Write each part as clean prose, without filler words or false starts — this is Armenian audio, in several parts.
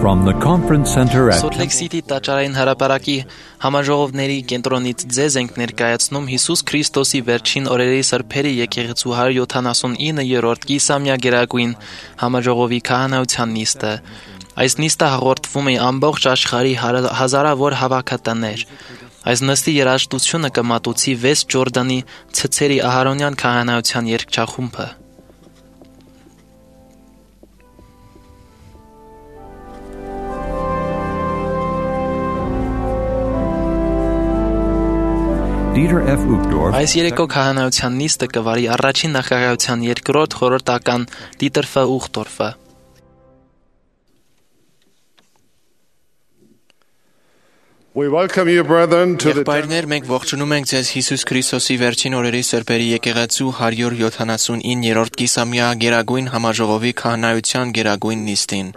From the conference center at Salt Lake City տաճարային հրապարակի համաժողովների կենտրոնից ձեզ ենք ներկայացնում Հիսուս Քրիստոսի վերջին օրերի սրբերի եկեղեցու 179-րդ կիսամյակերակույն համաժողովի քահանայության նիստը։ Այս նիստը հաղորդվում է ամբողջ աշխարհի հազարավոր հավաքատներ։ Այս նստի երաժշտությունը կմատուցի Վես Ջորդանի ցցերի Ահարոնյան քահանայության երգչախումբը։ Այս երեկո քահանայության նիստը կվարի առաջին նախագահության երկրորդ խորհրդական Դիտեր Ֆ. Ուխտորֆը։ Եղբայրներ, մենք ողջունում ենք ձեզ Հիսուս Քրիստոսի վերջին օրերի սրբերի եկեղեցու 179-րդ կիսամյա գերագույն համաժողովի քահանայության գերագույն նիստին։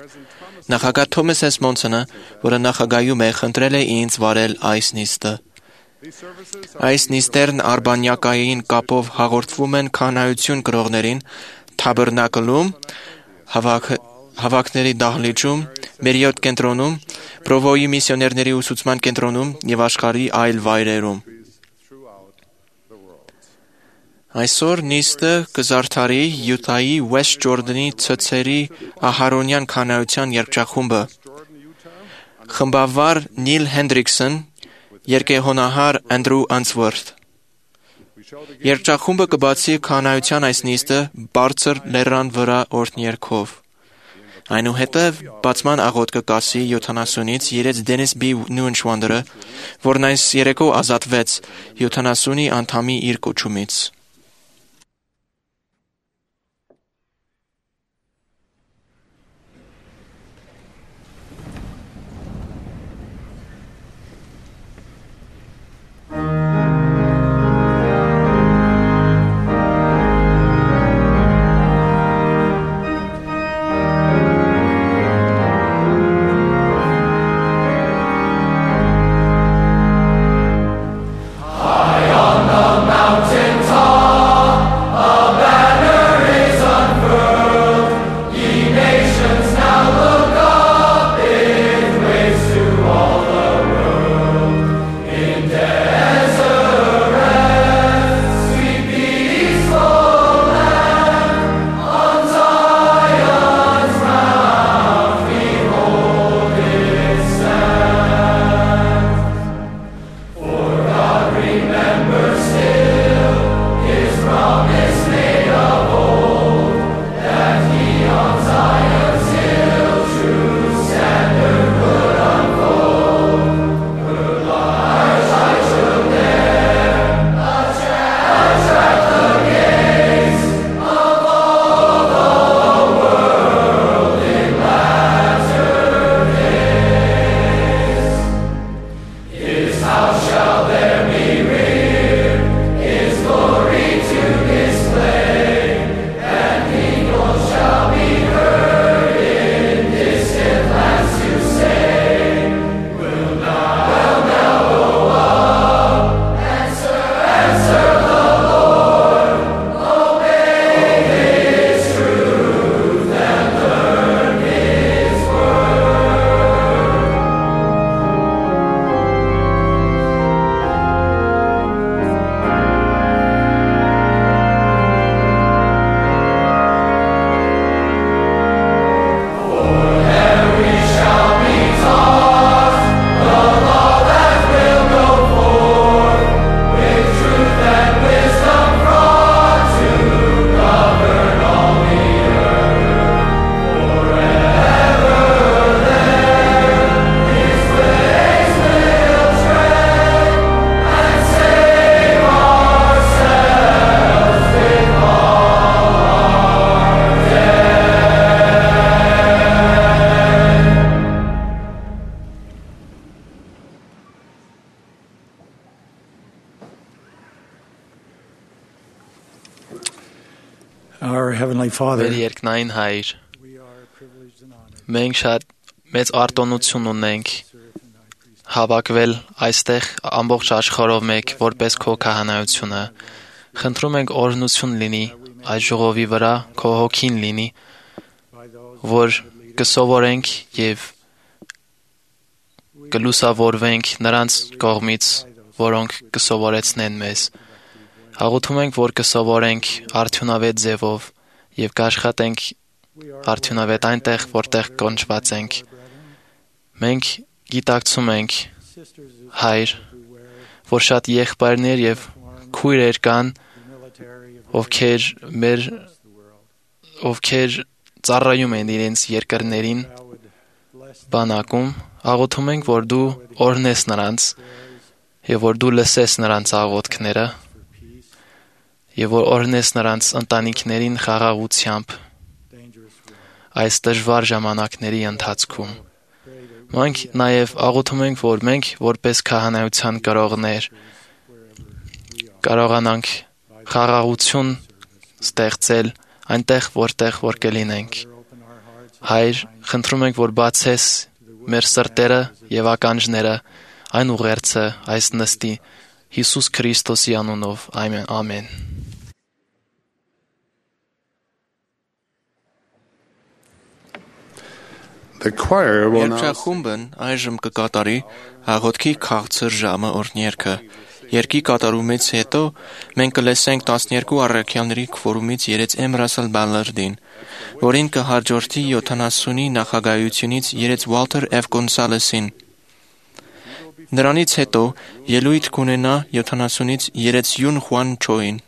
Նախագահ Թոմաս Ս. Մոնսոնը, որը նախագահում է, խնդրել է ինձ վարել այս նիստը։ Այս նիստերն արբանյակային կապով հաղորդվում են քահանայություն կրողներին Թաբերնակլում, հավաքների դահլիճում, Մերիոտ կենտրոնում, Պրովոյի միսիոներների ուսուցման կենտրոնում և աշխարհի այլ վայրերում։ Այսօր նիստը կզարդարի Յուտայի Վես Ջորդանի ցցերի Ահարոնյան քահանայության երգչախումբը։ Խմբավար Նիլ Հենդրիքսոն, երկեհոնահար Անդրու Անսվորթ։ Երգչախումբը կբացի քահանայության այս նիստը բարձր լեռան վրա օրհներգով։ Այնուհետև բացման աղոթք կասի 70-ից երեց Դենիս B. Նյուենշվանդերը, որն այս երեկո ազատվեց 70-ի անդամի իր կոչումից։ Մեր երկնային Հայր, մենք շատ մեծ արտոնություն ունենք հավաքվել այստեղ ամբողջ աշխարհով մեկ որպես քո քահանայությունը։ Խնդրում ենք օրհնություն լինի այս ժողովի վրա, քո հոգին լինի, որ կսովորենք եւ կլուսավորվենք նրանց կողմից, որոնք կսովորեցնեն մեզ։ Աղոթում ենք, որ կսովորենք արդյունավետ ձևով եւ կաշխատենք արդյունավետ այնտեղ, որտեղ կոնչված ենք։ Մենք գիտակցում ենք, Հայր, որ շատ եղբայրներ եւ քույրեր կան, ովքեր ծառայում են իրենց երկրներին բանակում, աղոթում ենք, որ դու օրհնես նրանց եւ որ դու լսես նրանց աղոթքները եւ որ օրհնես նրանց ընտանիքներին խաղաղությամբ այս դժվար ժամանակների ընթացքում։ Մենք նաեւ աղոթում ենք, որ մենք որպես քահանայության կրողներ կարողանանք խաղաղություն ստեղծել այնտեղ, որտեղ որ կլինենք։ Հայր, խնդրում ենք, որ բացես մեր սրտերը եւ ականջները այն ուղերձը այս նստի Հիսուս Քրիստոսի անունով։ Ամեն։ Երգչախումբն այժմ կկատարի աղոթքի քաղցր ժամը օրհներգը։ Երգի կատարումից հետո մենք կլսենք 12 առաքյալների քվորումից երեց Էմրասել Բալլարդին, որին կհաջորդի 70-ի նախագահությունից երեց Վալթեր F. Գոնսալեսին։ Նրանից հետո ելույթ կունենա 70-ից երեց Յուն Խուան Չոին։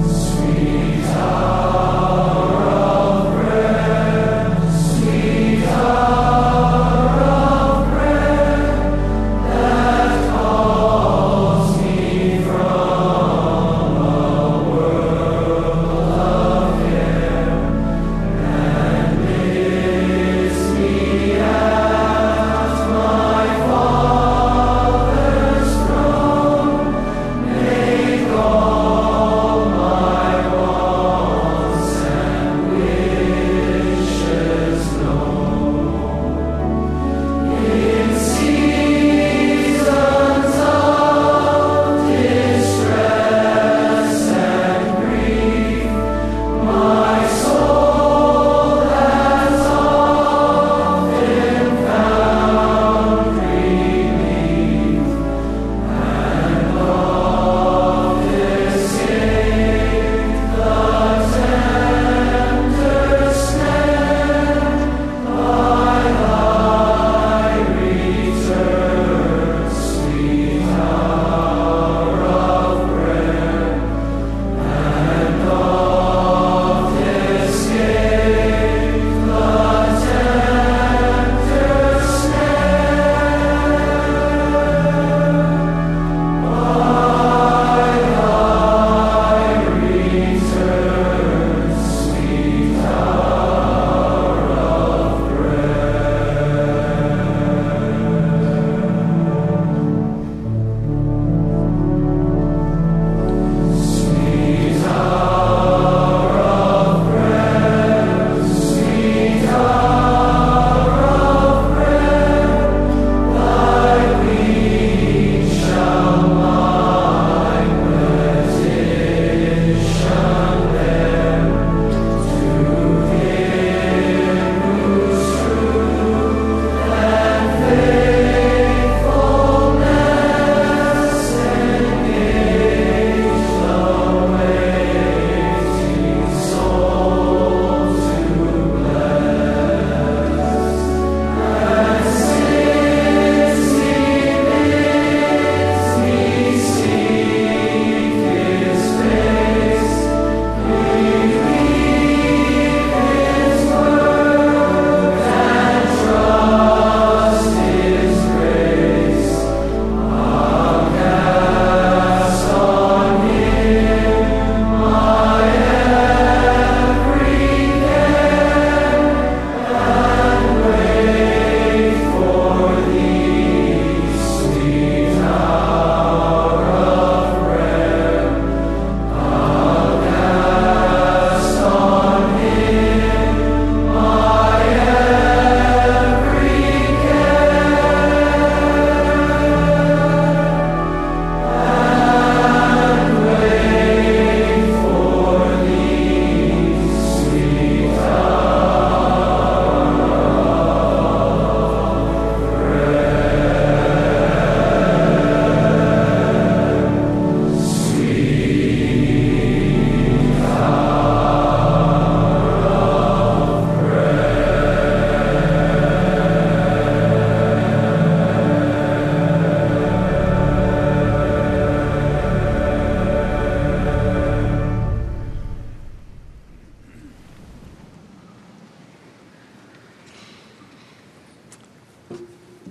Sweet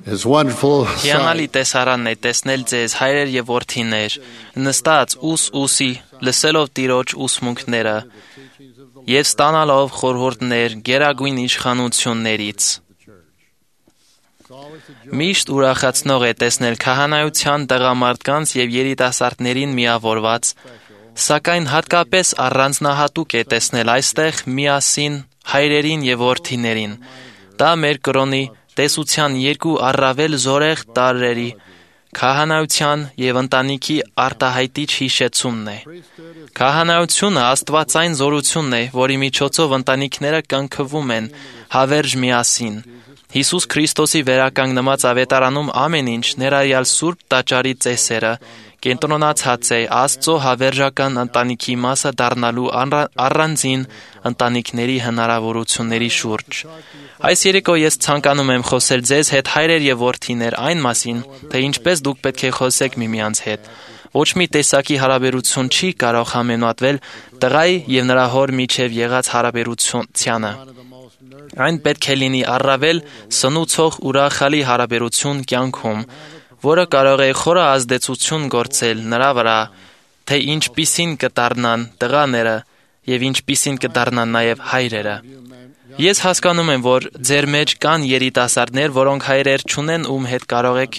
Հիանալի տեսարանն է տեսնել ձեզ, հայրեր եւ որդիներ, նստած ուսի, լսելով Տիրոջ ուսմունքները եւ ստանալով խորհուրդներ գերագույն իշխանություններից։ Միշտ ուրախացնող է տեսնել քահանայության տղամարդկանց եւ երիտասարդներին միավորված, սակայն հատկապես առանձնահատուկ է տեսնել այստեղ միասին հայրերին եւ որդիներին։ Դա մեր կրոնի տեսության երկու առավել զորեղ տարրերի՝ քահանայության եւ ընտանիքի արտահայտիչ հիշեցումն է։ Քահանայությունը աստվածային զորությունն է, որի միջոցով ընտանիքները կնքվում են հավերժ միասին։ Հիսուս Քրիստոսի վերականգնված ավետարանում ամեն ինչ, ներառյալ Սուրբ Տաճարի ծեսերը, կենտրոնացած է Աստծո հավերժական ընտանիքի մասը դառնալու առանձին ընտանիքների հնարավորությունների շուրջ։ Այս երեկո ես ցանկանում եմ խոսել ձեզ հետ, հայրեր եւ որդիներ, այն մասին, թե ինչպես դուք պետք է խոսեք միմյանց հետ։ Ոչ մի տեսակի հարաբերություն չի կարող համեմատվել տղայի եւ նրա հոր միջև եղած հարաբերությանը։ Այն պետք է լինի առավել սնուցող ուրախալի հարաբերություն կյանքում, որը կարող է խորը ազդեցություն գործել նրա վրա, թե ինչպիսին կդառնան տղաները եւ ինչպիսին կդառնան նաեւ հայրերը։ Ես հասկանում եմ, որ ձեր մեջ կան երիտասարդներ, որոնք հայրեր չունեն, ում հետ կարող եք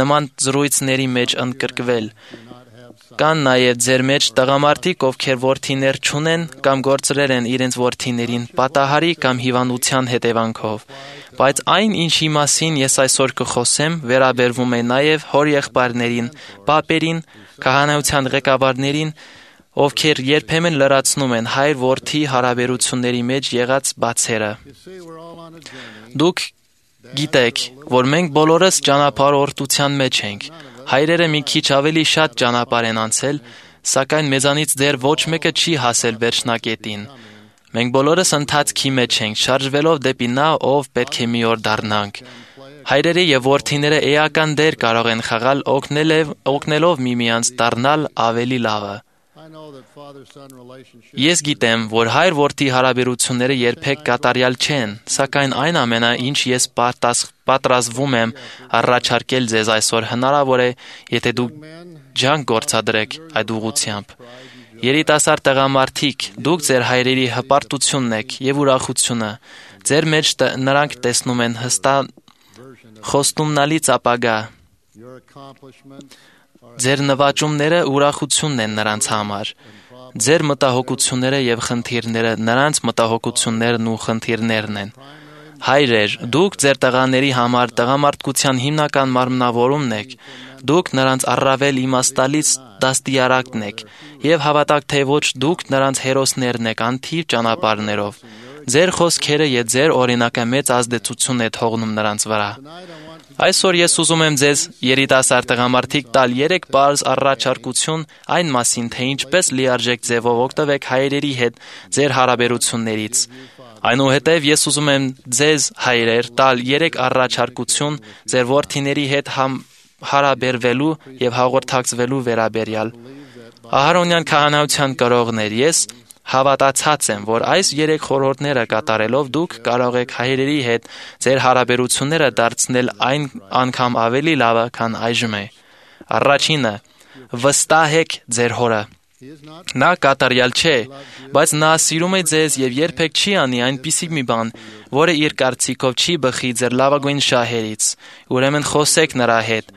նման զրույցների մեջ ընդգրկվել։ Կան նաև ձեր մեջ տղամարդիկ, ովքեր որդիներ չունեն կամ գործրել են իրենց որդիներին պատահարի կամ հիվանդության հետևանքով։ Բայց այն, ինչի մասին ես այսօր կխոսեմ, վերաբերվում է նաև հորեղբայրներին, պապերին, քահանայության ղեկավարներին, ովքեր երբեմն լրացնում են հայր-որդի հարաբերությունների մեջ եղած բացերը։ Դուք գիտեք, որ մենք բոլորս ճանապարհորդության մեջ ենք։ Հայրերը մի քիչ ավելի շատ ճանապարհ են անցել, սակայն մեզանից դեռ ոչ մեկը չի հասել վերջնակետին։ Մենք բոլորս ընթացքի մեջ ենք, շարժվելով դեպի նա, ով պետք է մի օր դառնանք։ Հայրերը եւ որդիները էական դեր կարող են խաղալ օգնելով միմյանց դառնալ ավելի լավը։ Ես գիտեմ, որ հայր-որդի հարաբերությունները երբեք կատարյալ չեն, սակայն այն ամենը, ինչ ես պատրաստվում եմ առաջարկել ձեզ այսօր, հնարավոր է, եթե դուք ջանք գործադրեք այդ ուղղությամբ։ Երիտասարդ տղամարդիկ, դուք ձեր հայրերի հպարտությունն եք եւ ուրախությունը։ Ձեր մեջ նրանք տեսնում են խոստումնալից ապագա։ Ձեր նվաճումները ուրախությունն են նրանց համար։ Ձեր մտահոգությունները եւ խնդիրները նրանց մտահոգություններն ու խնդիրներն են։ Հայրեր, դուք ձեր տղաների համար տղամարդկության հիմնական մարմնավորումն եք։ Դուք նրանց առավել իմաստալից դաստիարակն եք եւ հավատաք թե ոչ դուք նրանց հերոսներն եք անթիվ ճանապարհներով։ Ձեր խոսքերը եւ ձեր օրինակը մեծ ազդեցություն է թողնում նրանց վրա։ Այսօր ես ուզում եմ ձեզ երիտասարդ տղամարդիկ տալ 3 պարզ առաջարկություն այն մասին, թե ինչպես լիարժեք ձևով օգտվեք հայրերի հետ ձեր հարաբերություններից։ Այնուհետև ես ուզում եմ ձեզ հայրեր տալ 3 առաջարկություն ձեր որդիների հետ հարաբերվելու եւ հաղորդակցվելու վերաբերյալ։ Ահարոնյան քահանայության կրողներ, ես հավատացած եմ, որ այս 3 խորհուրդները կատարելով դուք կարող եք հայրերի հետ ձեր հարաբերությունները դարձնել այն անգամ ավելի լավը, քան այժմ է։ Առաջինը՝ վստահեք ձեր հորը։ Նա կատարյալ չէ, բայց նա սիրում է ձեզ եւ երբեք չի անի այնպիսի մի բան, որը իր կարծիքով չի բխի ձեր լավագույն շահերից։ Ուրեմն խոսեք նրա հետ։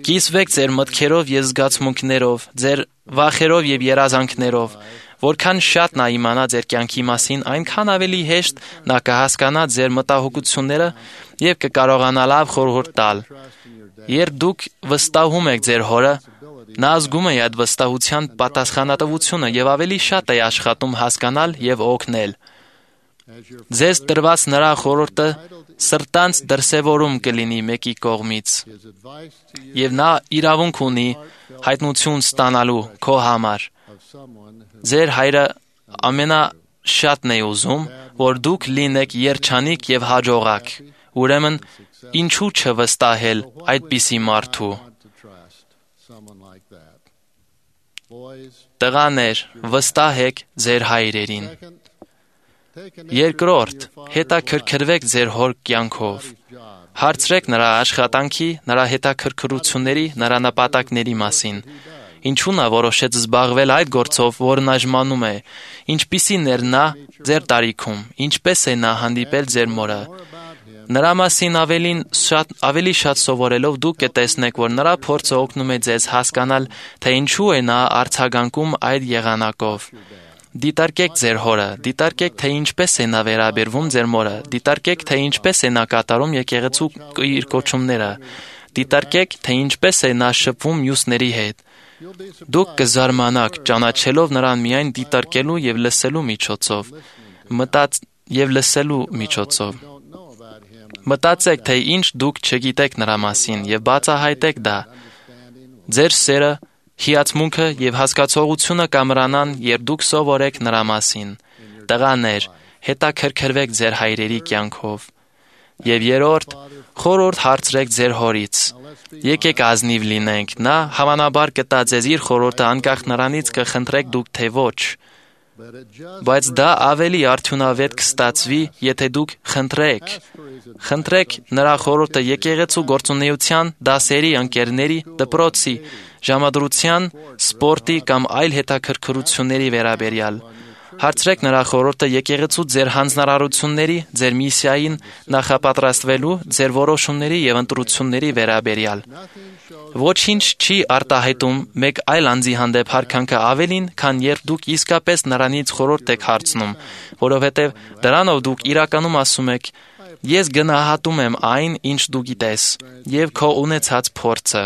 Կիսվեք ձեր մտքերով եւ զգացմունքներով, ձեր վախերով եւ երազանքներով։ Որքան շատ նա իմանա ձեր կյանքի մասին, այնքան ավելի հեշտ նա կհասկանա ձեր մտահոգությունները եւ կկարողանա լավ խորհուրդ տալ։ Երբ դուք վստահում եք ձեր հորը, նա զգում է այդ վստահության պատասխանատվությունը եւ ավելի շատ է աշխատում հասկանալ եւ օգնել։ Ձեզ տրված նրա խորհուրդը սրտանց դրսևորում կլինի մեկի կողմից եւ նա իրավունք ունի հայտնություն ստանալու քո համար։ Ձեր հայրը ամենաշատն է ուզում, որ դուք լինեք երջանիկ եւ հաջողակ։ Ուրեմն ինչու չվստահել այդպիսի մարդու։ Տղաներ, վստահեք ձեր հայրերին։ Երկրորդ, հետաքրքրվեք ձեր հոր կյանքով։ Հարցրեք նրա աշխատանքի, նրա հետաքրքրությունների, նրա նպատակների մասին։ Ինչու նա որոշեց զբաղվել այդ գործով, որն այժմ անում է։ Ինչպիսին էր նա ձեր տարիքում, ինչպես է նա հանդիպել ձեր մորը։ Նրա մասին ավելի շատ սովորելով դուք կտեսնեք, որ նրա փորձը օգնում է ձեզ հասկանալ, թե ինչու է նա արձագանքում այդ եղանակով։ Դիտարկեք ձեր հորը, դիտարկեք, թե ինչպես է նա վերաբերվում ձեր մորը, դիտարկեք, թե ինչպես է նա կատարում եկեղեցու իր կոչումները, դիտարկեք, թե ինչպես է նա շփվում մյուսների հետ։ Դուք կզարմանաք, ճանաչելով նրան միայն դիտարկելու եւ լսելու միջոցով։ Մտածեք, թե ինչ դուք չգիտեք նրա մասին եւ բացահայտեք դա։ Ձեր սերը, հիացմունքը եւ հասկացողությունը կամրանան, երբ դուք սովորեք նրա մասին։ Տղաներ, հետաքրքրվեք ձեր հայրերի կյանքով։ Եվ երրորդ, խորհուրդ հարցրեք ձեր հորից։ Եկեք ազնիվ լինենք, նա հավանաբար կտա ձեզ իր խորհուրդը անկախ նրանից կխնդրեք դուք թե ոչ։ Բայց դա ավելի արդյունավետ կստացվի, եթե դուք խնդրեք։ Խնդրեք նրա խորհուրդը եկեղեցու գործունեության, դասերի, ընկերների, դպրոցի, ժամադրության, սպորտի կամ այլ հետաքրքրությունների վերաբերյալ։ Հարցրեք նրա խորհուրդը եկեղեցու ձեր հանձնարարությունների, ձեր միսիային նախապատրաստվելու, ձեր որոշումների եւ ընտրությունների վերաբերյալ։ Ոչինչ չի արտահայտում մեկ այլ անձի հանդեպ հարկանքը ավելին, քան երբ դուք իսկապես նրանից խորհուրդ եք հարցնում, որովհետև դրանով դուք իրականում ասում եք. Ես գնահատում եմ այն, ինչ դու գիտես, եւ քո ունեցած փորձը,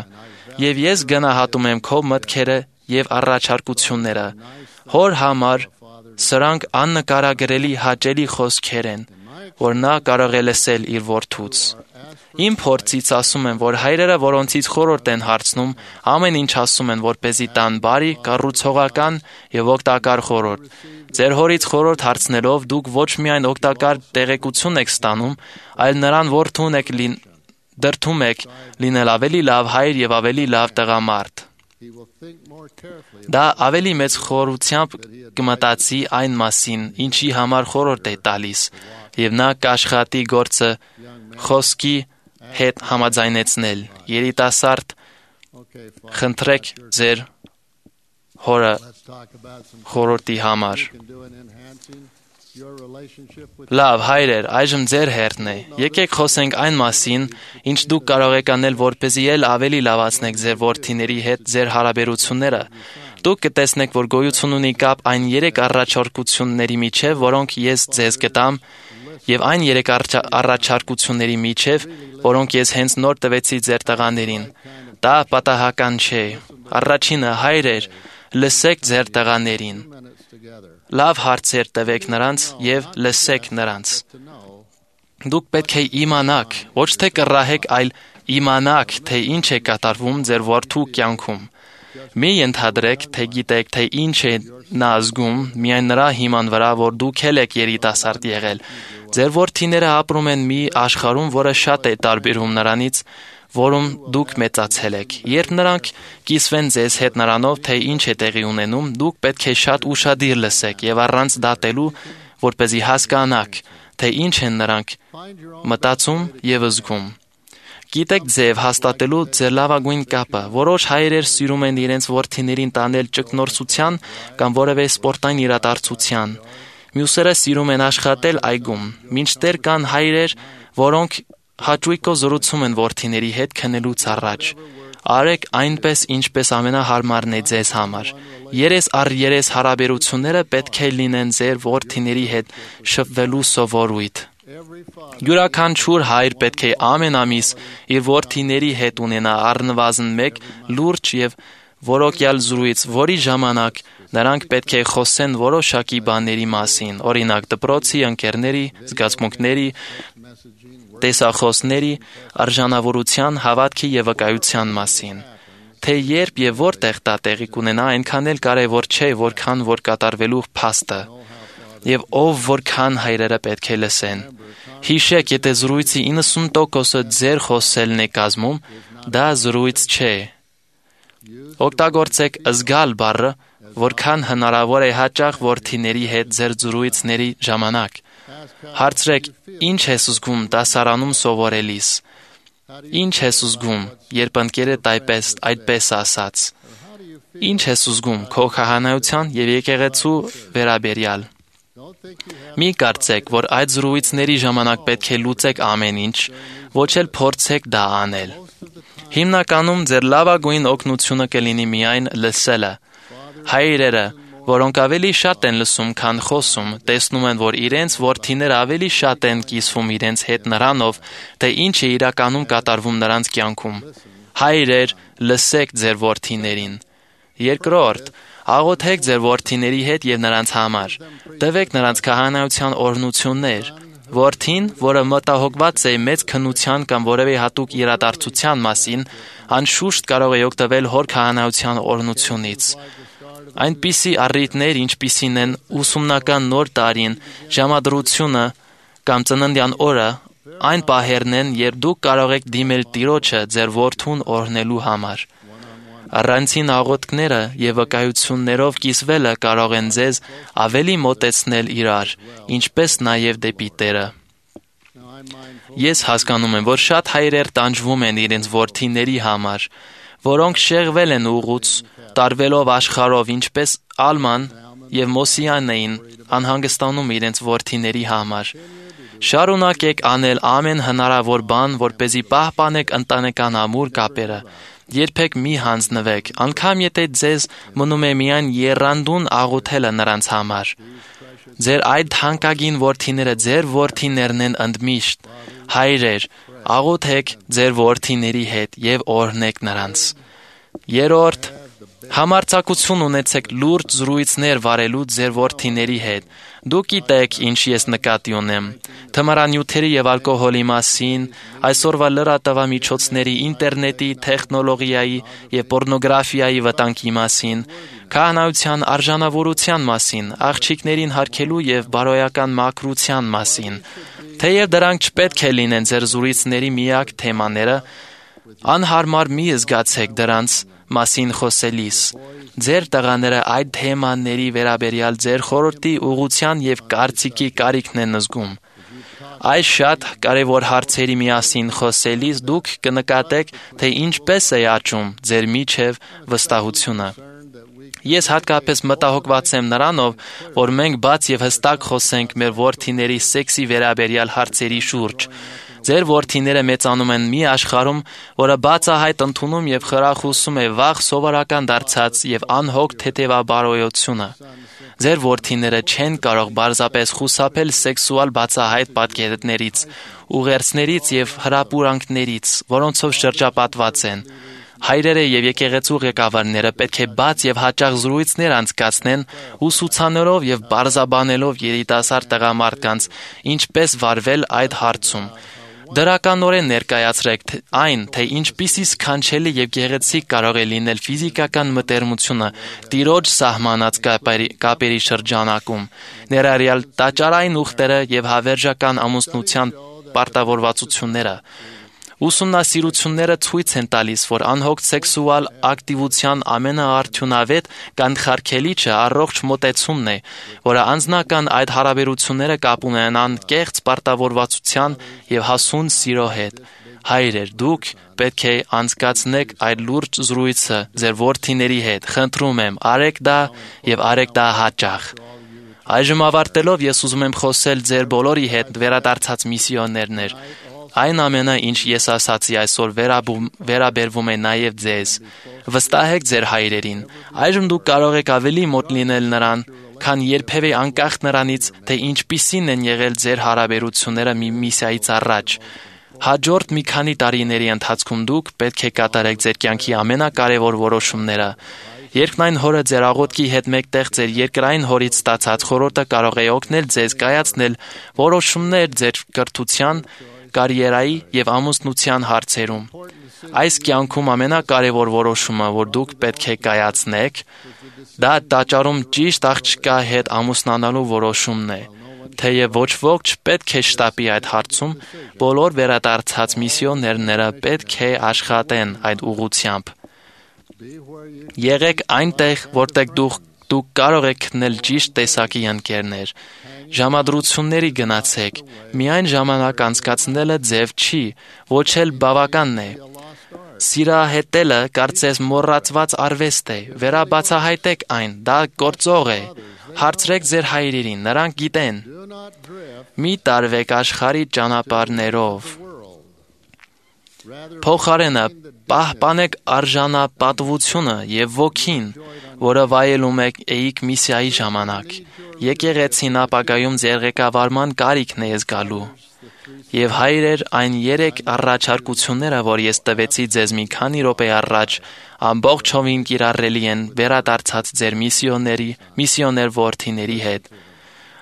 եւ ես գնահատում եմ քո մտքերը եւ առաջարկությունները։ Հոր համար սրանք աննկարագրելի հաճելի խոսքեր են, որ նա կարող է լսել իր որդուց։ Իմ փորձից ասում եմ, որ հայրերը, որոնցից խորհուրդ են հարցնում, ամեն ինչ ասում են, որպեսզի տան բարի, կառուցողական եւ օգտակար խորհուրդ։ Ձեր հորից խորհուրդ հարցնելով դուք ոչ միայն օգտակար տեղեկություն եք ստանում, այլ նրան դրդում եք լինել ավելի լավ հայր եւ ավելի լավ տղամարդ։ Դա ավելի մեծ խորությամբ կմտածի այն մասին, ինչի համար խորհուրդ է տալիս, եւ նա կաշխատի գործը խոսքի հետ համաձայնեցնել։ Երիտասարդ, խնդրեք ձեր հորը խորհրդի համար։ Լավ, հայրեր, այժմ ձեր հերթն է։ Եկեք խոսենք այն մասին, ինչ դուք կարող եք անել, որպեսզի ել ավելի լավացնեք ձեր որդիների հետ ձեր հարաբերությունները։ Դուք կտեսնեք, որ գոյություն ունի կապ այն 3 առաջարկությունների միջև, որոնք ես ձեզ կտամ, եւ այն 3 առաջարկությունների միջև, որոնք ես հենց նոր տվեցի ձեր տղաներին։ Դա պատահական չէ։ Առաջինը, հայրեր, լսեք ձեր տղաներին։ Լավ հարցեր տվեք նրանց եւ լսեք նրանց։ Դուք պետք է իմանաք, ոչ թե կռահեք, այլ իմանաք, թե ինչ է կատարվում ձեր որդու կյանքում։ Մի ենթադրեք, թե գիտեք, թե ինչ է նա զգում, միայն նրա հիման վրա, որ դուք եք երիտասարդ եղել։ Ձեր որդիները ապրում են մի աշխարհում, որը շատ է տարբերվում նրանից, որում դուք մեծացել եք։ Երբ նրանք կիսվեն ձեզ հետ նրանով, թե ինչ է տեղի ունենում, դուք պետք է շատ ուշադիր լսեք եւ առանց դատելու, որպեսզի հասկանաք, թե ինչ են նրանք մտածում եւ զգում։ Գիտեք ձեւ հաստատելու ձեր լավագույն կապը։ Որոշ հայրեր սիրում են իրենց որդիներին տանել ճգնորսության կամ որևէ սպորտային իրադարձության։ Մյուսերը սիրում են աշխատել այգում։ Մինչդեռ կան հայրեր, որոնք հաճույքով զրուցում են որդիների հետ քնելուց առաջ։ Արեք այնպես, ինչպես ամենահարմարն է ձեզ համար։ Երես առ երես հարաբերությունները պետք է լինեն ձեր որդիների հետ շփվելու սովորույթ։ Յուրաքանչյուր հայր պետք է ամեն ամիս իր որդիների հետ ունենա առնվազն 1 լուրջ եւ որոկյալ զրույց, որի ժամանակ նրանք պետք է խոսեն որոշակի բաների մասին, օրինակ դպրոցի, ընկերների, զգացմունքների, տեսախոսների, արժանավորության, հավատքի եւ վկայության մասին։ Թե երբ եւ որտեղ դա տեղի կունենա, այնքան էլ կարեւոր չէ, որքան որ կատարվելու փաստը։ Եվ ով որքան հայրերը պետք է լսեն։ Հիշեք, եթե զրույցի 90%-ը ձեր խոսելն է կազմում, դա զրույց չէ։ Օգտագործեք զգալ բառը, որքան հնարավոր է հաճախ որդիների հետ ձեր զրույցների ժամանակ։ Հարցրեք, ինչ ես զգում դասարանում սովորելիս։ Ինչ ես ուզգում, երբ ընկերդ այդպես ասաց։ Ինչ ես ուզգում քո քահանայության եւ եկեղեցու վերաբերյալ։ Մի կարծեք, որ այդ զրույցների ժամանակ պետք է լուծեք ամեն ինչ, ոչ էլ փորձեք դա անել։ Հիմնականում ձեր լավագույն օգնությունը կլինի միայն լսելը։ Հայրերը, որոնք ավելի շատ են լսում, քան խոսում, տեսնում են, որ իրենց որդիները ավելի շատ են կիսվում իրենց հետ նրանով, թե ինչ է իրականում կատարվում նրանց կյանքում։ Հայրեր, լսեք ձեր որդիներին։ Երկրորդ, աղոթեք ձեր որդիների հետ եւ նրանց համար։ Տվեք նրանց քահանայության օրհնություններ։ Որդին, որը մտահոգված է մեծ քննության կամ որևէ հատուկ իրադարձության մասին, անշուշտ կարող է օգտվել հոր քահանայության օրհնությունից։ Այնպիսի առիթներ, ինչպիսին են ուսումնական նոր տարին, ժամադրությունը կամ ծննդյան օրը, այն պահերն են, երբ դուք կարող եք դիմել Տիրոջը ձեր որդուն օրհնելու համար։ Առանցին աղոթքները եւ վկայություններով կիսվելը կարող են ձեզ ավելի մոտեցնել իրար, ինչպես նաեւ դեպի Տերը։ Ես հասկանում եմ, որ շատ հայրեր տանջվում են իրենց որդիների համար, որոնք շեղվել են ուղուց, տարվելով աշխարհով, ինչպես Ալման եւ Մոսիան էին անհանգստանում իրենց որդիների համար։ Շարունակեք անել ամեն հնարավոր բան, որպեսզի պահպանեք ընտանեկան ամուր կապերը։ Երբեք մի հանձնվեք, անգամ եթե ձեզ մնում է միայն եռանդուն աղոթելը նրանց համար։ Ձեր այդ թանկագին որդիները ձեր որդիներն են ընդմիշտ։ Հայրեր, աղոթեք ձեր որդիների հետ եւ օրհնեք նրանց։ Երրորդ, համարձակություն ունեցեք լուրջ զրույցներ վարելու ձեր որդիների հետ։ Դուք գիտեք, ինչ ես նկատի ունեմ։ Թմրանյութերի եւ ալկոհոլի մասին, այսօրվա լրատվամիջոցների, ինտերնետի, տեխնոլոգիայի եւ պոռնոգրաֆիայի վտանգի մասին, քահանայության արժանավորության մասին, աղջիկներին հարգելու եւ բարոյական մաքրության մասին։ Թեև դրանք չպետք է լինեն ձեր զրույցների միակ թեմաները, անհարմար մի զգացեք դրանց մասին խոսելիս։ Ձեր տղաները այդ թեմաների վերաբերյալ ձեր խորհրդի, ուղղության եւ կարծիքի կարիքն են զգում։ Այս շատ կարևոր հարցերի միասին խոսելիս դուք կնկատեք, թե ինչպես է աճում ձեր միջև վստահությունը։ Ես հատկապես մտահոգված եմ նրանով, որ մենք բաց եւ հստակ խոսենք մեր որդիների սեքսի վերաբերյալ հարցերի շուրջ։ Ձեր որդիները մեծանում են մի աշխարհում, որը բացահայտ ընդունում եւ խրախուսում է վաղ սովորական դարձած եւ անհոգ թեթևաբարոյությունը։ Ձեր որդիները չեն կարող պարզապես խուսափել սեքսուալ բացահայտ պատկերներից, ուղերձներից եւ հրապուրանքներից, որոնցով շրջապատված են։ Հայրերը եւ եկեղեցու ղեկավարները պետք է բաց եւ հաճախ զրույցներ անցկացնեն, ուսուցանելով եւ բարձաբանելով երիտասարդ տղամարդկանց ինչպես վարվել այդ հարցում։ Դրականորեն ներկայացրեք այն, թե ինչպիսի սքանչելի եւ գեղեցիկ կարող է լինել ֆիզիկական մտերմությունը Տիրոջ սահմանած կապերի շրջանակում, ներառյալ տաճարային ուխտերը եւ հավերժական ամուսնության պարտավորվածությունները։ Ուսումնասիրությունները ցույց են տալիս, որ անհոգ սեքսուալ ակտիվության ամենաարդյունավետ կանխարգելիչը առողջ մոտեցումն է, որը անձնական այդ հարաբերությունները կապ ունենան կեղծ պարտավորվածության եւ հասուն սիրո հետ։ Հայրեր, դուք պետք է անցկացնեք այդ լուրջ զրույցը ձեր որդիների հետ։ Խնդրում եմ, արեք դա եւ արեք դա հաճախ։ Այժմ ավարտելով ես ուզում եմ խոսել ձեր բոլորի հետ վերադարձած միսիոներներ։ Այն ամենը, ինչ ես ասացի այսօր վերաբերվում է նաև ձեզ։ Վստահեք ձեր հայրերին։ Այժմ դուք կարող եք ավելի մոտ լինել նրան, քան երբևէ անկախ նրանից, թե ինչպիսին են եղել ձեր հարաբերությունները մի միսիայից առաջ։ Հաջորդ մի քանի տարիների ընթացքում դուք պետք է կատարեք ձեր կյանքի ամենակարևոր որոշումները։ Երկնային հորը ձեր աղոթքի հետ մեկտեղ ձեր երկրային հորից ստացած խորհուրդը կարող է օգնել ձեզ կայացնել որոշումներ ձեր կրթության, կարիերայի եւ ամուսնության հարցերում։ Այս կյանքում ամենակարևոր որոշումը, որ դուք պետք է կայացնեք, դա տաճարում ճիշտ աղջկա հետ ամուսնանալու որոշումն է։ Թեև ոչ ոք չպետք է շտապի այդ հարցում, բոլոր վերադարձած միսիոներները պետք է աշխատեն այդ ուղղությամբ։ Եղեք այնտեղ, որտեղ Դուք կարող եք գտնել ճիշտ տեսակի ընկերներ։ Ժամադրությունների գնացեք։ Միայն ժամանակ անցկացնելը ձև չի, ոչ էլ բավականն է։ Սիրահետելը կարծես մոռացված արվեստ է։ Վերաբացահայտեք այն, դա գործող է։ Հարցրեք ձեր հայրերին, նրանք գիտեն։ Մի տարվեք աշխարհի ճանապարհներով։ Փոխարենը պահպանեք արժանապատվությունը եւ ոգին, որը վայելում էիք միսիայի ժամանակ։ Եկեղեցին ապագայում ձեր ղեկավարման կարիքն է զգալու։ Եվ հայրեր, այն 3 առաջարկությունները, որ ես տվեցի ձեզ մի քանի րոպե առաջ, ամբողջովին կիրառելի են վերադարձած ձեր միսիոներ որդիների հետ։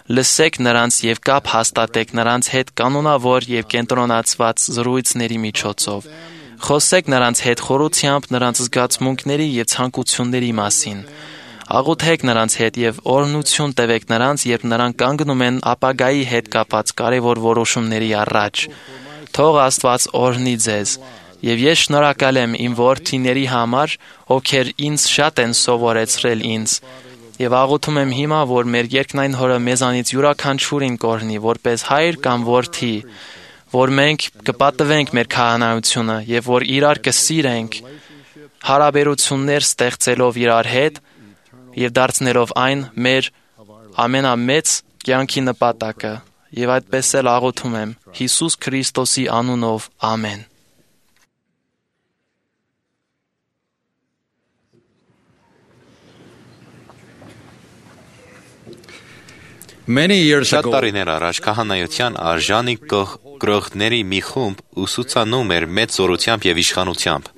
Լսեք նրանց եւ կապ հաստատեք նրանց հետ կանոնավոր եւ կենտրոնացված զրույցների միջոցով։ Խոսեք նրանց հետ խորությամբ նրանց զգացմունքների եւ ցանկությունների մասին։ Աղոթեք նրանց հետ եւ օրհնություն տվեք նրանց, երբ նրանք կանգնում են ապագայի հետ կապած կարևոր որոշումների առաջ։ Թող Աստված օրհնի ձեզ։ Եվ ես շնորհակալ եմ իմ որդիների համար, ովքեր ինձ շատ են սովորեցրել ինձ։ Եվ աղոթում եմ հիմա, որ մեր երկնային Հորը մեզանից յուրաքանչյուրին կօրհնի, որպես հայր կամ որդի, որ մենք կպատվենք մեր քահանայությունը եւ որ իրար կսիրենք, հարաբերություններ ստեղծելով իրար հետ եւ դարձնելով այն մեր ամենամեծ կյանքի նպատակը։ Եվ այդպես էլ աղոթում եմ Հիսուս Քրիստոսի անունով, ամեն։ Շատ տարիներ առաջ քահանայության արժանի գրողների մի խումբ ուսուցանում էր մեծ զորությամբ եւ իշխանությամբ։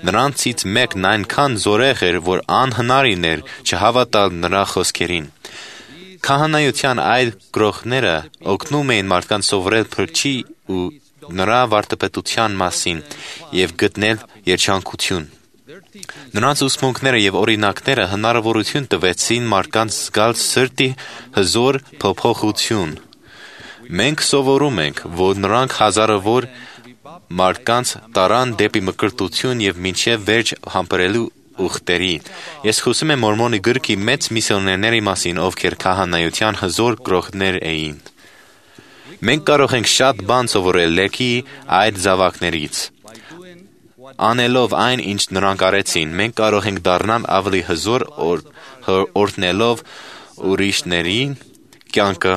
Նրանցից մեկն այնքան զորեղ էր, որ անհնարին էր չհավատալ նրա խոսքերին։ Քահանայության այլ գրողները օգնում էին մարդկանց սովորել փրկչի ու նրա վարդապետության մասին եւ գտնել երջանկություն։ Նրանց ուսմունքները եւ օրինակները հնարավորություն տվեցին մարդկանց զգալ սրտի հզոր փոփոխություն։ Մենք սովորում ենք, որ նրանք հազարավոր մարդկանց տարան դեպի մկրտություն եւ մինչեւ վերջ համբերելու ուխտերի։ Ես խոսում եմ Մորմոնի գրքի մեծ միսիոներների մասին, ովքեր քահանայության հզոր գրողներ էին։ Մենք կարող ենք շատ բան սովորել լեքի այդ զավակներից։ Անելով այն, ինչ նրանք արեցին, մենք կարող ենք դառնալ ավելի հզոր օրհնելով ուրիշներին կյանքը,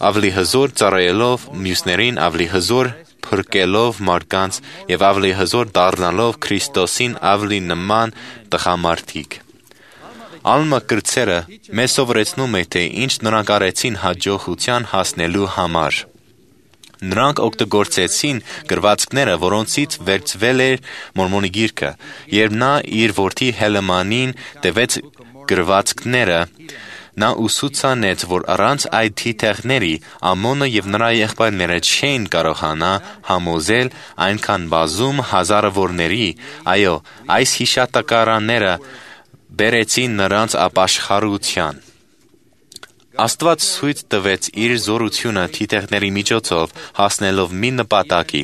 ավելի հզոր ծառայելով մյուսներին, ավելի հզոր փրկելով մարդկանց եւ ավելի հզոր դառնալով Քրիստոսին ավելի նման տղամարդիկ։ Ալմա կրծերը մեզ սովորեցնում է, թե ինչ նրանք արեցին հաջողության հասնելու համար։ Նրանք օգտագործեցին գրվածքները, որոնցից վերցվել էր Մորմոնի գիրքը, երբ նա իր որդի Հելեմանին տվեց գրվածքները, նա ուսուցանեց, որ առանց այդ թիթեղների Ամոնը եւ նրա եղբայրները չէին կարողանա համոզել այնքան բազում հազարավորների, այո, այս հիշատակարանները բերեցին նրանց ապաշխարության։ Աստված ցույց տվեց իր զորությունը թիթեղների միջոցով հասնելով մի նպատակի,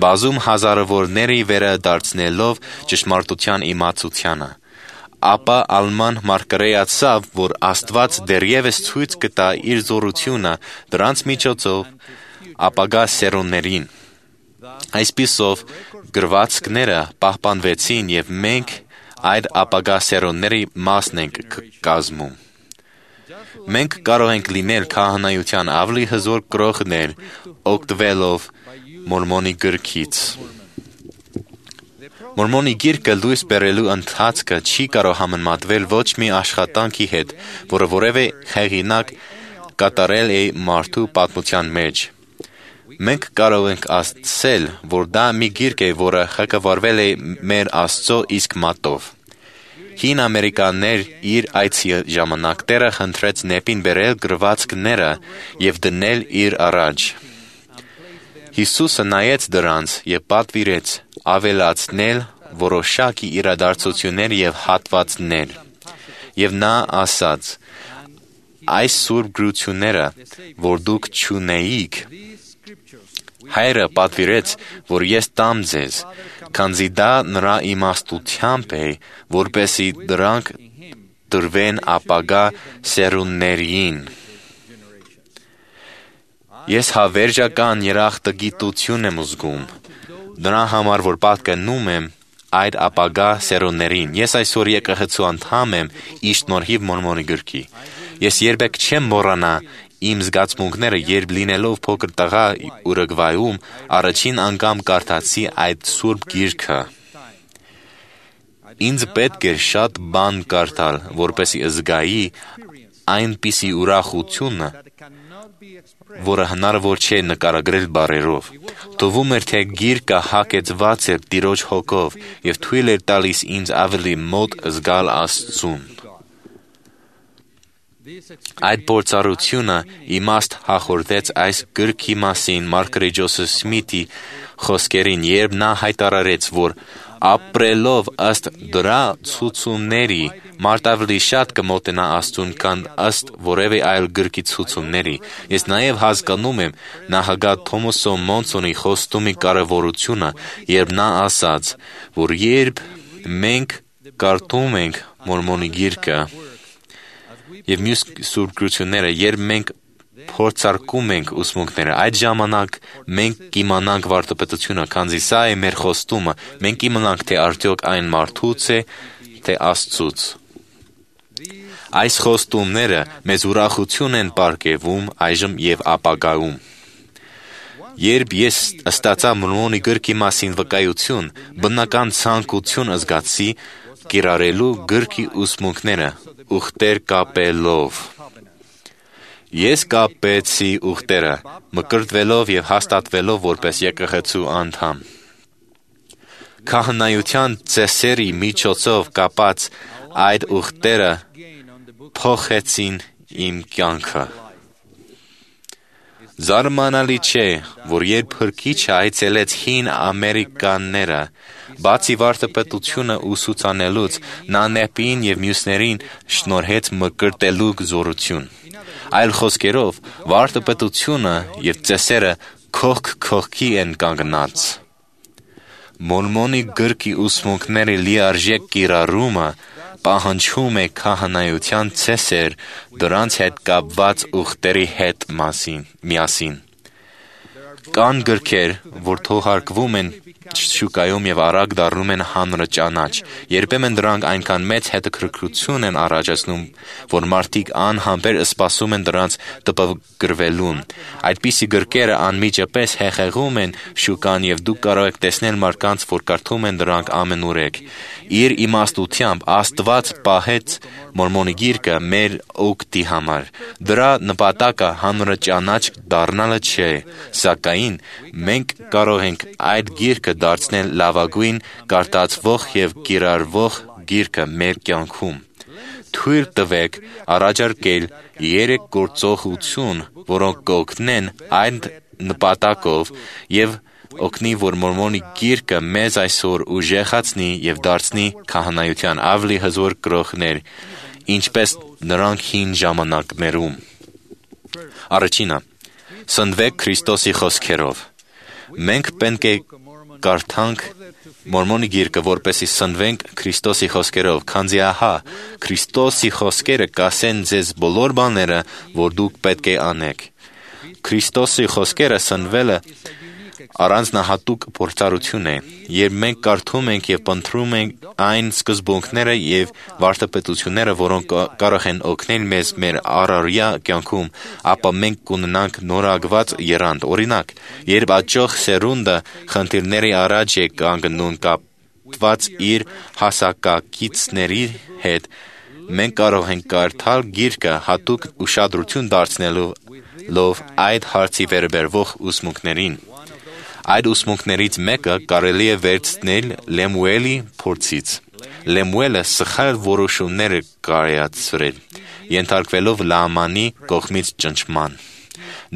բազում հազարավորների վերադարձնելով ճշմարտության իմացությանը։ Ապա Ալման մարգարեացավ, որ Աստված դեռևս ցույց կտա իր զորությունը դրանց միջոցով ապագա սերունդներին։ Այսպիսով գրվածքները պահպանվեցին եւ մենք այդ ապագա սերունդների մասն ենք կազմում։ Մենք կարող ենք լինել քահանայության ավելի հզոր գրողներ, օգտվելով Մորմոնի գրքից։ Մորմոնի գիրքը լույս բերելու ընթացքը չի կարող համեմատվել ոչ մի աշխատանքի հետ, որը որևէ հեղինակ կատարել է մարդու պատմության մեջ։ Մենք կարող ենք ասել, որ դա մի գիրք է, որը ղեկավարվել է մեր Աստծո իսկ մատով։ Հին ամերիկաներ իր այցի ժամանակ Տերը խնդրեց նեպին բերել գրվածքները եւ դնել իր առաջ։ Հիսուսը նայեց դրանց եւ պատվիրեց ավելացնել որոշակի իրադարձություններ եւ հատվածներ։ Եվ նա ասաց. այս սուրբ գրությունները, որ դուք չունեիք, Հայրը պատվիրեց, որ ես տամ ձեզ, քանզի դա նրա իմաստությամբ է, որպեսզի դրանք տրվեն ապագա սերունդներին։ Ես հավերժական երախտագիտություն եմ զգում, դրա համար, որ պատկանում եմ այդ ապագա սերունդներին։ Ես այսօր եկեղեցու անդամ եմ ի շնորհիվ Մորմոնի գրքի։ Ես երբեք չեմ մոռանա իմ զգացմունքները, երբ լինելով փոքր տղա Ուրուգվայում առաջին անգամ կարդացի այդ սուրբ գիրքը։ Ինձ պետք էր շատ բան կարդալ, որպեսզի զգայի այնպիսի ուրախությունը, որը հնարավոր չէ նկարագրել բառերով։ Թվում էր, թե գիրքը հագեցված էր Տիրոջ հոգով և թույլ էր տալիս ինձ ավելի մոտ զգալ Աստծուն։ Այդ փորձառությունը իմաստ հաղորդեց այս գրքի մասին Մարգարետ Ջոսեֆ Սմիթի խոսքերին, երբ նա հայտարարեց, որ ապրելով ըստ դրա ցուցումների մարդ ավելի շատ կմոտենա Աստծուն, քան ըստ որևէ այլ գրքի ցուցումների։ Ես նաև հասկանում եմ նախագահ Թոմաս Մոնսոնի խոստումի կարևորությունը, երբ նա ասաց, որ երբ մենք կարդում ենք Մորմոնի գիրքը և մյուս սուրբ գրությունները, երբ մենք փորձարկում ենք ուսմունքները, այդ ժամանակ մենք կիմանանք վարդապետությունը, քանզի սա է մեր խոստումը, մենք կիմանանք, թե արդյոք այն մարդուց է, թե Աստծուց։ Այս խոստումները մեզ ուրախություն են պարգևում այժմ և ապագայում։ Երբ ես ստացա Մորմոնի գրքի մասին վկայություն, բնական ցանկություն զգացի կիրառելու գրքի ուսմունքները ուխտեր կապելով։ Ես կապեցի ուխտերը, մկրտվելով և հաստատվելով որպես եկեղեցու անդամ։ Քահանայության ծեսերի միջոցով կապած այդ ուխտերը փոխեցին իմ կյանքը։ Զարմանալի չէ, որ երբ Փրկիչը այցելեց հին ամերիկաները, բացի վարդապետությունը ուսուցանելուց, նա նեպին և մյուսներին շնորհեց մկրտելու զորություն։ Այլ խոսքերով, վարդապետությունը և ծեսերը կողք կողքի են կանգնած։ Մորմոնի գրքի ուսմունքների լիարժեք կիրառումը պահանջում է քահանայության ծեսեր դրանց հետ կապված ուխտերի հետ միասին։ Կան գրքեր, որ թողարկվում են շուկայում և արագ դառնում են հանրաճանաչ։ Երբեմն դրանք այնքան մեծ հետաքրքրություն են առաջացնում, որ մարդիկ անհամբեր սպասում են դրանց տպագրվելուն։ Այդպիսի գրքերը անմիջապես հեղեղում են շուկան և դուք կարող եք տեսնել մարդկանց, որ կարդում են դրանք ամենուրեք։ Իր իմաստությամբ Աստված պահեց Մորմոնի գիրքը մեր օգտի համար։ Դրա նպատակը հանրաճանաչ դառնալը չէ, սակայն մենք կարող ենք այդ գիրքը դարձնել լավագույն կարդացվող և կիրառվող գիրքը մեր կյանքում։ Թույլ տվեք առաջարկել 3 գործողություն, որոնք կօգնեն այդ նպատակով և օգնի, որ Մորմոնի գիրքը մեզ այսօր ուժեղացնի և դարձնի քահանայության ավելի հզոր կրողներ, ինչպես նրանք հին ժամանակներում։ Առաջինը, սնվեք Քրիստոսի խոսքերով։ Մենք պետք է կարդանք Մորմոնի գիրքը, որպեսզի սնվենք Քրիստոսի խոսքերով, քանզի ահա Քրիստոսի խոսքերը կասեն ձեզ բոլոր բաները, որ դուք պետք է անեք։ Քրիստոսի խոսքերը սնվելը առանձնահատուկ փորձառություն է, երբ մենք կարդում ենք և փնտրում ենք այն սկզբունքները և վարդապետությունները, որոնք կարող են օգնել մեզ մեր առօրյա կյանքում, ապա մենք կունենանք նորագված եռանդ։ Օրինակ, երբ աճող սերունդը խնդիրների առաջ է կանգնում կապված իր հասակակիցների հետ, մենք կարող ենք կարդալ գիրքը հատուկ ուշադրություն դարձնելով այդ հարցի վերաբերող ուսմունքներին։ Այդ ուսմունքներից մեկը կարելի է վերցնել Լեմուելի փորձից։ Լեմուելը սխալ որոշումներ է կայացրել, ենթարկվելով Լամանի կողմից ճնշման։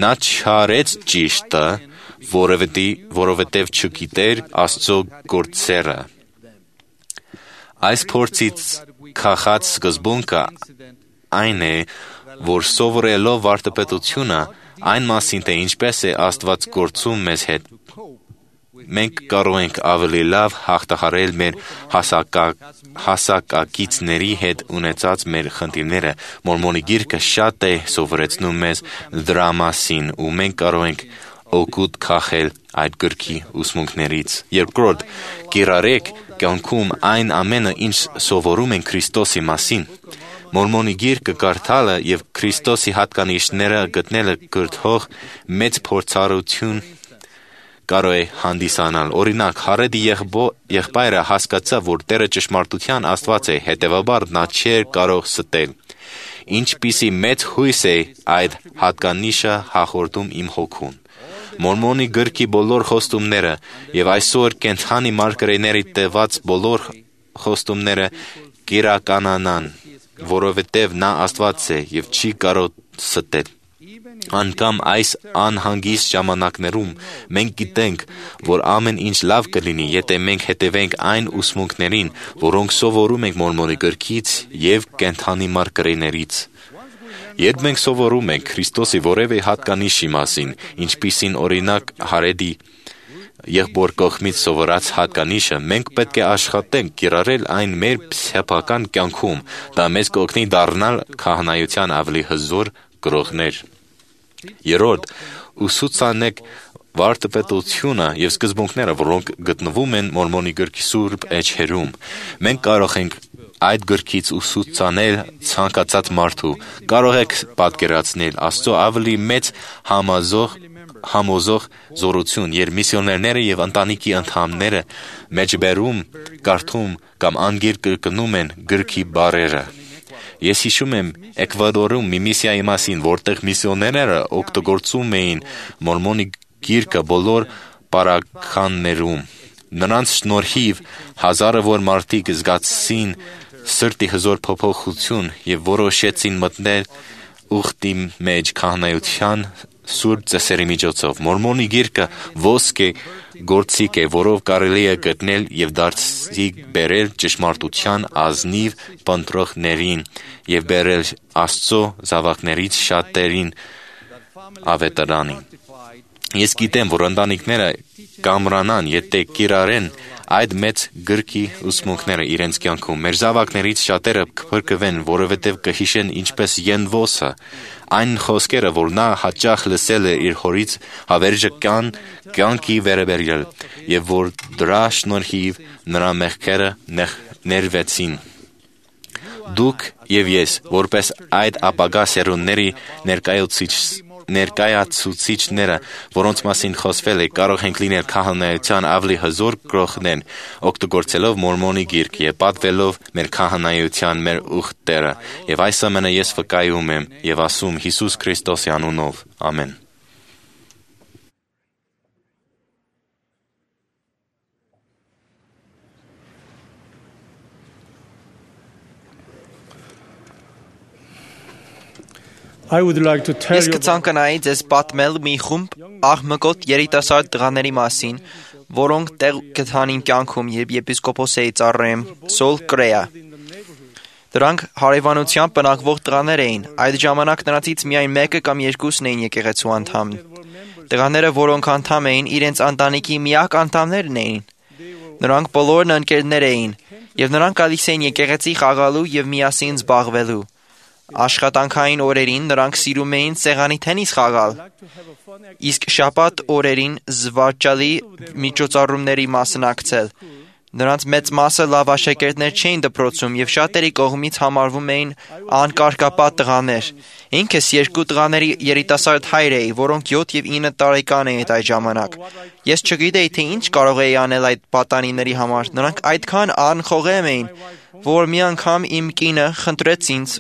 Նա չարեց ճիշտը, որովհետև չգիտեր Աստծո գործերը։ Այս փորձից քաղած սկզբունքը այն է, որ սովորելով վարդապետությունը, այն մասին, թե ինչպես է Աստված գործում մեզ հետ, մենք կարող ենք ավելի լավ հաղթահարել մեր հասակակիցների հետ ունեցած մեր խնդիրները։ Մորմոնի գիրքը շատ է սովորեցնում մեզ դրա մասին ու մենք կարող ենք օգուտ քաղել այդ գրքի ուսմունքներից։ Երկրորդ, կիրառեք կյանքում այն ամենը, ինչ սովորում ենք Քրիստոսի մասին։ Մորմոնի գիրքը կարդալը եւ Քրիստոսի հատկանիշները գտնելը կրթող մեծ փորձառություն կարող է հանդիսանալ։ Օրինակ, Հարեդի եղբայրը հասկացավ, որ Տերը ճշմարտության Աստված է, հետևաբար նա չէր կարող ստել։ Ինչպիսի մեծ հույս է այդ հատկանիշը հաղորդում իմ հոգուն։ Մորմոնի գրքի բոլոր խոստումները եւ այսօր կենթանի մարգարեների տված բոլոր խոստումները կիրականանան, որովհետեւ նա Աստված է եւ չի կարող ստել։ Անկամ այս անհանգիստ ժամանակներում մենք գիտենք, որ ամեն ինչ լավ կլինի, եթե մենք հետևենք այն ուսմունքներին, որոնք սովորում ենք Մորմոնի գրքից եւ կենթանի մարգարեներից։ Երբ մենք սովորում ենք Քրիստոսի որևէ հատկանիշի մասին, ինչպիսին օրինակ Հարեդի եղբոր կողմից սովորած հատկանիշը, մենք պետք է աշխատենք կիրառել այն մեր սեփական կյանքում։ Դա մեզ կօգնի դառնալ քահանայության ավելի հզոր գրողներ։ Երրորդ, ուսուցանեք վարդապետությունը եւ սկզբունքները, որոնք գտնվում են Մորմոնի գրքի սուրբ էջերում։ Մենք կարող ենք այդ գրքից ուսուցանել ցանկացած մարդու։ Կարող եք պատկերացնել Աստծո ավելի մեծ համոզող զորություն, երբ միսիոներները եւ ընտանիքի անդամները մեջբերում, կարդում կամ անգիր կրկնում են գրքի բառերը։ Ես հիշում եմ Էկվադորում մի միսիայի մասին, որտեղ միսիոներները օգտագործում էին Մորմոնի գիրքը բոլոր պարագաներում։ Նրանց շնորհիվ հազարավոր մարդիկ զգացին սրտի հզոր փոփոխություն եւ որոշեցին մտնել ուխտի մեջ քահանայության սուրբ ծեսերի միջոցով։ Մորմոնի գիրքը ոսկե գործիք է, որով կարելի է գտնել եւ դարձի բերել ճշմարտության ազնիվ պնդրողներին եւ բերել Աստծո զավակներից շատերին ավետարանին։ Ես գիտեմ, որ ընտանիքները կամրանան, եթե կիրառեն այդ մեծ գրքի ուսմունքները իրենց կյանքում։ Մեր զավակներից շատերը կփրկվեն, որովհետև կհիշեն ինչպես Ենվոսը այն խոսքերը, որ նա հաճախ լսել է իր հորից հավերժական կյանքի վերաբերյալ, եւ որ դրա շնորհիվ նրա մեղքերը ներվեցին։ Դուք եւ ես, որպես այդ ապագա սերունդների ներկայացուցիչները, որոնց մասին խոսվել է, կարող ենք լինել քահանայության ավելի հզոր գրողներ, օգտագործելով Մորմոնի գիրքը եւ պատվելով մեր քահանայության մեր ուխտերը։ Եվ այս ամենը ես վկայում եմ եւ ասում Հիսուս Քրիստոսի անունով։ Ամեն։ Ես կցանկանայի ձեզ պատմել մի խումբ աղմկոտ երիտասարդ տղաների մասին, որոնք տեղ գտան իմ կյանքում, երբ եպիսկոպոս էի ծառայում, Սոլ Կրեա։ Դրանք հարևանությամբ բնակվող տղաներ էին, այդ ժամանակ նրանցից միայն մեկը կամ երկուսն էին եկեղեցու անդամ։ Տղաները, որոնք անդամ էին, իրենց ընտանիքի միակ անդամներն էին։ Նրանք բոլորն ընկերներ էին, եւ նրանք գալիս էին եկեղեցի խաղալու եւ միասին զբաղվելու։ Աշխատանքային օրերին նրանք սիրում էին սեղանի թենիս խաղալ, իսկ շաբաթ օրերին զվարճալի միջոցառումների մասնակցել։ Նրանց մեծ մասը լավ աշակերտներ չէին դպրոցում եւ շատերի կողմից համարվում էին անկարգապատ տղաներ։ Ինքս երկու տղաների երիտասարդ հայր էի, որոնք 7 եւ 9 տարեկան էին այդ ժամանակ։ Ես չգիտեի, թե ինչ կարող էի անել այդ պատանիների համար։ Նրանք այդքան անխոհեմ էին, որ մի անգամ իմ կինը խնդրեց ինձ,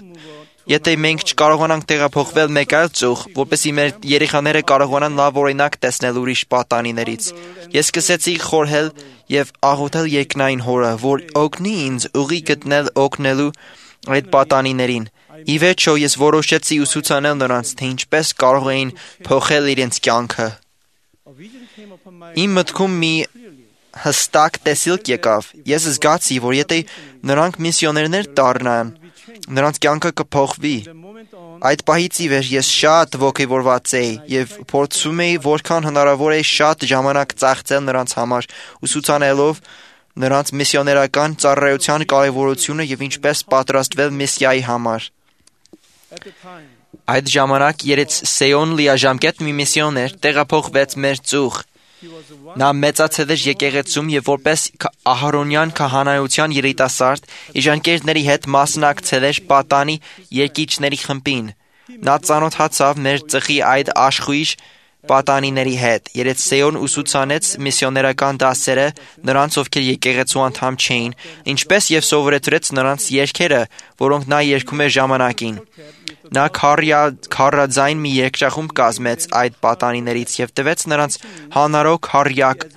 եթե մենք չկարողանանք տեղափոխվել մեկ այլ ծուղ, որպեսզի մեր երեխաները կարողանան լավ օրինակ տեսնել ուրիշ պատանիներից։ Ես սկսեցի խորհել եւ աղոթել երկնային հորը, որ օգնի ինձ ուղի գտնել օգնելու այդ պատանիներին։ Ի վերջո ես որոշեցի ուսուցանել նրանց, թե ինչպես կարող էին փոխել իրենց կյանքը։ Իմ մտքում մի հստակ տեսիլք եկավ։ Ես զգացի, որ եթե նրանք միսիոներներ դառնան, նրանց կյանքը կփոխվի։ Այդ պահից ի վեր ես շատ ոգևորված էի եւ փորձում էի որքան հնարավոր է շատ ժամանակ ծախսել նրանց համար, ուսուցանելով նրանց միսիոներական ծառայության կարևորությունը եւ ինչպես պատրաստվել միսիայի համար։ Այդ ժամանակ Երեցսեոն լիաժամկետ մի միսիոներ տեղափոխվեց մեր ծուղ։ Նա մեծացել էր եկեղեցում եւ որպես Ահարոնյան քահանայության երիտասարդ իր ընկերների հետ մասնակցել էր պատանի եկիչների խմբին։ Նա ծանոթացավ մեր ծխի այդ աշխույժ պատանիների հետ։ Երեցսեոն ուսուցանեց միսիոներական դասերը նրանց, ովքեր եկեղեցու անդամ չէին, ինչպես եւ սովորեցրեց նրանց երգերը, որոնք նա երգում էր ժամանակին։ Նա քարաձայն մի երգչախումբ կազմեց այդ պատանիներից եւ տվեց նրանց հանարո քարյակ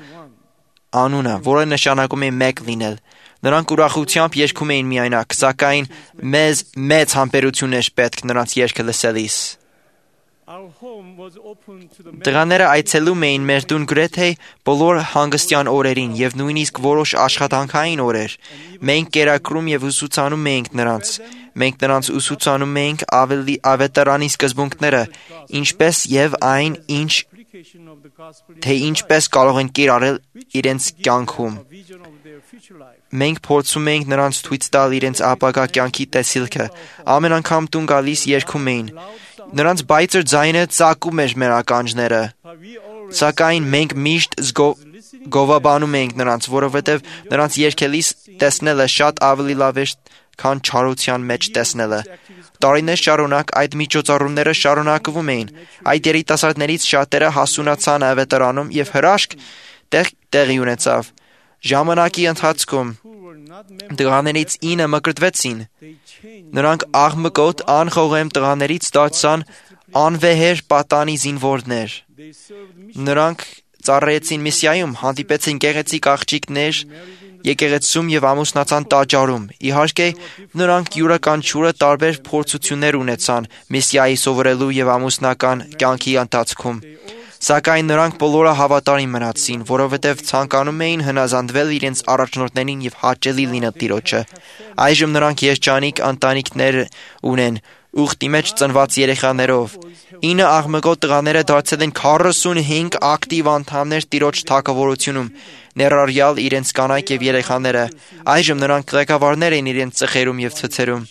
անունը, որը նշանակում է մեկ լինել։ Նրանք ուրախությամբ երգում էին միայնակ, սակայն մեզ մեծ համբերություն էր պետք նրանց երգը լսելիս։ Տղաները այցելում էին մեր տուն գրեթե բոլոր հանգստյան օրերին եւ նույնիսկ որոշ աշխատանքային օրեր։ Մենք կերակրում եւ ուսուցանում էինք նրանց։ Մենք նրանց ուսուցանում էինք ավետարանի սկզբունքները, ինչպես եւ այն, թե ինչպես կարող են կիրառել իրենց կյանքում։ Մենք փորձում էինք նրանց ցույց տալ իրենց ապագա կյանքի տեսիլքը։ Ամեն անգամ տուն գալիս երգում էին։ Նրանց բայցր ձայնը ծակում էր մեր ականջները, սակայն մենք միշտ գովաբանում էինք նրանց, որովհետև նրանց երգելիս տեսնելը շատ ավելի լավ էր, քան չարության մեջ տեսնելը։ Տարիներ շարունակ այդ միջոցառումները շարունակվում էին։ Այդ երիտասարդներից շատերը հասունացան ավետարանում եւ հրաշք տեղի ունեցավ։ Ժամանակի ընթացքում տղաներից 9 մկրտվեցին։ Նրանք աղմկոտ անխողեմ տղաներից դարձան անվեհեր պատանի զինվորներ։ Նրանք ծառայեցին միսիայում, հանդիպեցին գեղեցիկ աղջիկներ եկեղեցում եւ ամուսնացան տաճարում։ Իհարկե, նրանք յուրաքանչյուրը տարբեր փորձություններ ունեցան միսիայի սովորելու եւ ամուսնական կյանքի ընթացքում։ Սակայն նրանք բոլորը հավատարիմ մնացին, որովհետև ցանկանում էին հնազանդվել իրենց առաջնորդներին եւ հաճելի լինել Տիրոջը։ Այժմ նրանք երջանիկ ընտանիքներ ունեն, ուխտի մեջ ծնված երեխաներով։ 9 աղմկոտ տղաները դարձել են 45 ակտիվ անդամներ Տիրոջ թագավորությունում, ներառյալ իրենց կանայք եւ երեխաները։ Այժմ նրանք ղեկավարներ են իրենց ծխերում եւ ցցերում։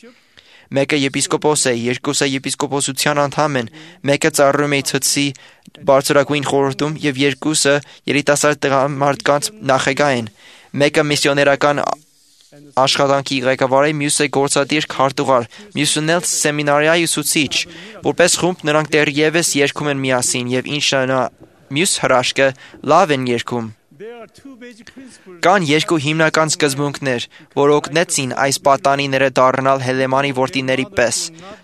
Մեկը եպիսկոպոս է, երկուսը եպիսկոպոսության անդամ են, մեկը ծառայում է ցցի բարձրագույն խորհրդում եւ երկուսը երիտասարդ տղամարդկանց նախագահ են։ Մեկը միսիոներական աշխատանքի ղեկավար է, մյուսը գործադիր քարտուղար, մյուսն էլ սեմինարիայի ուսուցիչ։ Որպես խումբ նրանք դեռևս երգում են միասին եւ ինչն մյուս հրաշքը լավ են երգում։ Կան երկու հիմնական սկզբունքներ, որ օգնեցին այս պատանիները դառնալ Հելեմանի որդիների պես։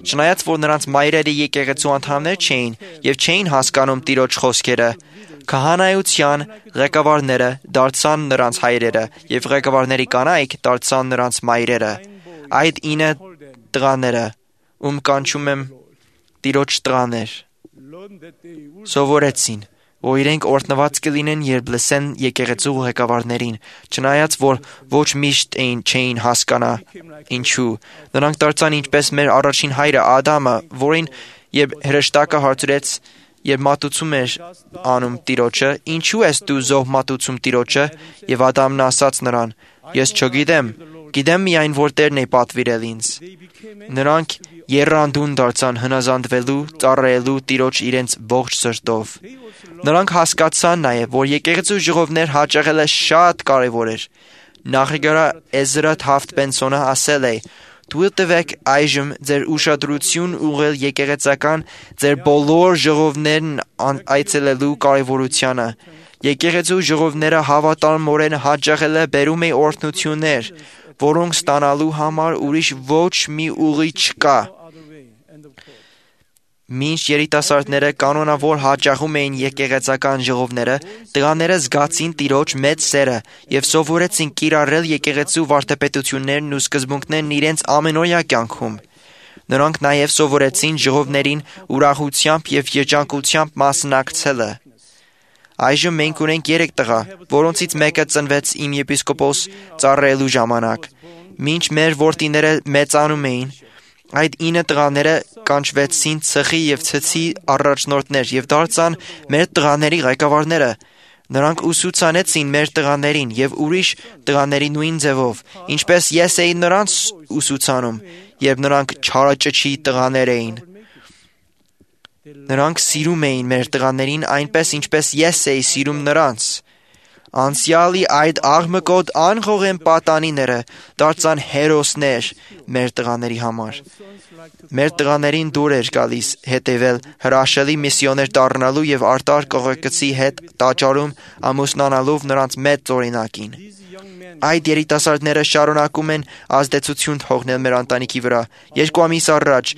Չնայած որ նրանց մայրերը եկեղեցու անդամներ չէին եւ չէին հասկանում Տիրոջ խոսքերը, քահանայության ղեկավարները դարձան նրանց հայրերը եւ ղեկավարների կանայք դարձան նրանց մայրերը։ Այդ 9 տղաները, ում կանչում եմ Տիրոջ տղաներ, սովորեցին, որ իրենք օրհնված կլինեն, երբ լսեն եկեղեցու ղեկավարներին, չնայած որ ոչ միշտ չէին հասկանա ինչու։ Նրանք դարձան ինչպես մեր առաջին հայրը Ադամը, որին երբ հրեշտակը հարցրեց, երբ մատուցում էր անում Տիրոջը, ինչու ես դու զոհ մատուցում Տիրոջը, եւ Ադամն ասաց նրան. ես չգիտեմ, գիտեմ միայն որ Տերն է պատվիրել ինձ։ Նրանք եռանդուն դարձան հնազանդվելու, ծառայելու Տիրոջ իրենց ողջ սրտով։ Նրանք հասկացան նաև, որ եկեղեցու ժողովներ հաճախելը շատ կարևոր էր։ Նախագահ Էզրա Թաֆտ Բենսոնը ասել է. «Թույլ տվեք այժմ ձեր ուշադրություն ուղղել եկեղեցական ձեր բոլոր ժողովներն այցելելու կարևորությանը։ Եկեղեցու ժողովները հավատարմորեն հաճախելը բերում է օրհնություններ, որոնք ստանալու համար ուրիշ ոչ մի ուղի չկա»։ Մինչ երիտասարդները կանոնավոր հաճախում էին եկեղեցական ժողովները, տղաները զգացին Տիրոջ մեծ սերը եւ սովորեցին կիրառել եկեղեցու վարդապետություններն ու սկզբունքներն իրենց ամենօրյա կյանքում։ Նրանք նաեւ սովորեցին ժողովներին ուրախությամբ եւ երջանկությամբ մասնակցելը։ Այժմ մենք ունենք 3 տղա, որոնցից մեկը ծնվեց իմ եպիսկոպոս ծառայելու ժամանակ։ Մինչ մեր որդիները մեծանում էին, Այդ 9 տղաները կանչվեցին ցխի եւ ցցի առաջնորդներ եւ դարձան մեր տղաների ղեկավարները։ Նրանք ուսուցանեցին մեր տղաներին եւ ուրիշ տղաների նույն ձևով, ինչպես ես էի նրանց ուսուցանում, երբ նրանք չարաճճի տղաներ էին։ Նրանք սիրում էին մեր տղաներին այնպես, ինչպես ես էի սիրում նրանց։ Անցյալի այդ աղմկոտ անխոհեմ պատանիները դարձան հերոսներ մեր տղաների համար։ Մեր տղաներին դուր էր գալիս հետևել հրաշալի միսիոներ դառնալու եւ արտար կողոկցի հետ տաճարում ամուսնանալով նրանց մեծ օրինակին։ Այդ երիտասարդները շարունակում են ազդեցություն թողնել մեր ընտանիքի վրա։ 2 ամիս առաջ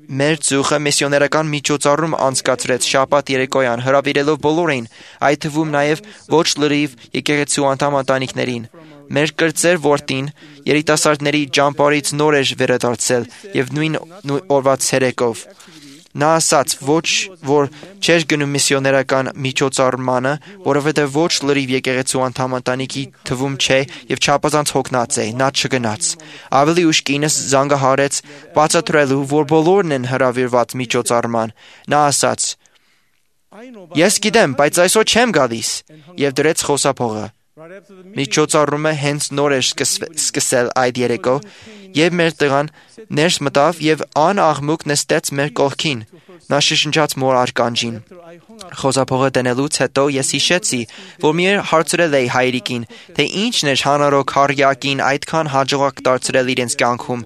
մեր ծուխը միսիոներական միջոցառում անցկացրեց շաբաթ երեկոյան, հրավիրելով բոլորին, այդ թվում նաև ոչ լրիվ եկեղեցու անդամ ընտանիքներին։ Մեր կրտսեր որդին երիտասարդների ճամփարից նոր էր վերադարձել եւ նույն օրվա ցերեկով։ Նա ասաց, ոչ որ չէր գնում միսիոներական միջոցառմանը, որովհետև ոչ լրիվ եկեղեցու անդամ ընտանիքի թվում չէ եւ չափազանց հոգնած է, նա չգնաց։ Ավելի ուշ կինս զանգահարեց բացատրելու, որ բոլորն են հրավիրված միջոցառման։ Նա ասաց. Ես գիտեմ, բայց այսօր չեմ գալիս, եւ դրեց խոսափողը։ Միջոցառումը հենց նոր էր սկսել այդ երեկո, եւ մեր տղան ներս մտավ եւ անաղմուկ նստեց մեր կողքին։ Նա շշնջաց մոր արկանջին։ Խոսափողը դնելուց հետո ես հիշեցի, որ մի հարցրել էի հայրիկին, թե ինչն էր հանրոք հարյակին այդքան հաջողակ դարձրել իրենց կյանքում։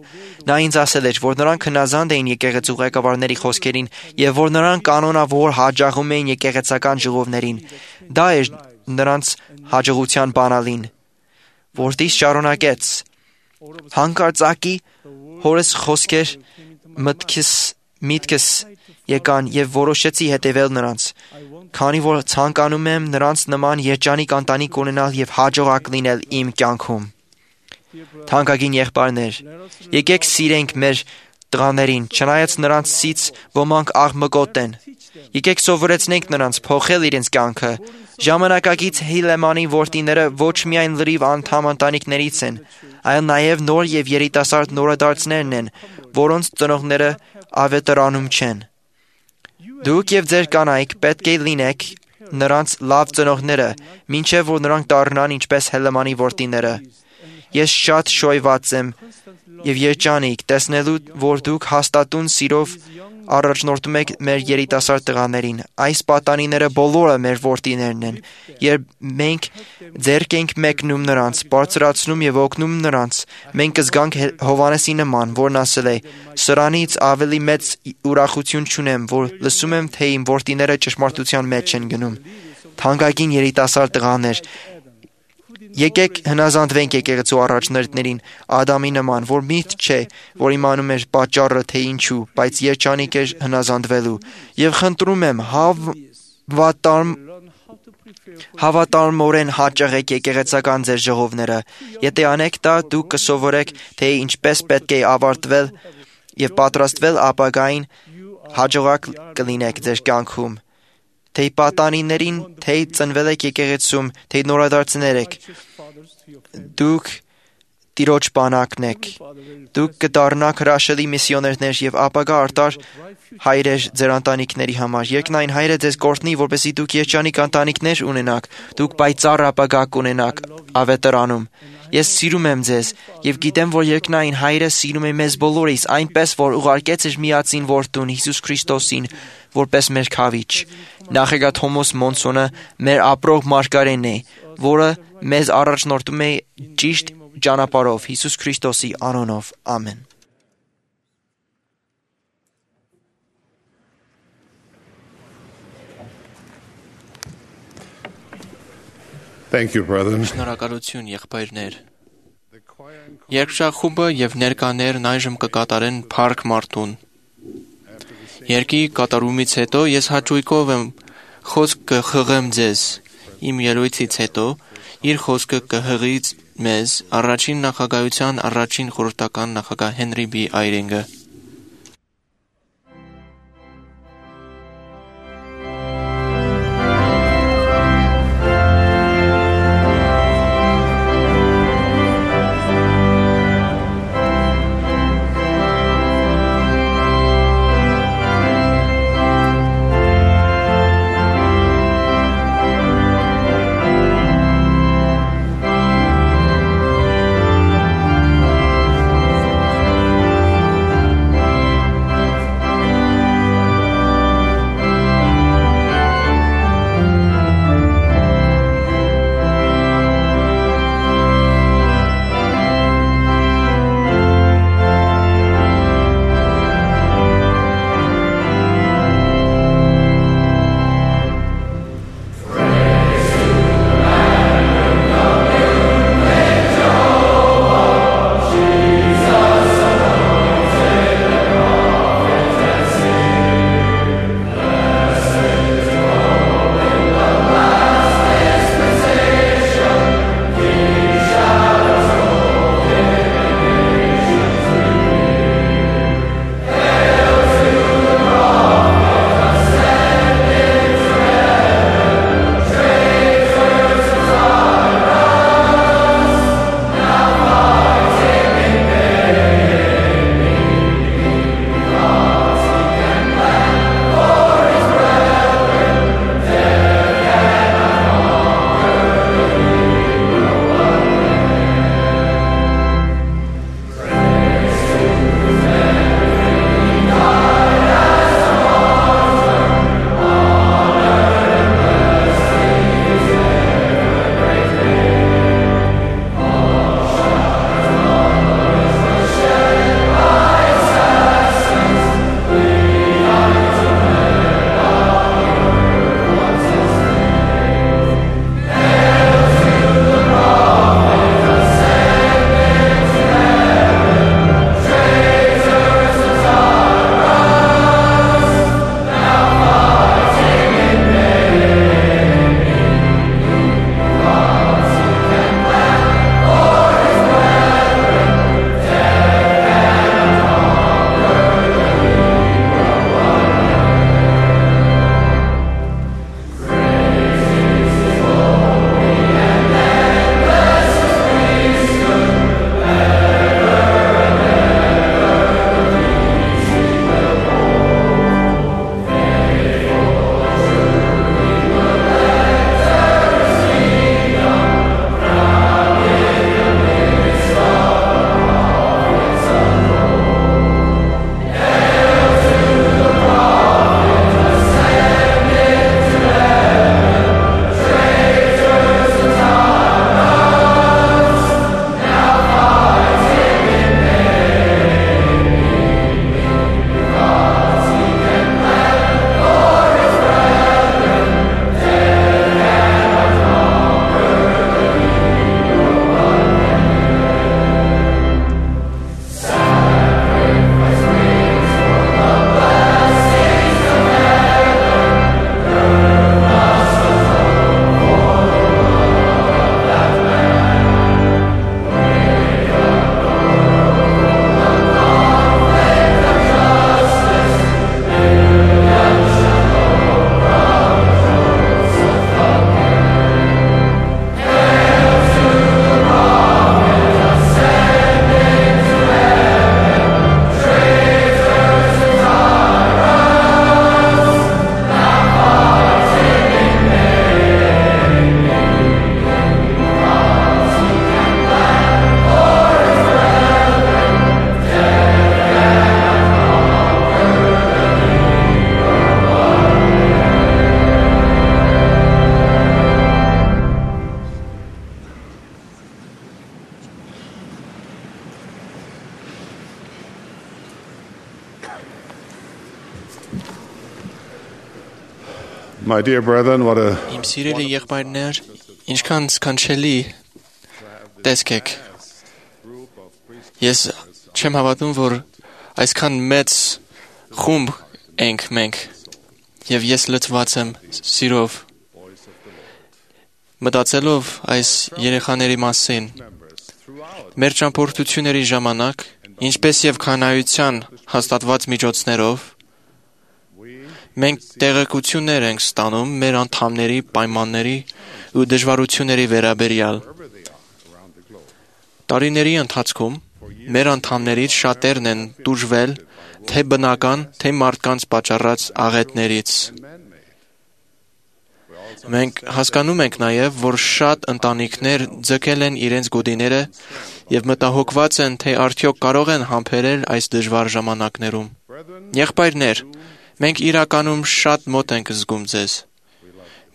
Նա ինձ ասել էր, որ նրանք հնազանդ էին եկեղեցու ղեկավարների խոսքերին եւ որ նրանք կանոնավոր հաջողում էին եկեղեցական ժողովներին։ Դա էր նրանց հաջողության բանալին։ Որդիս շարունակեց. Հանկարծակի հորս խոսքեր միտքս եկան եւ որոշեցի հետևել նրանց, քանի որ ցանկանում եմ նրանց նման երջանիկ ընտանիք ունենալ եւ հաջողակ լինել իմ կյանքում։ Թանկագին եղբայրներ, եկեք սիրենք մեր տղաներին, չնայած նրանցից ոմանք աղմկոտ են։ Եկեք սովորեցնենք նրանց փոխել իրենց կյանքը։ Ժամանակակից Հիլեմանի որդիները ոչ միայն լրիվ անդամ ընտանիքներից են, այլ նաև նոր եւ երիտասարդ նորադարձներն են, որոնց ծնողները ավետարանում չեն։ Դուք եւ ձեր կանայք պետք է լինեք նրանց լավ ծնողները, մինչեւ որ նրանք դառնան ինչպես Հելեմանի որդիները։ Ես շատ շոյված եմ եւ երջանիկ տեսնելու, որ դուք հաստատուն սիրով առաջնորդում եք մեր երիտասարդ տղաներին։ Այս պատանիները բոլորը մեր որդիներն են։ Երբ մենք ձեռք ենք մեկնում նրանց, բարձրացնում եւ օգնում նրանց, մենք կզգանք Հովհաննեսի նման, որն ասել է. «Սրանից ավելի մեծ ուրախություն չունեմ, որ լսում եմ, թե իմ որդիները ճշմարտության մեջ են գնում»։ Թանկագին երիտասարդ տղաներ, եկեք հնազանդվենք եկեղեցու առաջնորդներին Ադամի նման, որ միտք չէ, որ իմանում էր պատճառը, թե ինչու, բայց երջանիկ էր հնազանդվելու։ Եվ խնդրում եմ, հավատարմորեն հաճախեք եկեղեցական ձեր ժողովները։ Եթե անեք դա, դուք կսովորեք, թե ինչպես պետք է ավարտվել եւ պատրաստվել ապագային հաջողակ կլինեք ձեր կյանքում։ Թե պատանիներին, թե ծնվել եք եկեղեցում, թե նորադարձներ եք, դուք Տիրոջ բանակն եք։ Դուք կդառնաք հրաշալի միսիոներներ եւ ապագա արտար հայրեր ձեր ընտանիքների համար։ Երկնային Հայրը ձեզ կօրհնի, որպեսզի դուք երջանիկ ընտանիքներ ունենաք, դուք պայծառ ապագա կունենաք ավետարանում։ Ես սիրում եմ ձեզ եւ գիտեմ, որ Երկնային Հայրը սիրում է մեզ բոլորիս, այնպես որ ուղարկեց իր միածին որդուն Հիսուս Քրիստոսին որպես մեր քավիչ։ Նախագահ Թոմաս Մոնսոնը մեր ապրող մարգարեն է, որը մեզ առաջնորդում է ճիշտ ճանապարհով Հիսուս Քրիստոսի անունով։ Ամեն։ Thank you, brethren. Շնորհակալություն, եղբայրներ։ Երկշախումբը եւ ներկաներն այժմ կկատարեն Փառք Մարդուն։ Երկի կատարումից հետո ես հաճույքով եմ խոսք կխղեմ ձեզ։ Իմ ելույթից հետո իր խոսքը կհղի մեզ առաջին նախագահության առաջին խորհրդական նախագահ Հենրի B. Այրինգը։ My dear brethren, what a Իմ սիրելի եղբայրներ, ինչքան սքանչելի տեսք եք։ Ես չեմ հավատում, որ այսքան մեծ խումբ ենք մենք, եւ ես լցված եմ սիրով, մտածելով այս երեխաների մասին։ Մեր ճամփորդությունների ժամանակ, ինչպես եւ քանայության հաստատված միջոցներով, մենք տեղեկություններ ենք ստանում մեր անդամների պայմանների ու դժվարությունների վերաբերյալ։ Տարիների ընթացքում մեր անդամներից շատերն են տուժվել թե բնական, թե մարդկանց պատճառած աղետներից։ Մենք հասկանում ենք նաև, որ շատ ընտանիքներ ձգել են իրենց գոտիները եւ մտահոգված են, թե արդյոք կարող են համբերել այս դժվար ժամանակներում։ Եղբայրներ, մենք իրականում շատ մոտ ենք զգում ձեզ։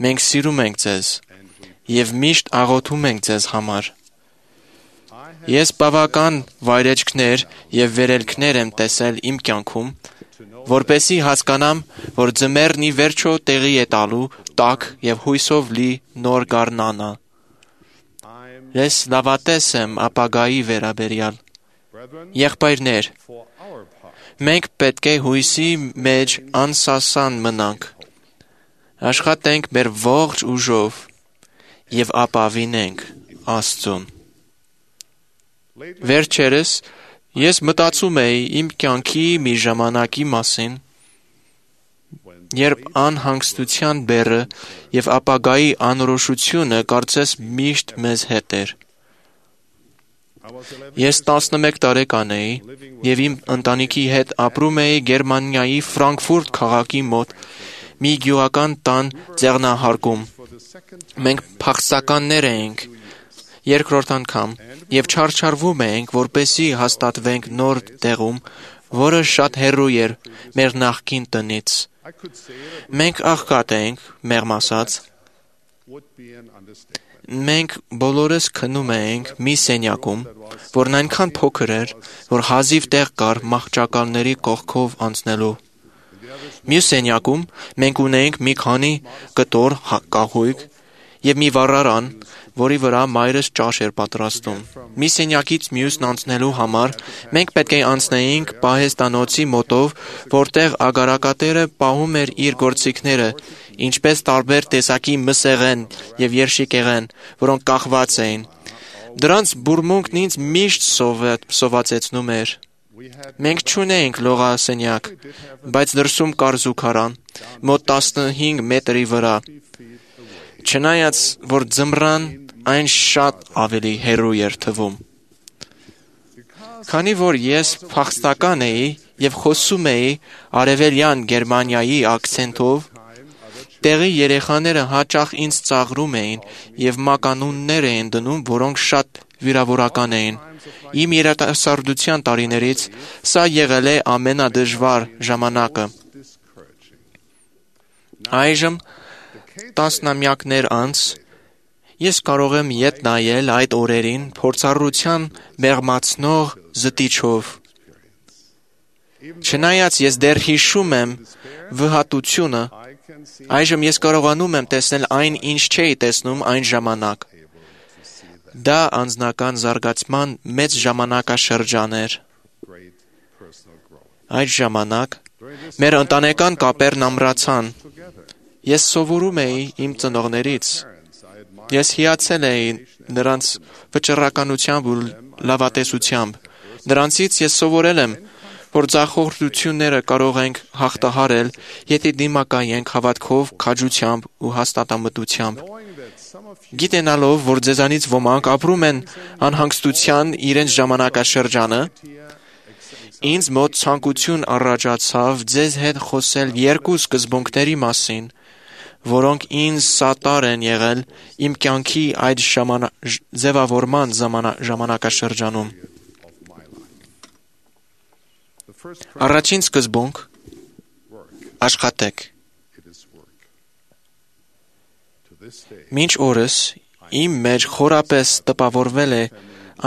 Մենք սիրում ենք ձեզ եւ միշտ աղոթում ենք ձեզ համար։ Ես բավական վայրեջքներ եւ վերելքներ եմ տեսել իմ կյանքում, որպեսզի հասկանամ, որ ձմեռն ի վերջո տեղի է տալու տաք եւ հույսով լի նոր գարնանը։ Ես լավատես եմ ապագայի վերաբերյալ։ Եղբայրներ, մենք պետք է հույսի մեջ անսասան մնանք։ Աշխատենք մեր ողջ ուժով եւ ապավինենք Աստծուն։ Վերջերս ես մտածում էի իմ կյանքի մի ժամանակի մասին, երբ անհանգստության բեռը եւ ապագայի անորոշությունը կարծես միշտ մեզ հետ էր։ Ես 11 տարեկան էի եւ իմ ընտանիքի հետ ապրում էի Գերմանիայի Ֆրանկֆուրտ քաղաքի մոտ մի գյուղական տան ձեռնահարկում։ Մենք փախստականներ էինք երկրորդ անգամ եւ չարչարվում էինք, որպեսզի հաստատվենք նոր տեղում, որը շատ հեռու էր մեր նախկին տնից։ Մենք աղքատ էինք, մեղմ ասած։ Մենք բոլորս քնում էինք մի սենյակում, որն այնքան փոքր էր, որ հազիվ տեղ կար մահճակալների կողքով անցնելու։ Մյուս սենյակում մենք ունեինք մի քանի կտոր կահույք եւ մի վառարան, որի վրա մայրս ճաշ էր պատրաստում։ Մի սենյակից մյուսն անցնելու համար մենք պետք է անցնեինք պահեստանոցի մոտով, որտեղ ագարակատերը պահում էր իր գործիքները, ինչպես տարբեր տեսակի մսեղեն եւ երշիկեղեն, որոնք կախված էին։ Դրանց բուրմունքն ինձ միշտ սովածեցնում էր։ Մենք չունեինք լողասենյակ, բայց դրսում կար զուգարան, մոտ 15 մետրի վրա։ Չնայած, որ ձմռան այն շատ ավելի հեռու էր թվում։ Քանի որ ես փախստական էի եւ խոսում էի արևելյան Գերմանիայի ակցենտով, տեղի երեխաները հաճախ ինձ ծաղրում էին եւ մականուններ էին դնում, որոնք շատ վիրավորական էին։ Իմ երիտասարդության տարիներից սա եղել է ամենադժվար ժամանակը։ Այժմ տասնամյակներ անց ես կարող եմ ետ նայել այդ օրերին փորձառության մեղմացնող զտիչով։ Չնայած ես դեռ հիշում եմ վհատությունը, այժմ ես կարողանում եմ տեսնել այն, ինչ չէի տեսնում այն ժամանակ։ Դա անձնական զարգացման մեծ ժամանակաշրջան էր։ Այդ ժամանակ մեր ընտանեկան կապերն ամրացան։ Ես սովորում էի իմ ծնողներից։ Ես հիացել էի նրանց վճռականությամբ ու լավատեսությամբ։ Նրանցից ես սովորել եմ, որ ձախողությունները կարող ենք հաղթահարել, եթե դիմակայենք հավատքով, քաջությամբ ու հաստատամտությամբ։ Գիտենալով, որ ձեզանից ոմանք ապրում են անհանգստության իրենց ժամանակաշրջանը, ինձ մոտ ցանկություն առաջացավ ձեզ հետ խոսել երկու սկզբունքների մասին, որոնք ինձ սատար են եղել իմ կյանքի այդ ձևավորման ժամանակաշրջանում։ Առաջին սկզբունք՝ աշխատեք։ Մինչ օրս իմ մեջ խորապես տպավորվել է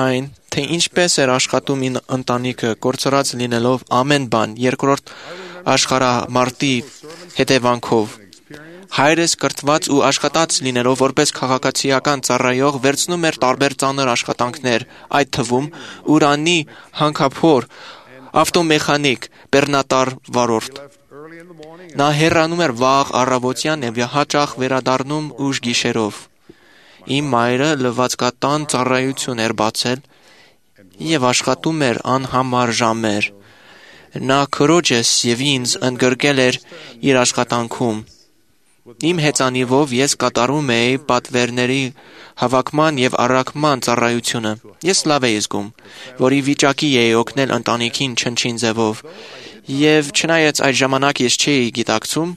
այն, թե ինչպես էր աշխատում իմ ընտանիքը, կորցրած լինելով ամեն բան երկրորդ աշխարհամարտի հետևանքով։ Հայրս կրթված ու աշխատած լինելով որպես քաղաքացիական ծառայող վերցնում էր տարբեր ծանր աշխատանքներ, այդ թվում ուրանի հանքափոր, ավտոմեխանիկ, բեռնատար վարորդ։ Նա հեռանում էր վաղ առավոտյան և հաճախ վերադառնում ուշ գիշերով։ Իմ մայրը լվացկատան ծառայություն էր բացել և աշխատում էր անհամար ժամեր։ Նա քրոջս և ինձ ընդգրկել էր իր աշխատանքում։ Իմ հեծանիվով ես կատարում էի պատվերների հավաքման և առաքման ծառայությունը։ Ես լավ էի զգում, որ ի վիճակի էի օգնել ընտանիքին չնչին ձևով, և չնայած այդ ժամանակ ես չէի գիտակցում,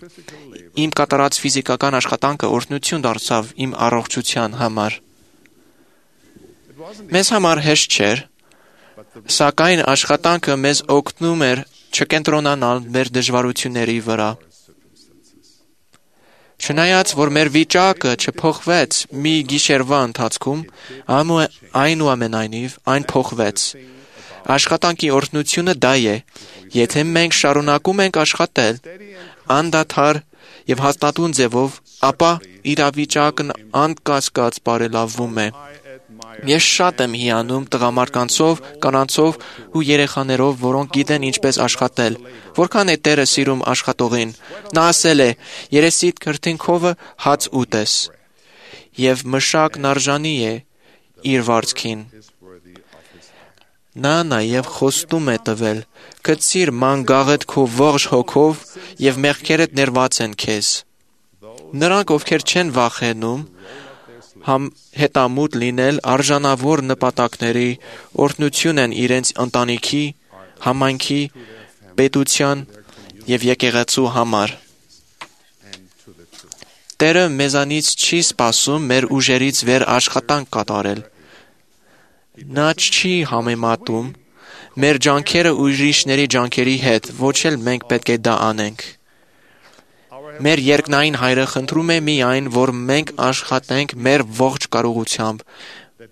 իմ կատարած ֆիզիկական աշխատանքը օրհնություն դարձավ իմ առողջության համար։ Մեզ համար հեշտ չէր, սակայն աշխատանքը մեզ օգնում էր չկենտրոնանալ մեր դժվարությունների վրա։ Չնայած, որ մեր վիճակը չփոխվեց մի գիշերվա ընթացքում, այնուամենայնիվ այն փոխվեց։ Աշխատանքի օրհնությունը դա է, եթե մենք շարունակում ենք աշխատել անդադար և հաստատուն ձևով, ապա իրավիճակն անկասկած բարելավվում է։ Ես շատ եմ հիանում տղամարդկանցով, կանանցով ու երեխաներով, որոնք գիտեն ինչպես աշխատել, որքան է Տերը սիրում աշխատողին։ Նա ասել է. «Երեսիդ քրտինքովը հաց ուտես», և մշակն արժանի է իր վարձքին։ Նա նաև խոստում է տվել. «Գցիր ման գաղդ քո ողջ հոգով, և մեղքերդ ներված են քեզ»։ Նրանք, ովքեր չեն վախենում հետամուտ լինել արժանավոր նպատակների, օրհնություն են իրենց ընտանիքի, համայնքի, պետության և եկեղեցու համար։ Տերը մեզանից չի սպասում մեր ուժերից վեր աշխատանք կատարել։ Նա չի համեմատում մեր ջանքերը ուրիշների ջանքերի հետ, ոչ էլ մենք պետք է դա անենք։ Մեր երկնային Հայրը խնդրում է միայն, որ մենք աշխատենք մեր ողջ կարողությամբ,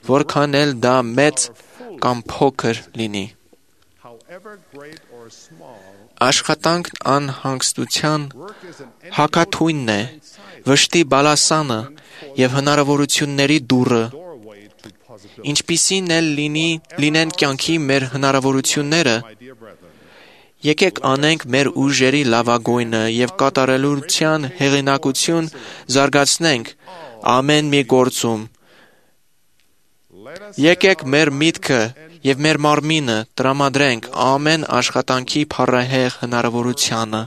որքան էլ դա մեծ կամ փոքր լինի։ Աշխատանքն անհանգստության հակաթույնն է, վշտի բալասանը և հնարավորությունների դուռը։ Ինչպիսին էլ լինեն կյանքի մեր հնարավորությունները, եկեք անենք մեր ուժերի լավագույնը և կատարելության հեղինակություն զարգացնենք ամեն մի գործում։ Եկեք մեր միտքը և մեր մարմինը տրամադրենք ամեն աշխատանքի փառահեղ հնարավորությանը։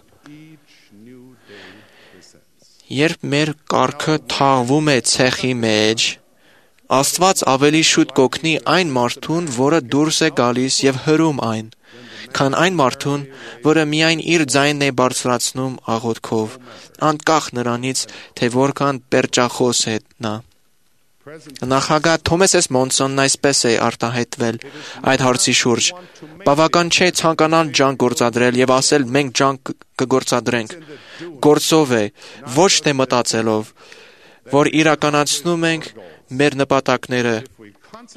Երբ մեր կառքը թաղվում է ցեխի մեջ, Աստված ավելի շուտ կօգնի այն մարդուն, որը դուրս է գալիս և հրում այն, քան այն մարդուն, որը միայն իր ձայնն է բարձրացնում աղոթքով, անկախ նրանից, թե որքան պերճախոս է նա։ Նախագահ Թոմաս Ս. Մոնսոնն այսպես է արտահայտվել այդ հարցի շուրջ. «Բավական չէ ցանկանալ ջանք գործադրել և ասել մենք ջանք կգործադրենք։ Գործով է, ոչ թե մտածելով, որ իրականացնում ենք մեր նպատակները։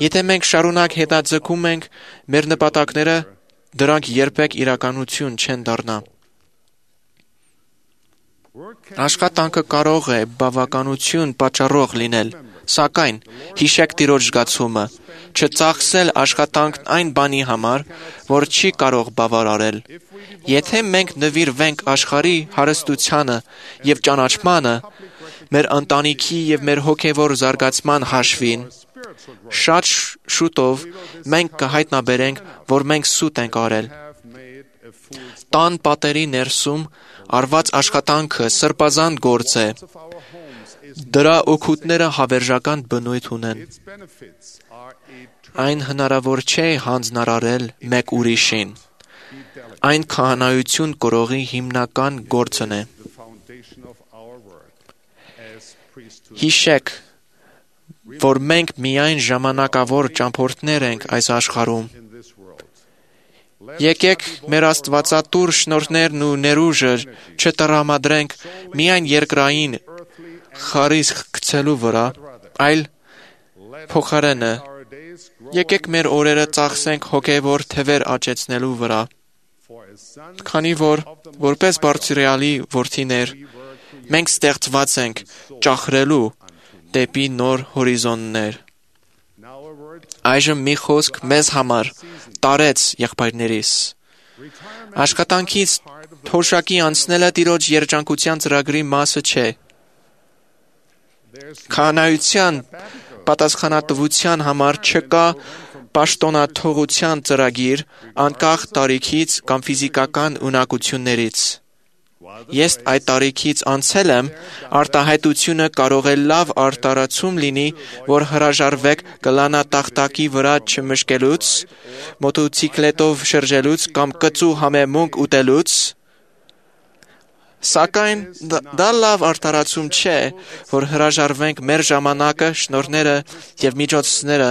Եթե մենք շարունակ հետաձգում ենք մեր նպատակները, դրանք երբեք իրականություն չեն դառնա»։ Աշխատանքը կարող է բավականություն պատճառող լինել, սակայն հիշեք Տիրոջ զգացումը՝ չծախսել աշխատանքն այն բանի համար, որ չի կարող բավարարել։ Եթե մենք նվիրվենք աշխարհի հարստությանը և ճանաչմանը, մեր ընտանիքի և մեր հոգևոր զարգացման հաշվին, շատ շուտով մենք կհայտնաբերենք, որ մենք սուտ ենք արել։ Տան պատերի ներսում արված աշխատանքը սրբազան գործ է։ Դրա օգուտները հավերժական բնույթ ունեն։ Այն հնարավոր չէ հանձնարարել մեկ ուրիշին։ Այն քահանայություն կրողի հիմնական գործն է։ Հիշեք, որ մենք միայն ժամանակավոր ճամփորդներ ենք այս աշխարհում։ Եկեք մեր աստվածատուր շնորհներն ու ներուժը չտրամադրենք միայն երկրային խարիսխ գցելու վրա, այլ փոխարենը եկեք մեր օրերը ծախսենք հոգևոր թևեր աճեցնելու վրա։ Քանի որ որպես բարձրյալի որդիներ մենք ստեղծված ենք ճախրելու դեպի նոր հորիզոններ։ Այժմ մի խոսք մեզ համար տարեց եղբայրներիս։ Աշխատանքից թոշակի անցնելը Տիրոջ երջանկության ծրագրի մասը չէ։ Քահանայության պատասխանատվության համար չկա պաշտոնաթողության ծրագիր անկախ տարիքից կամ ֆիզիկական ունակություններից։ Ես այդ տարիքից անցել եմ, արտահայտությունը կարող է լավ արտարացում լինի, որ հրաժարվեք գլանատախտակի վրա չմշկելուց, մոտոցիկլետով շրջելուց կամ կծու համեմունք ուտելուց, սակայն դա լավ արտարացում չէ, որ հրաժարվենք մեր ժամանակը, շնորհները և միջոցները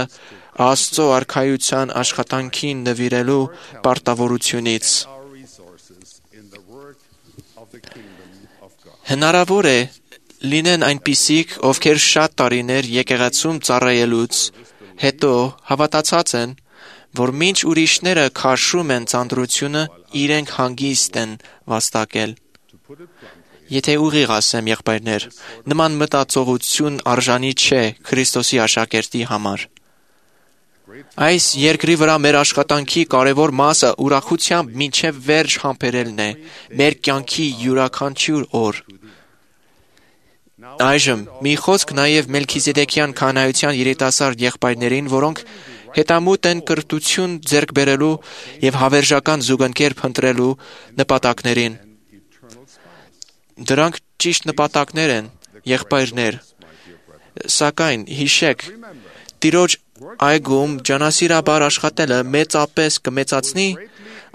Աստծո արքայության աշխատանքին նվիրելու պարտավորությունից։ Հնարավոր է լինեն այնպիսիք, ովքեր շատ տարիներ եկեղեցում ծառայելուց հետո հավատացած են, որ մինչ ուրիշները քաշում են ծանրությունը, իրենք հանգիստ են վաստակել։ Եթե ուղիղ ասեմ, եղբայրներ, նման մտածողություն արժանի չէ Քրիստոսի աշակերտի համար։ Այս երկրի վրա մեր աշխատանքի կարևոր մասը ուրախությամբ մինչև վերջ համբերելն է, մեր կյանքի յուրաքանչյուր օր։ Այժմ մի խոսք նաև Մելքիզեդեկյան քահանայության երիտասարդ եղբայրներին, որոնք հետամուտ են կրթություն ձեռք բերելու և հավերժական զուգընկեր փնտրելու նպատակներին։ Դրանք ճիշտ նպատակներ են, եղբայրներ, սակայն հիշեք, Տիրոջ այգում ջանասիրաբար աշխատելը մեծապես կմեծացնի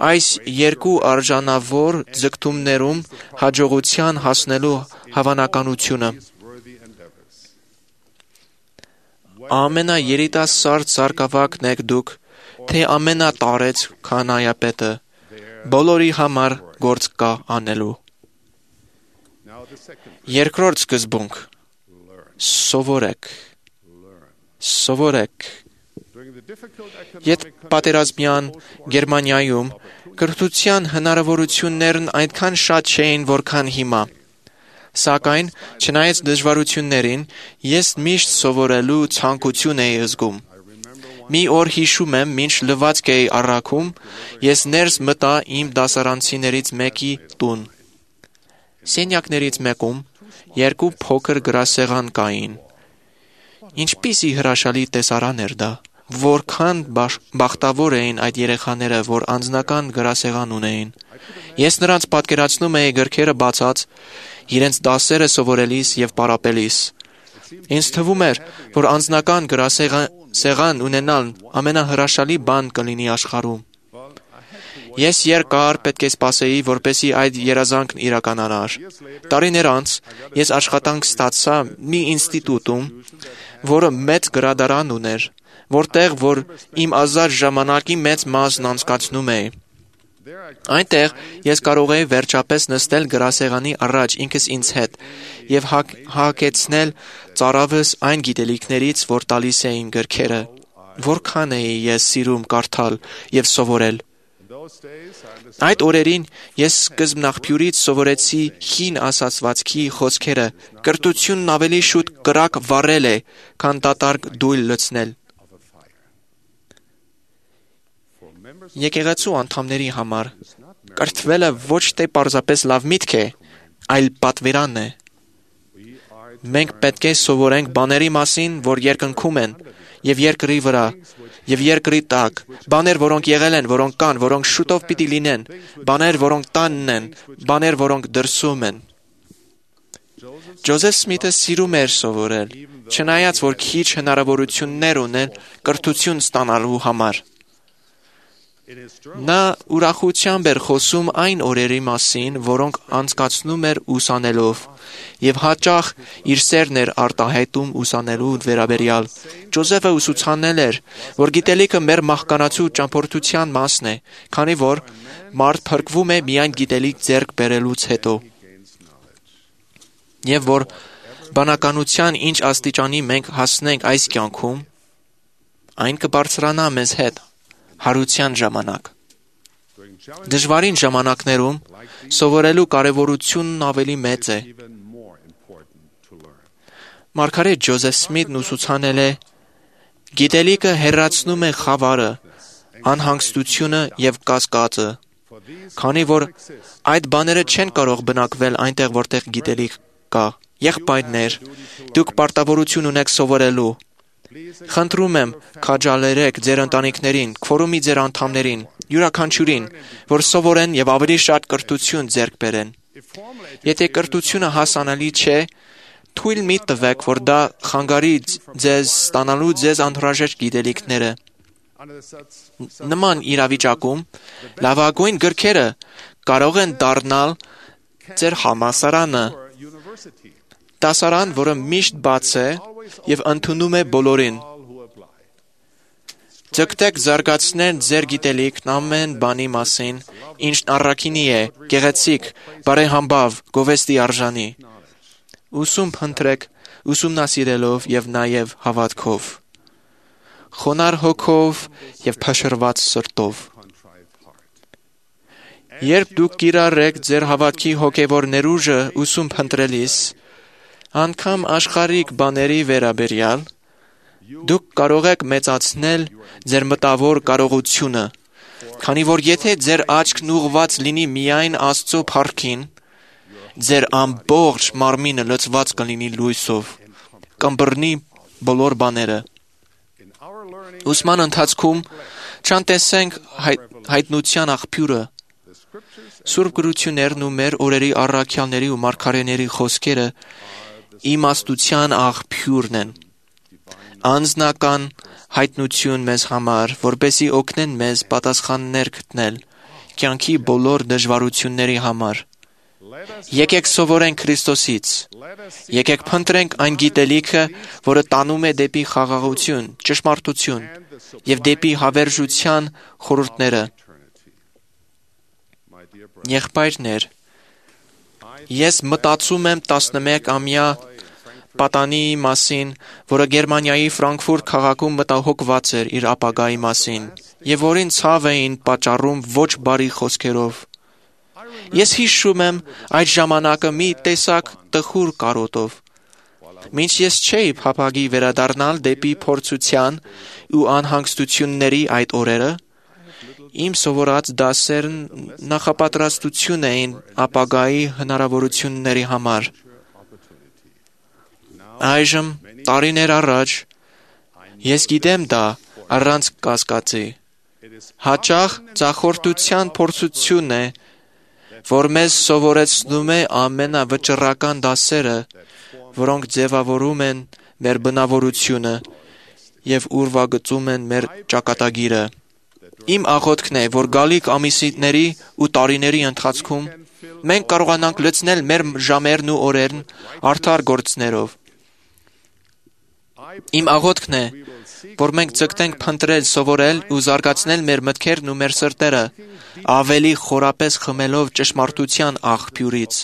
այս երկու արժանավոր ձգտումներում հաջողության հասնելու հավանականությունը։ Ամենաերիտասարդ սարկավակն եք դուք, թե ամենատարեց քահանայապետը, բոլորի համար գործ կա անելու։ Երկրորդ սկզբունք. Սովորեք։ Ետ պատերազմյան Գերմանիայում կրթության հնարավորություններն այնքան շատ չէին, որքան հիմա։ Սակայն, չնայած դժվարություններին, ես միշտ սովորելու ցանկություն էի զգում։ Մի օր հիշում եմ, մինչ լվացք էի առաքում, ես ներս մտա իմ դասարանցիներից մեկի տուն։ Սենյակներից մեկում երկու փոքր գրասեղան կային։ Ինչպիսի հրաշալի տեսարան էր դա, որքան բախտավոր էին այդ երեխաները, որ անձնական գրասեղան ունեին։ Ես նրանց պատկերացնում էի գրքերը բացած, իրենց դասերը սովորելիս և պարապելիս։ Ինձ թվում էր, որ անձնական գրասեղան ունենալն ամենահրաշալի բան կլինի աշխարհում։ Ես երկար պետք է սպասեի, որպեսզի այդ երազանքն իրականանար։ Տարիներ անց ես աշխատանք ստացա մի ինստիտուտում, որը մեծ գրադարան ուներ, որտեղ որ իմ ազատ ժամանակի մեծ մասն անցկացնում էի։ Այնտեղ ես կարող էի վերջապես նստել գրասեղանի առաջ ինքս ինձ հետ և հագեցնել ծարավս այն գիտելիքներից, որ տալիս էին գրքերը, որքան էի ես սիրում կարդալ և սովորել։ Այդ օրերին ես սկզբնաղբյուրից սովորեցի հին ասացվածքի խոսքերը, կրթությունն ավելի շուտ կրակ վառել է, քան դատարկ դույլ լցնել։ Եկեղեցու անդամների համար կրթվելը ոչ թե պարզապես լավ միտք է, այլ պատվերան է։ Մենք պետք է սովորենք բաների մասին, որ երկնքում են, և երկրի վրա, և երկրի տակ, բաներ, որոնք եղել են, որոնք կան, որոնք շուտով պիտի լինեն, բաներ, որոնք տանն են, բաներ, որոնք դրսում են։ Ջոզեֆ Սմիթը սիրում էր սովորել, չնայած որ քիչ հնարավորություններ ուներ կրթություն ստանալու համար։ Նա ուրախությամբ էր խոսում այն օրերի մասին, որոնք անցկացնում էր ուսանելով, և հաճախ իր սերն էր արտահայտում ուսանելու վերաբերյալ։ Ջոզեֆը ուսուցանել էր, որ գիտելիքը մեր մահկանացու ճամփորդության մասն է, քանի որ մարդ փրկվում է միայն գիտելիք ձեռք բերելուց հետո։ Եվ որ բանականության ինչ աստիճանի մենք հասնենք այս կյանքում, այն կբարձրանա մեզ հետ հարության ժամանակ։ Դժվարին ժամանակներում սովորելու կարևորությունն ավելի մեծ է։ Մարգարետ Ջոզեֆ Սմիթն ուսուցանել է. գիտելիքը հեռացնում է խավարը, անհանգստությունը և կասկածը, քանի որ այդ բաները չեն կարող բնակվել այնտեղ, որտեղ գիտելիք կա։ Եղբայրներ, դուք պարտավորություն ունեք սովորելու։ Խնդրում եմ, քաջալերեք ձեր ընտանիքներին, քվորումի ձեր անդամներին, յուրաքանչյուրին, որ սովորեն և ավելի շատ կրթություն ձեռք բերեն։ Եթե կրթությունը հասանելի չէ, թույլ մի տվեք, որ դա խանգարի ձեզ ստանալու ձեզ անհրաժեշտ գիտելիքները։ Նման իրավիճակում լավագույն գրքերը կարող են դառնալ ձեր համալսարանը, դասարան, որը միշտ բաց է և ընդունում է բոլորին։ Ձգտեք զարգացնել ձեր գիտելիքն ամեն բանի մասին, ինչն առաքինի է, գեղեցիկ, բարեհամբավ, գովեստի արժանի։ Ուսում փնտրեք, ուսումնասիրելով և նաև հավատքով, խոնարհ հոգով և փշրված սրտով։ Երբ դուք կիրառեք ձեր հավատքի հոգևոր ներուժը ուսում փնտրելիս, անգամ աշխարհիկ բաների վերաբերյալ, դուք կարող եք մեծացնել ձեր մտավոր կարողությունը, քանի որ եթե ձեր աչքն ուղղված լինի միայն Աստծո փառքին, ձեր ամբողջ մարմինը լցված կլինի լույսով, կըմբռնի բոլոր բաները։ Ուսման ընթացքում չանտեսենք հայտնության աղբյուրը։ Սուրբ գրություններն ու մեր օրերի առաքյալների ու մարգարեների խոսքերը իմաստության աղբյուրն են։ Անձնական հայտնություն մեզ համար, որպեսզի օգնեն մեզ պատասխաններ գտնել կյանքի բոլոր դժվարությունների համար։ Եկեք սովորենք Քրիստոսից։ Եկեք փնտրենք այն գիտելիքը, որը տանում է դեպի խաղաղություն, ճշմարտություն և դեպի հավերժության խորհուրդները։ Եղբայրներ, ես մտածում եմ 11-ամյա պատանիի մասին, որը Գերմանիայի Ֆրանկֆուրտ քաղաքում մտահոգված էր իր ապագայի մասին, և որին ցավ էին պատճառում ոչ բարի խոսքերով։ Ես հիշում եմ այդ ժամանակը մի տեսակ տխուր կարոտով։ Մինչ ես չէի փափագի վերադառնալ դեպի փորձության ու անհանգստությունների այդ օրերը, իմ սովորած դասերն նախապատրաստություն էին ապագայի հնարավորությունների համար։ Այժմ, տարիներ առաջ, ես գիտեմ դա առանց կասկածի։ Հաճախ ձախորդության փորձությունն է, որ մեզ սովորեցնում է ամենավճռական դասերը, որոնք ձևավորում են մեր բնավորությունը և ուրվագծում են մեր ճակատագիրը։ Իմ աղոթքն է, որ գալիք ամիսների ու տարիների ընթացքում մենք կարողանանք լցնել մեր ժամերն ու օրերն արդար գործներով։ Իմ աղոթքն է, որ մենք ձգտենք փնտրել, սովորել ու զարգացնել մեր մտքերն ու մեր սրտերը, ավելի խորապես խմելով ճշմարտության աղբյուրից։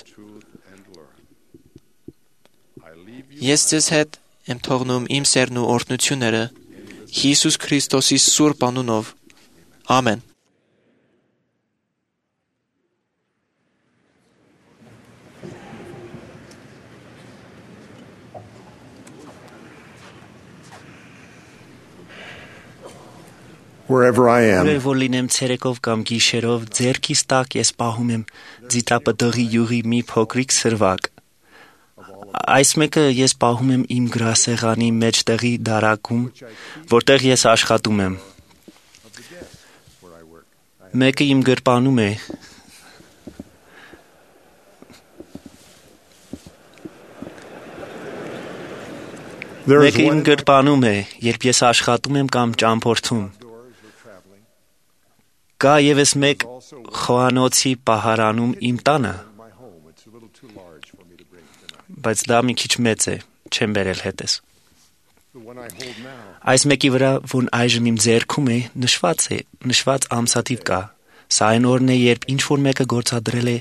Ես ձեզ հետ եմ թողնում իմ սերն ու օրհնությունները Հիսուս Քրիստոսի սուրբ անունով։ Ամեն։ Wherever I am, Որ լինեմ ցերեկով կամ գիշերով, ձերքիս տակ ես պահում եմ ձիթապտղի յուղի մի փոքրիկ սրվակ։ Այս մեկը ես պահում եմ իմ գրասեղանի մեջտեղի դարակում, որտեղ ես աշխատում եմ։ Մեկը իմ գրպանում է։ Մեկը իմ գրպանում է, երբ ես աշխատում եմ կամ ճամփորդում։ Կա ևս մեկ խոհանոցի պահարանում իմ տանը, բայց դա մի քիչ մեծ է, չեմ բերել հետս։ Այս մեկի վրա, որ այժմ իմ ձեռքում է, նշված ամսաթիվ կա։ Սա այն օրն է, երբ ինչ-որ մեկը գործադրել է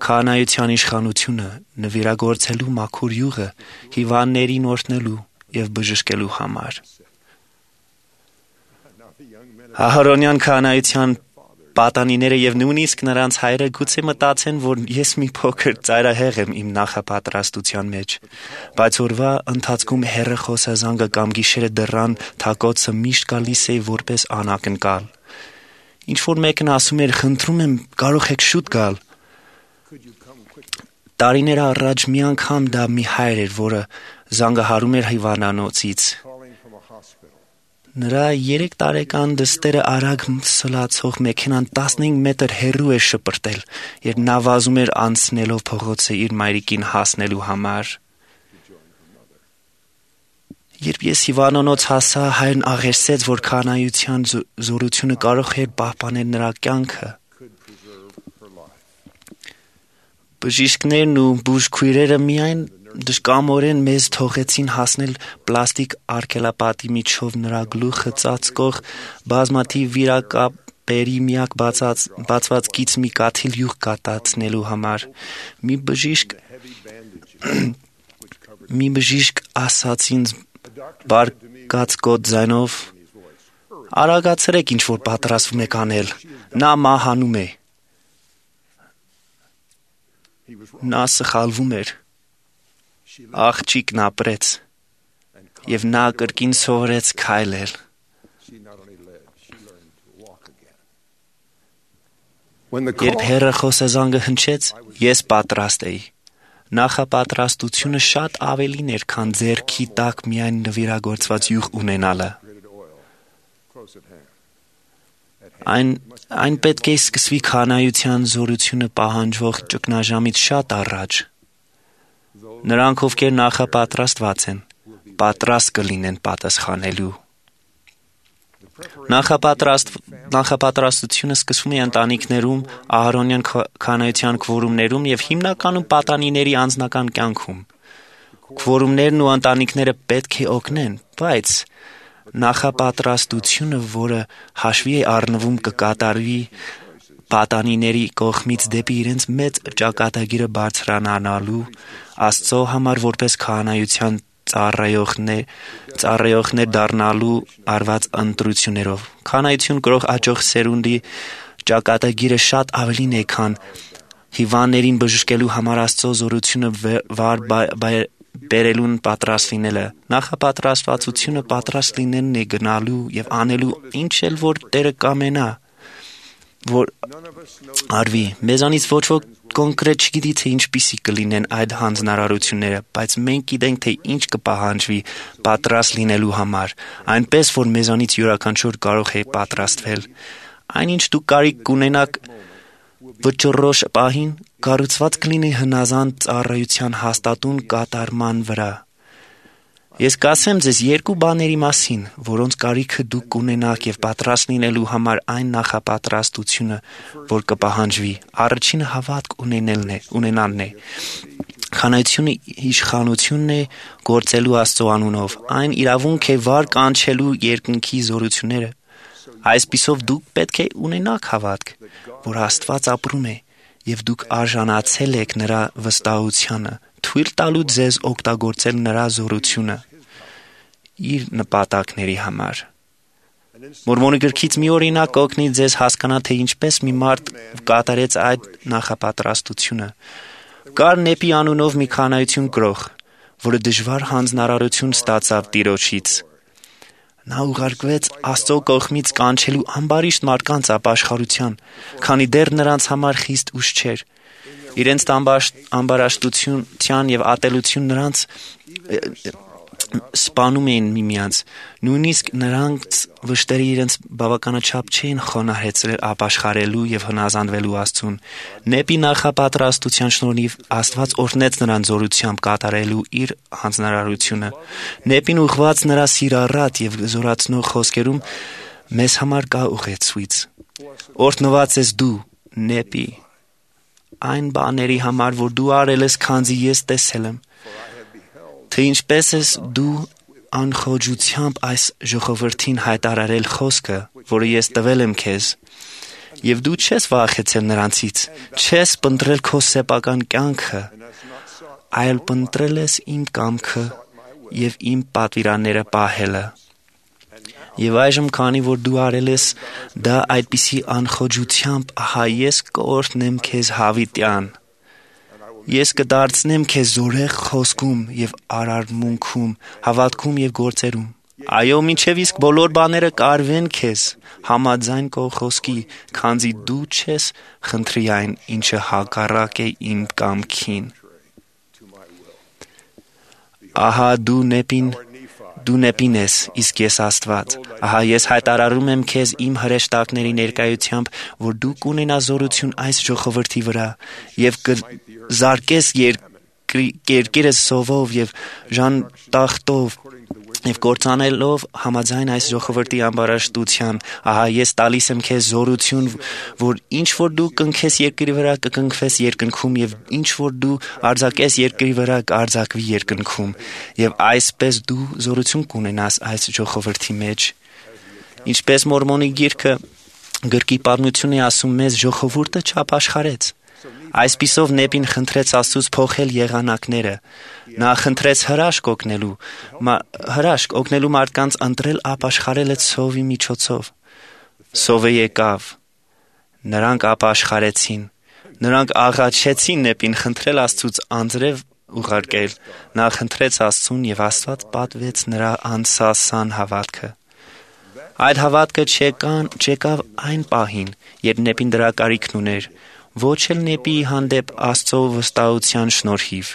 քահանայության իշխանությունը, նվիրագործելու մաքուր յուղը, հիվանդներին օրհնելու և բժշկելու համար։ Ահարոնյան քահանայության Պատանիները եւ նույնիսկ նրանց հայրը գուցե մտածեն, որ ես մի փոքր ծայրահեղ եմ իմ նախապատրաստության մեջ, բայց օրվա ընթացքում հեռը խոսազանգը կամ գիշերը դռան թակոցը միշտ գալիս է որպես անակնկալ։ Ինչ որ մեկն ասում էր, խնդրում եմ, կարող եք շուտ գալ։ Տարիներ առաջ մի անգամ դա մի հայր էր, որը զանգահարում էր հիվանդանոցից։ Նրա 3 տարեկան դստերը արագ սլացող մեքենան 15 մետր հեռու էր շպրտել, երբ նա վազում էր անցնելով փողոցը իր մայրիկին հասնելու համար։ Երբ ես հիվանդանոց հասա, հայրն աղերսեց, որ քահանայության զորությունը կարող էր պահպանել նրա կյանքը։ Բժիշկներն ու բուժքույրերը միայն դժկամորեն մեզ թողեցին հասնել պլաստիկ արգելապատի միջով նրա գլուխը ծածկող բազմաթիվ վիրակապերի միակ բացված գիծ մի կաթիլ յուղ կատացնելու համար։ Մի բժիշկ ասաց ինձ բարգացկոտ ձայնով. «Արագացրեք, ինչ որ պատրաստվում եք անել, նա մահանում է»։ Նա սխալվում էր։ Աղջիկն ապրեց, եւ նա կրկին սովորեց քայլել։ Երբ հեռը խոսազանգը հնչեց, ես պատրաստ էի։ Նախապատրաստությունը շատ ավելին էր, քան ձեռքի տակ միայն նվիրագործված յուղ ունենալը։ Այն պետք է սկսվի քահանայության զորությունը պահանջվող ճգնաժամից շատ առաջ։ Նրանք, ովքեր նախապատրաստված են, պատրաստ կլինեն պատասխանելու։ Նախապատրաստությունը սկսվում է ընտանիքներում, ահարոնյան քահանայության քվորումներում եւ հիմնականում պատանիների անձնական կյանքում։ Քվորումներն ու ընտանիքները պետք է օգնեն, բայց նախապատրաստությունը, որը հաշվի է առնվում, կկատարվի պատանիների կողմից դեպի իրենց մեծ ճակատագիրը բարձրանալու, Աստծո համար որպես քահանայության ծառայողներ դառնալու արված ընտրություններով։ Քահանայություն կրող աճող սերունդի ճակատագիրը շատ ավելին է, քան հիվանդներին բժշկելու համար Աստծո զորությունը վար բերելուն պատրաստ լինելը։ Նախապատրաստվածությունը պատրաստ լինելն է գնալու եւ անելու ինչ էլ որ Տերը կամենա, որ արվի։ Մեզանից ոչ ոք կոնկրետ չգիտի, թե ինչպիսի կլինեն այդ հանձնարարությունները, բայց մենք գիտենք, թե ինչ կպահանջվի պատրաստ լինելու համար, այնպես որ մեզանից յուրաքանչյուր կարող է պատրաստվել։ Այնինչ դուք կարիք կունենաք վճռոշ պահին, կառուցված կլինի հնազանդ ծառայության հաստատուն կատարման վրա։ Ես կասեմ ձեզ 2 բաների մասին, որոնց կարիքը դուք կունենաք եւ պատրաստ լինելու համար այն նախապատրաստությունը, որ կպահանջվի։ Առաջինը հավատք ունենալն է։ Քահանայությունը իշխանությունն է գործելու Աստծո անունով։ Այն իրավունք է վար կանչելու երկնքի զորությունները։ Այսպիսով դուք պետք է ունենաք հավատք, որ Աստված ապրում է եւ դուք արժանացել եք նրա վստահությանը, թույլ տալու ձեզ օգտագործել նրա զորությունը իր նպատակների համար։ Մորմոնի գրքից մի օրինակ կօգնի ձեզ հասկանալ, թե ինչպես մի մարդ կատարեց այդ նախապատրաստությունը։ Կար Նեպի անունով մի քահանայություն կրող, որը դժվար հանձնարարություն ստացավ Տիրոջից։ Նա ուղարկվեց Աստծո կողմից կանչելու ամբարիշտ մարդկանց ապաշխարության, քանի դեռ նրանց համար խիստ ուշ չէր։ Իրենց ամբարաշտության եւ ատելություն նրանց սպանում էին միմյանց, նույնիսկ նրանց վշտերը իրենց բավականաչափ չէին խոնարհեցրել ապաշխարելու եւ հնազանդվելու Աստծուն։ Նեպի նախապատրաստության շնորհիվ Աստված օրհնեց նրան զորությամբ կատարելու իր հանձնարարությունը։ Նեպին ուղղված նրա սիրառատ եւ զորացնող խոսքերում մեզ համար կա ուղեցույց։ Օրհնված ես դու, Նեպի, այն բաների համար, որ դու արել ես, քանզի ես տեսել եմ, թե ինչպես ես դու անխոժությամբ այս ժողովրդին հայտարարել խոսքը, որը ես տվել եմ քեզ, եւ դու չես վախեցել նրանցից, չես փնտրել քո սեփական կյանքը, այլ փնտրել ես իմ կամքը եւ իմ պատվիրանները պահելը։ Եվ այժմ քանի որ դու արել ես դա այդպիսի անխոջությամբ, ահա ես կօրհնեմ քեզ հավիտյան։ Ես կդարձնեմ քեզ զորեղ խոսքում եւ արարմունքում, հավատքում եւ գործերում։ Այո, մինչև իսկ բոլոր բաները կարվեն քեզ համաձայն քո խոսքի, քանզի դու չես խնդրի այն, ինչը հակառակ է իմ կամքին։ Ահա դու նեպին ես, իսկ ես Աստված։ Ահա ես հայտարարում եմ քեզ իմ հրեշտակների ներկայությամբ, որ դու կունենաս զորություն այս ժողովրդի վրա եւ կզարկես երկիրը սովով եւ ժանտախտով եւ կործանելով համաձայն այս ժողովրդի ամբարաշտության։ Ահա ես տալիս եմ քեզ զորություն, որ ինչ որ դու կնքես երկրի վրա կկնքվես երկնքում եւ ինչ որ դու արձակես երկրի վրա կարձակվի երկնքում եւ այսպես դու զորություն կունենաս այս ժողովրդի մեջ։ Ինչպես Մորմոնի գիրքը գրքի պատմություն է ասում մեզ, ժողովուրդը չապաշխարեց։ Այսպիսով Նեպին խնդրեց Աստծուց փոխել եղանակները։ Նա խնդրեց հրաշք օգնելու մարդկանց ընտրել ապաշխարելը ցովի միջոցով։ Սովը եկավ։ Նրանք ապաշխարեցին։ Նրանք աղաչեցին Նեպին խնդրել Աստծուց անձրև ուղարկել։ Նա խնդրեց Աստծուն եւ Աստված պատվեց նրա անսասան հավատքը։ Այդ հավատքը չեկավ այն պահին, երբ Նեպին դրա կարիքն ուներ, ոչ էլ Նեպիի հանդեպ Աստծո վստահության շնորհիվ։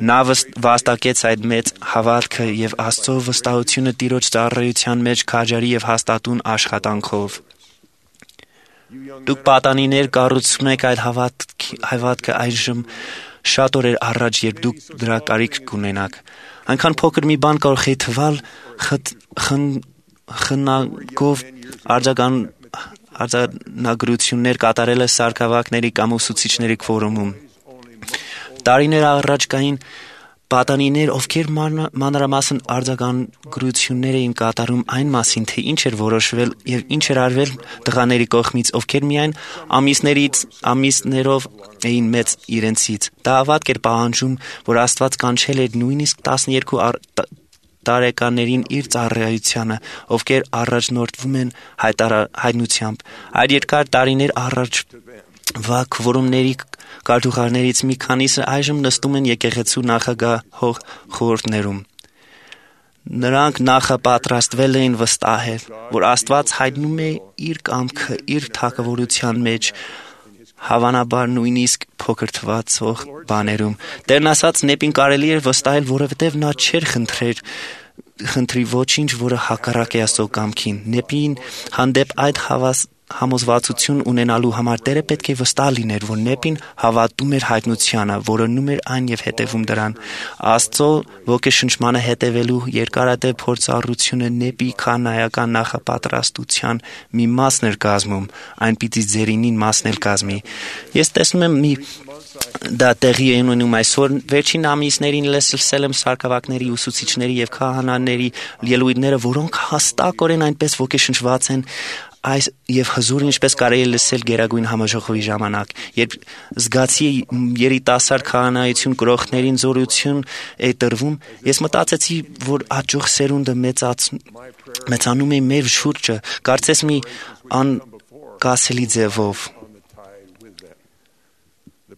Նա վաստակեց այդ մեծ հավատքը եւ Աստծո վստահությունը Տիրոջ ծառայության մեջ քաջարի եւ հաստատուն աշխատանքով։ Դուք պատանիներ կառուցում եք այդ հավատքը այժմ շատ օրեր առաջ, երբ դուք դրա կարիք կունենաք։ Այնքան փոքր մի բան կարող է թվալ խնագով արձանագրություններ կատարելը սարքավակների կամ ուսուցիչների քվորումում։ Տարիներ առաջ կային պատանիներ, ովքեր մանրամասն արձանագրություններ էին կատարում այն մասին, թե ինչ էր որոշվել եւ ինչ էր արվել տղաների կողմից, ովքեր միայն ամիսներով էին մեծ իրենցից։ Դա ավարտ էր պահանջում, որ Աստված կանչել էր նույնիսկ 12 տարեկաներին իր ծառայությանը, ովքեր առաջնորդվում են հայտնությամբ։ Այդ երկար տարիներ առաջվա քվորումների կարգուղարներից մի քանիսը այժմ նստում են եկեղեցու նախագահող խորհուրդներում։ Նրանք նախապատրաստվել էին վստահել, որ Աստված հայտնում է իր կամքը իր թագավորության մեջ, հավանաբար նույնիսկ փոքր թվացող բաներում։ Տերն ասաց Նեպին կարելի էր վստահել, որովհետև նա չէր խնդրի ոչինչ, որը հակառակ է Աստծո կամքին։ Նեպին հանդեպ այդ համոզվածություն ունենալու համար Տերը պետք է վստահ լիներ, որ Նեպին հավատում էր հայտնությանը, որոնում էր այն եւ հետևում դրան։ Աստծո ոգեշնչմանը հետևելու երկարատև փորձառությունը Նեպի քանայական նախապատրաստության մի մասն էր կազմում, այն պիտի ձերինին մասն էլ կազմի։ Ես տեսնում եմ դա տեղի է ունենում այսօր վերջին ամիսներին լսել եմ սարքավակների, ուսուցիչների եւ քահանաների ելույթները, որոնք հստակորեն այնպես ոգեշնչված են այս եւ հզոր ինչպես կարելի է լսել Գերագույն համաժողովի ժամանակ, երբ զգացի երիտասարդ քահանայություն կրողներին զորություն է տրվում, ես մտածեցի, որ աճող սերունդը մեծանում է մեր շուրջը, կարծես մի անկասելի ձևով։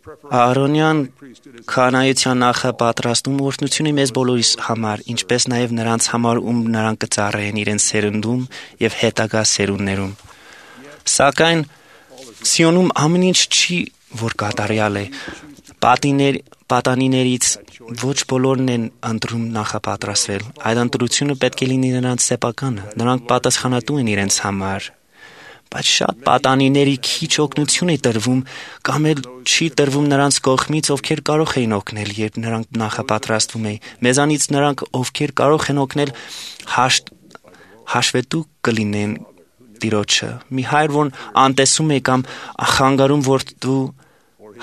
Ահարոնյան քահանայության նախապատրաստում օրհնություն է մեզ բոլորիս համար, ինչպես նաև նրանց համար, ում նրանք կծառայեն իրենց սերունդում եւ հետագա սերունդներում։ Սակայն Սիոնում ամեն ինչ չի, որ կատարյալ է։ Պատանիներից ոչ բոլորն են ընտրում նախապատրաստվել։ Այդ ընտրությունը պետք է լինի նրանց սեփականը։ Նրանք պատասխանատու են իրենց համար։ Բայց շատ պատանիների քիչ օգնություն է տրվում կամ էլ չի տրվում նրանց կողմից, ովքեր կարող էին օգնել, երբ նրանք նախապատրաստվում էին։ Մեզանից նրանք, ովքեր կարող են օգնել, հաշվետու կլինեն Տիրոջը։ Մի հայր, որ անտեսում է կամ խանգարում որդու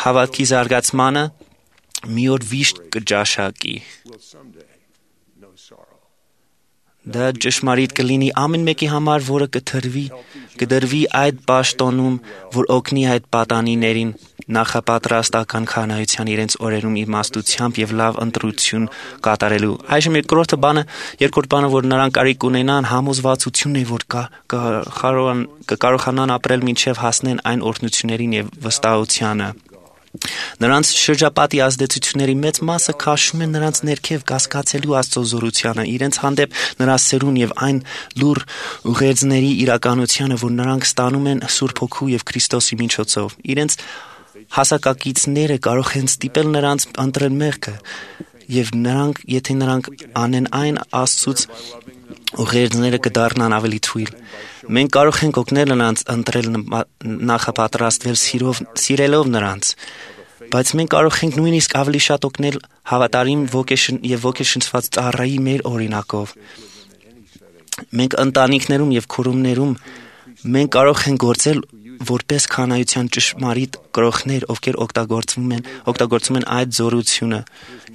հավատքի զարգացմանը, մի օր վիշտ կճաշակի։ Դա ճշմարիտ կլինի ամեն մեկի համար, որը կդրվի այդ պաշտոնում, որ օգնի այդ պատանիներին նախապատրաստական քահանայության իրենց օրերում իմաստությամբ եւ լավ ընտրություն կատարելու։ Այժմ երկրորդ բանը, որ նրանք կարիք ունենան, համոզվածությունն է, որ կարողանան ապրել մինչև հասնեն այն օրհնություններին եւ վստահությանը։ Նրանց շրջապատի ազդեցությունների մեծ մասը քաշում են նրանց ներքև կասկածելու Աստծո զորությանը, իրենց հանդեպ նրա սերուն եւ այն լուր ուղերձների իրականությանը, որ նրանք ստանում են Սուրբ Հոգու եւ Քրիստոսի միջոցով։ Իրենց հասակակիցները կարող են ստիպել նրանց ընտրել մեղքը, եւ եթե նրանք անեն այն, Աստծուց ուղերձները կդառնան ավելի թույլ։ Մենք կարող ենք օգնել նրանց ընտրել նախապատրաստվել սիրելով նրանց, բայց մենք կարող ենք նույնիսկ ավելի շատ օգնել հավատարիմ եւ ոգեշնչված ծառայի մեր օրինակով։ Մենք ընտանիքներում եւ քուրումներում մենք կարող ենք գործել որպես քահանայության ճշմարիտ կրողներ, ովքեր օգտագործում են այդ զորությունը,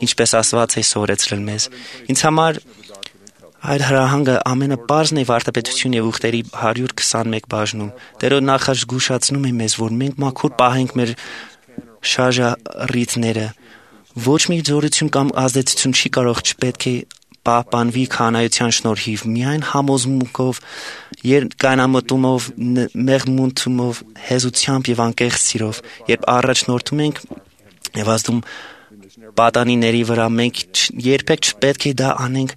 ինչպես Աստված է սովորեցրել մեզ։ Ինձ համար այդ հրահանգը ամենապարզն է վարդապետություն եւ ուխտերի 121 բաժնում։ Տերը նախազգուշացնում է մեզ, որ մենք մաքուր պահենք մեր շարժառիթները։ Ոչ մի զորություն կամ ազդեցություն չի կարող չպետք է պահպանվի քահանայության շնորհիվ, միայն համոզմունքով, երկայնամտումով, մեղմունթումով, հեզությամբ եւ անկեղծ սիրով։ Երբ առաջնորդում ենք եւ ազդում պատանիների վրա, մենք երբեք չպետք է դա անենք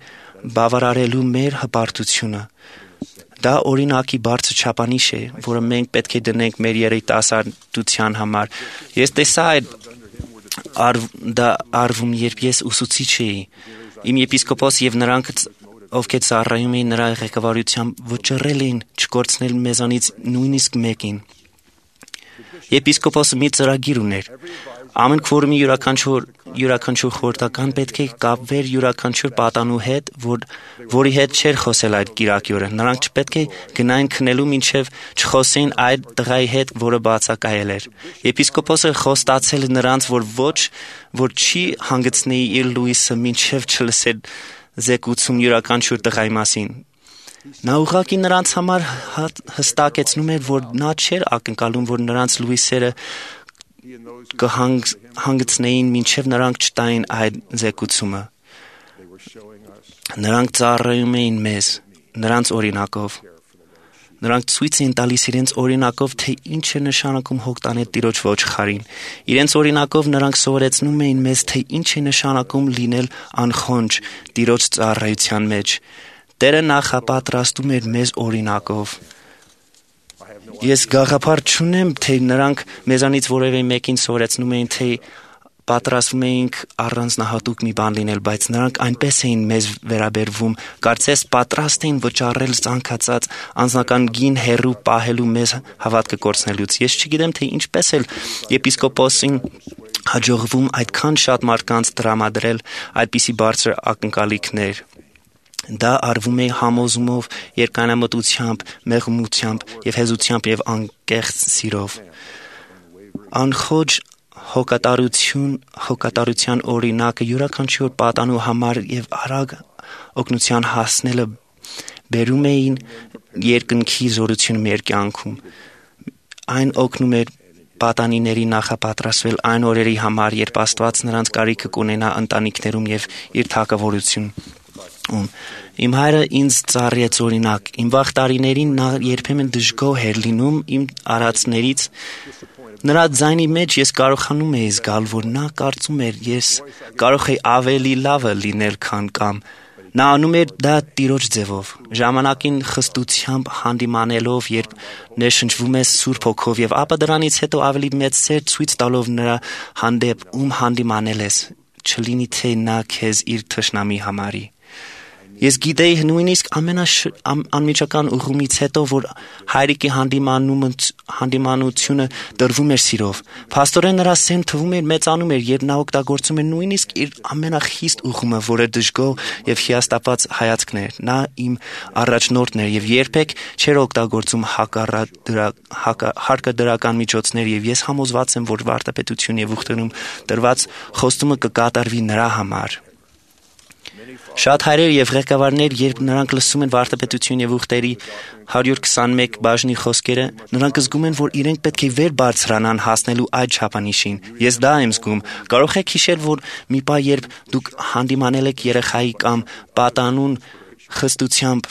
բավարարելու մեր հպարտությունը։ Դա օրինակի բարձր չափանիշ է, որը մենք պետք է դնենք մեր երիտասարդության համար։ Ես տեսա դա արվում, երբ ես ուսուցիչ էի։ Իմ եպիսկոպոս եւ նրանք, ովքեր ծառայում էին նրա ղեկավարությամբ, վճռել էին չկորցնել մեզանից նույնիսկ մեկին։ Եպիսկոպոսը մի ծրագիր ուներ։ Ամեն քվորումի յուրաքանչյուր խորհրդական պետք է կապվեր յուրաքանչյուր պատանու հետ, որի հետ չէր խոսել այդ կիրակի օրը։ Նրանք չպետք է գնային քնելու մինչև չխոսեին այդ տղայի հետ, որը բացակայել էր։ Եպիսկոպոսը խոստացել նրանց, որ չի հանգեցնեի իր լույսը մինչև չլսեր զեկուցում յուրաքանչյուր տղայի մասին։ Նա ուղղակի նրանց համար հստակեցնում էր, որ նա չէր ակնկալում, որ նրանց լույսերը կհանգեցնեին մինչև նրանք չտային այդ զեկուցումը։ Նրանք ծառայում էին մեզ, նրանց օրինակով։ Նրանք ցույց էին տալիս իրենց օրինակով, թե ինչ է նշանակում հոգտանել Տիրոջ ոչխարին։ Իրենց օրինակով նրանք սովորեցնում էին մեզ, թե ինչ է նշանակում լինել անխոնջ Տիրոջ ծառայության մեջ։ Տերը նախապատրաստում էր մեզ օրինակով։ Ես գաղափար չունեմ, թե նրանք մեզանից որևէ մեկին սովորեցնում էին, թե պատրաստվում էինք առանձնահատուկ մի բան լինել, բայց նրանք այնպես էին մեզ վերաբերվում, կարծես պատրաստ էին վճարել ցանկացած անձնական գին հերու պահելու մեզ հավատքը կորցնելուց։ Ես չգիտեմ, թե ինչպես էլ եպիսկոպոսին հաջողվում այդքան շատ մարդկանց տրամադրել այդպիսի բարձր ակնկալիքներ։ Դա արվում է համոզումով, երկայնամտությամբ, մեղմությամբ եւ հեզությամբ եւ անկեղծ սիրով։ Անխոջ հոգատարության օրինակը յուրաքանչյուր պատանու համար եւ արագ օգնության հասնելը բերում էին երկնքի զորություն մեր կյանքում։ Այն օգնում էր պատանիների նախապատրաստվել այն օրերի համար, երբ Աստված նրանց կարիքը կունենա ընտանիքներում եւ իր թագավորություն։ Իմ հայրը ինձ ծառայեց օրինակ։ Իմ վաղ տարիներին նա երբեմն դժգոհ էր լինում իմ արածներից։ Նրա ձայնի մեջ ես կարողանում էի զգալ, որ նա կարծում էր ես կարող էի ավելի լավը լինել, քան կամ։ Նա անում էր դա Տիրոջ ձևով, ժամանակին խստությամբ հանդիմանելով, երբ ներշնչվում ես Սուրբ Հոգով, եւ ապա դրանից հետո ավելի մեծ սեր ցույց տալով նրա հանդեպ, ում հանդիմանել ես, չլինի թե նա քեզ իր թշնամի համարի։ Ես գիտեի նույնիսկ անմիջական ուղումից հետո, որ հայրիկի հանդիմանությունը տրվում էր սիրով։ Փաստորեն նրա սեն թվում էր մեծանում էր, երբ նա օգտագործում էր նույնիսկ իր ամենախիստ ուղումը, որը դժգոհ եւ հիասթափված հայացքն էր։ Նա իմ առաջնորդն էր եւ երբեք չէր օգտագործում հարկադրական միջոցներ, եւ ես համոզված եմ, որ վարդապետություն եւ ուխտերում տրված խոստումը կկատարվի նրա համար։ Շատ հայրեր եւ ղեկավարներ, երբ նրանք լսում են վարդապետություն եւ ուխտերի 121 բաժնի խոսքերը, նրանք զգում են, որ իրենք պետք է վեր բարձրանան հասնելու այդ չափանիշին։ Ես դա եմ զգում։ Կարող եք հիշել, որ մի պահ երբ դուք հանդիմանել եք երեխայի կամ պատանուն խստությամբ,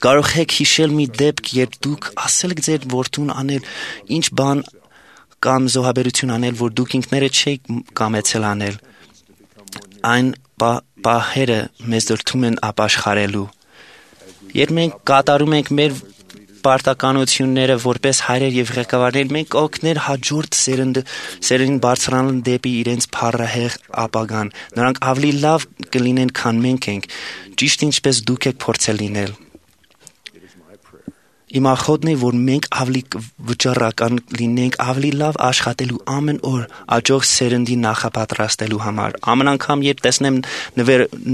կարող եք հիշել մի դեպք, երբ դուք ասել եք ձեր որդուն անել ինչ բան կամ զոհաբերություն անել, որ դուք ինքներդ չեք կամեցել անել։ Այն պահերը մեզ դրդում են ապաշխարելու։ Երբ մենք կատարում ենք մեր պարտականությունները որպես հայրեր եւ ղեկավարներ, մենք օգներ հաջորդ սերնդին բարձրանալ դեպի իրենց փառահեղ ապագան։ Նրանք ավելի լավ կլինեն, քան մենք ենք, ճիշտ ինչպես դուք եք փորձել լինել։ Իմ ախոթն է, որ մենք ավելի վճռական լինենք, ավելի լավ աշխատելու ամեն օր աճող սերնդի նախապատրաստելու համար։ Ամեն անգամ, երբ տեսնեմ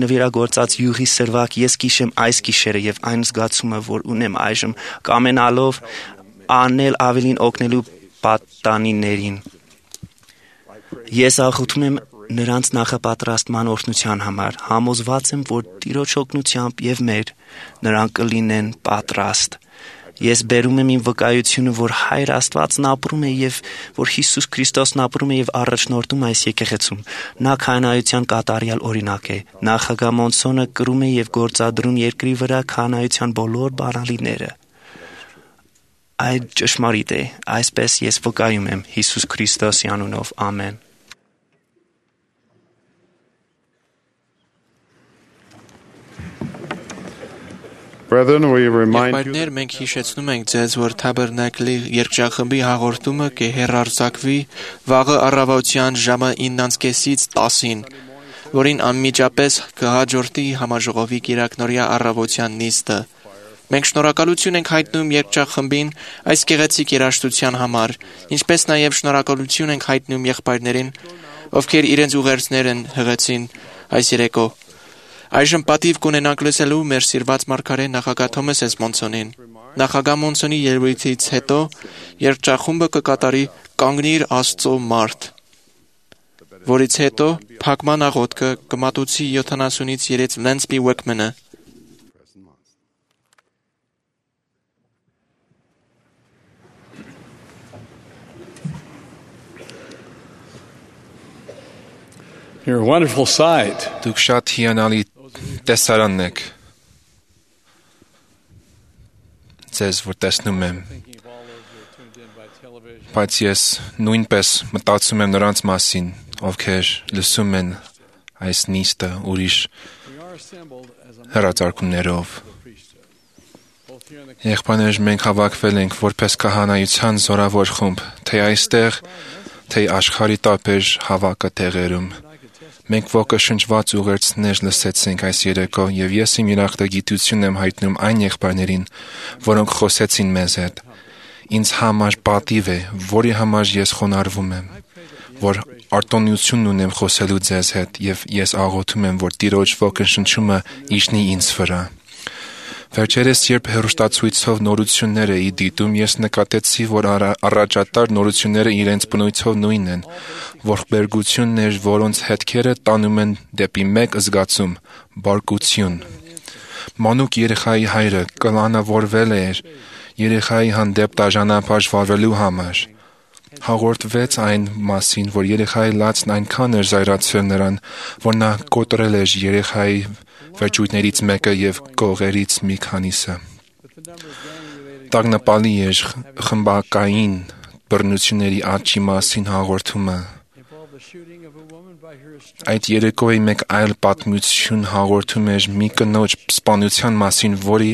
նվիրագործած յուղի սրվակ, ես կիշեմ այս գիշերը եւ այն զգացումը, որ ունեմ այժմ, կամենալով անել ավելին օգնելու պատանիներին։ Ես ախոթում եմ նրանց նախապատրաստման օրհնության համար, համոզված եմ, որ Տիրոջ օգնությամբ եւ մեր նրանք կլինեն պատրաստ։ Ես բերում եմ իմ վկայությունը, որ Հայր Աստվածն ապրում է եւ որ Հիսուս Քրիստոսն ապրում է եւ առաջնորդում այս եկեղեցում։ Նա քահանայության կատարյալ օրինակ է։ Նախագահ Մոնսոնը կրում է եւ գործադրում երկրի վրա քահանայության բոլոր բանալիները։ Այդ ճշմարիտ է։ Այսպես ես վկայում եմ Հիսուս Քրիստոսի անունով։ Ամեն։ Brethren, we remind you Եղբայրներ, մենք հիշեցնում ենք ձեզ, որ Թաբերնակլի երգչախմբի հաղորդումը կհեռարձակվի վաղը առավոտյան ժամը 9:30-ից 10-ին, որին անմիջապես կհաջորդի համաժողովի կիրակնօրյա առավոտյան նիստը։ Մենք շնորհակալություն ենք հայտնում երգչախմբին այս գեղեցիկ երաժշտության համար, ինչպես նաև շնորհակալություն ենք հայտնում եղբայրներին, ովքեր իրենց ուղերձներն հղեցին այս երեկո։ Այժմ պատիվ կունենանք լսելու մեր սիրված մարգարե նախագահ Թոմաս S. Մոնսոնին։ Նախագահ Մոնսոնի ելույթից հետո երգչախումբը կկատարի «Կանգնիր Աստծո մարդ», որից հետո փակման աղոթքը կմատուցի 70-ից 3 Lance B. Wakeman-ը։ You're a wonderful sight. Դուք շատ հիանալի տեսարանն եք, ձեզ որ տեսնում եմ, բայց ես նույնպես մտածում եմ նրանց մասին, ովքեր լսում են այս նիստը ուրիշ հեռարձակումներով։ Եղբայրներ, մենք հավաքվել ենք որպես քահանայության զորավոր խումբ, թե այստեղ, թե աշխարհի տարբեր հավաքը տեղերում։ Մենք ոգեշնչված ուղերձներ լսեցինք այս երեկո եւ ես իմ երախտագիտությունն եմ հայտնում այն եղբայրներին, որոնք խոսեցին մեզ հետ։ Ինձ համար պատիվ է, որի համար ես խոնարհվում եմ, որ արտոնություն ունեմ խոսելու ձեզ հետ եւ ես աղոթում եմ, որ Տիրոջ ոգեշնչումը իջնի ինձ վրա։ Վերջերս, երբ հեռուստացույցով նորություններ էի դիտում, ես նկատեցի, որ առաջատար նորությունները իրենց բնույթով նույնն են, ողբերգություններ, որոնց հետքերը տանում են դեպի մեկ զգացում՝ բարկություն։ Մանուկ երեխայի հայրը կլանավորվել էր երեխայի հանդեպ դաժանապաշ վարվելու համար։ Հաղորդվեց այն մասին, որ երեխայի լացն այնքան էր զայրացրել նրան, որ նա կոտրել էր երեխայի վերջույթներից մեկը եւ կողերից մի քանիսը։ Տագնապալի էր խմբակային բռնությունների աճի մասին հաղորդումը։ Այդ երեկոյի մեկ այլ պատմություն հաղորդում էր մի կնոջ սպանության մասին, որի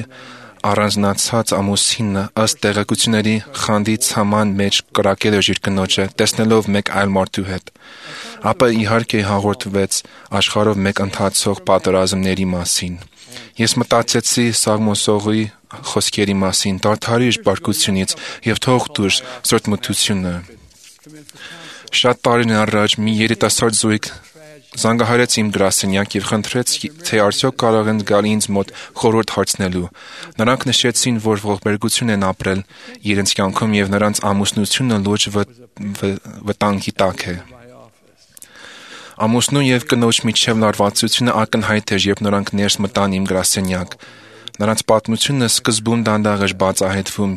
առանձնացած ամուսինը ըստ տեղեկությունների խանդից համան մեջ կրակել էր իր կնոջը, տեսնելով մեկ այլ մարդու հետ։ Ապա իհարկե հաղորդվեց աշխարհով մեկ ընթացող պատերազմների մասին։ Ես մտածեցի Սաղմոսողի խոսքերի մասին՝ դադարիր բարկությունից եւ թող դուրս սրտմտությունը։ Շատ տարիներ առաջ մի երիտասարդ զույգ զանգահարեց իմ գրասենյակ եւ խնդրեց, թե արդյոք կարող են գալ ինձ մոտ խորհուրդ հարցնելու։ Նրանք նշեցին, որ ողբերգություն են ապրել իրենց կյանքում եւ նրանց ամուսնությունը լուրջ վտանգի տակ է։ Ամուսնու եւ կնոջ միջև լարվածությունը ակնհայտ էր, երբ նրանք ներս մտան իմ գրասենյակ։ Նրանց պատմությունը սկզբում դանդաղ էր բացահայտվում,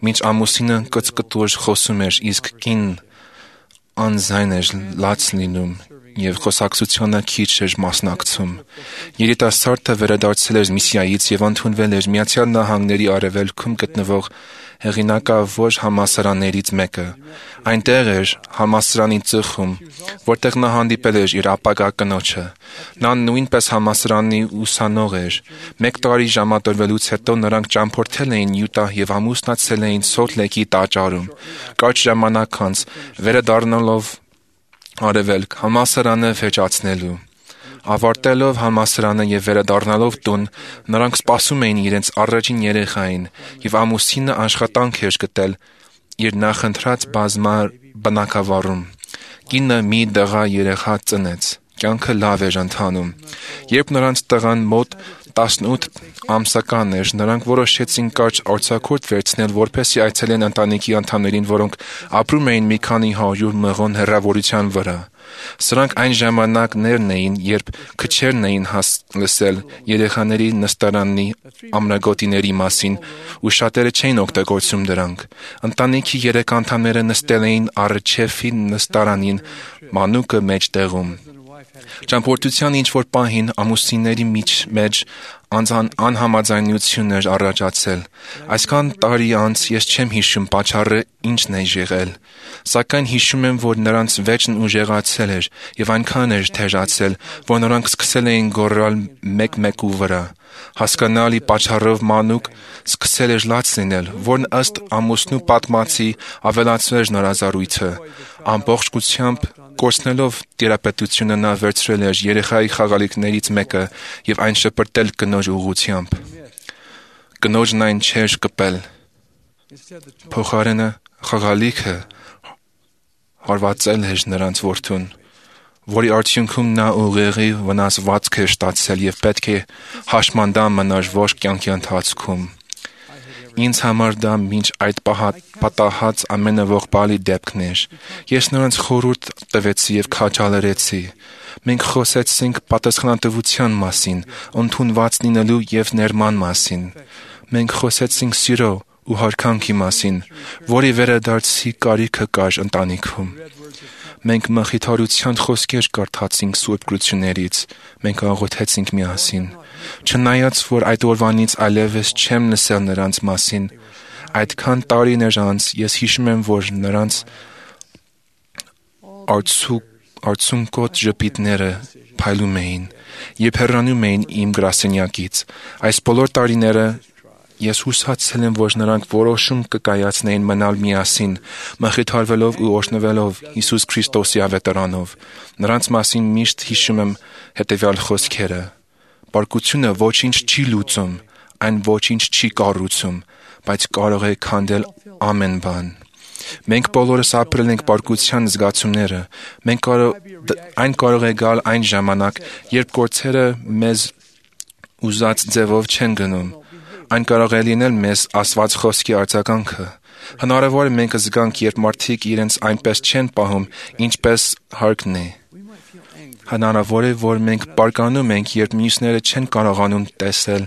մինչ ամուսինը կծկտուր խոսում էր, իսկ կինն անզայն էր լաց լինում եւ խոսակցությանը քիչ էր մասնակցում։ Երիտասարդը վերադարձել էր միսիայից եւ ընդունվել էր Միացյալ Նահանգների արևելքում գտնվող հեղինակավոր համալսարաններից մեկը։ Այնտեղ էր համալսարանի ծխում, որտեղ նա հանդիպել էր իր ապագա կնոջը։ Նա նույնպես համալսարանի ուսանող էր։ 1 տարի ժամադրվելուց հետո նրանք ճամփորդել էին Յուտա եւ ամուսնացել էին Սոլտ Լեյքի տաճարում։ Կարճ ժամանակ անց վերադառնալով արևելք համալսարանը վերջացնելու։ Ավարտելով համալսարանը եւ վերադառնալով տուն, նրանք սպասում էին իրենց առաջին երեխային եւ ամուսինը աշխատանք էր գտել իր նախընտրած բնակավարում։ Կինը մի դղա երեխա ծնեց։ Կյանքը լավ էր ընթանում։ Երբ նրանց տղան մոտ 18 ամսական էր, նրանք որոշեցին կարճ արձակուրդ վերցնել, որպեսզի այցելեն ընտանիքի անդամներին, որոնք ապրում էին մի քանի 100 մղոն հեռավորության վրա։ Սրանք այն ժամանակներն էին, երբ քչերն էին լսել երեխաների նստարանի ամրագոտիների մասին, ու շատերը չէին օգտագործում դրանք։ Ընտանիքի 3 անդամները նստել էին առջևի նստարանին, մանուկը մեջտեղում։ Ճամփորդության ինչ-որ պահին ամուսինների մեջ անհամաձայնություն էր առաջացել։ Այսքան տարի անց ես չեմ հիշում պատճառը ինչն է եղել, սակայն հիշում եմ, որ նրանց վեճն ուժեղացել էր եւ այնքան էր թեժացել, որ նրանք սկսել էին գոռալ մեկ-մեկու վրա։ Հասկանալի պատճառով մանուկ սկսել էր լաց լինել, որն ըստ ամուսնու պատմածի ավելացրել էր նրա զառույցը։ Ամբողջությամբ կորցնելով տիրապետությունը նա վերցրել էր երեխայի խաղալիքներից մեկը եւ այն շպրտել կնոջ ուղղությամբ։ Կնոջն այն չէր կպել։ Փոխարենը խաղալիքը հարվածել էր նրանց որդուն, որի արդյունքում նա ուղեղի վնասվածք էր ստացել եւ պետք է հաշմանդամ մնար ողջ կյանքի ընթացքում։ Ինձ համար դա մինչ այդ պատահած ամենաողբալի դեպքն էր։ Ես նրանց խորհուրդ տվեցի եւ քաջալերեցի։ Մենք խոսեցինք պատասխանատվության մասին, ընդունված լինելու եւ ներման մասին։ Մենք խոսեցինք սիրո ու հարկանքի մասին, որի վերադարձի կարիքը կար ընտանիքում։ Մենք մխիթարության խոսքեր կարդացինք Սուրբ Գրություններից, մենք աղոթեցինք միասին։ Չնայած որ այդ օրվանից այլևս չեմ լսել նրանց մասին, այդքան տարիներ անց ես հիշում եմ, որ նրանց արցունքոտ ժպիտները փայլում էին, երբ հեռանում էին իմ գրասենյակից։ Այս բոլոր տարիները ես հուսացել եմ, որ նրանք որոշում կկայացնեին մնալ միասին, մխիթարվելով ու օրհնվելով Հիսուս Քրիստոսի ավետարանով։ Նրանց մասին միշտ հիշում եմ հետևյալ խոսքերը. Պարկությունը ոչինչ չի լուծում, այն ոչինչ չի կառուցում, բայց կարող է քանդել ամեն բան։ Մենք բոլորս ապրել ենք պարկության զգացումները։ Այն կարող է գալ այն ժամանակ, երբ գործերը մեզ ուզած ձևով չեն գնում։ Այն կարող է լինել մեզ ասված խոսքի արձագանքը։ Հնարավոր է մենք զգանք, երբ մարդիկ իրենց այնպես չեն պահում, ինչպես հարկն է։ Հնարավոր է, որ մենք բարկանում ենք, երբ մյուսները չեն կարողանում տեսնել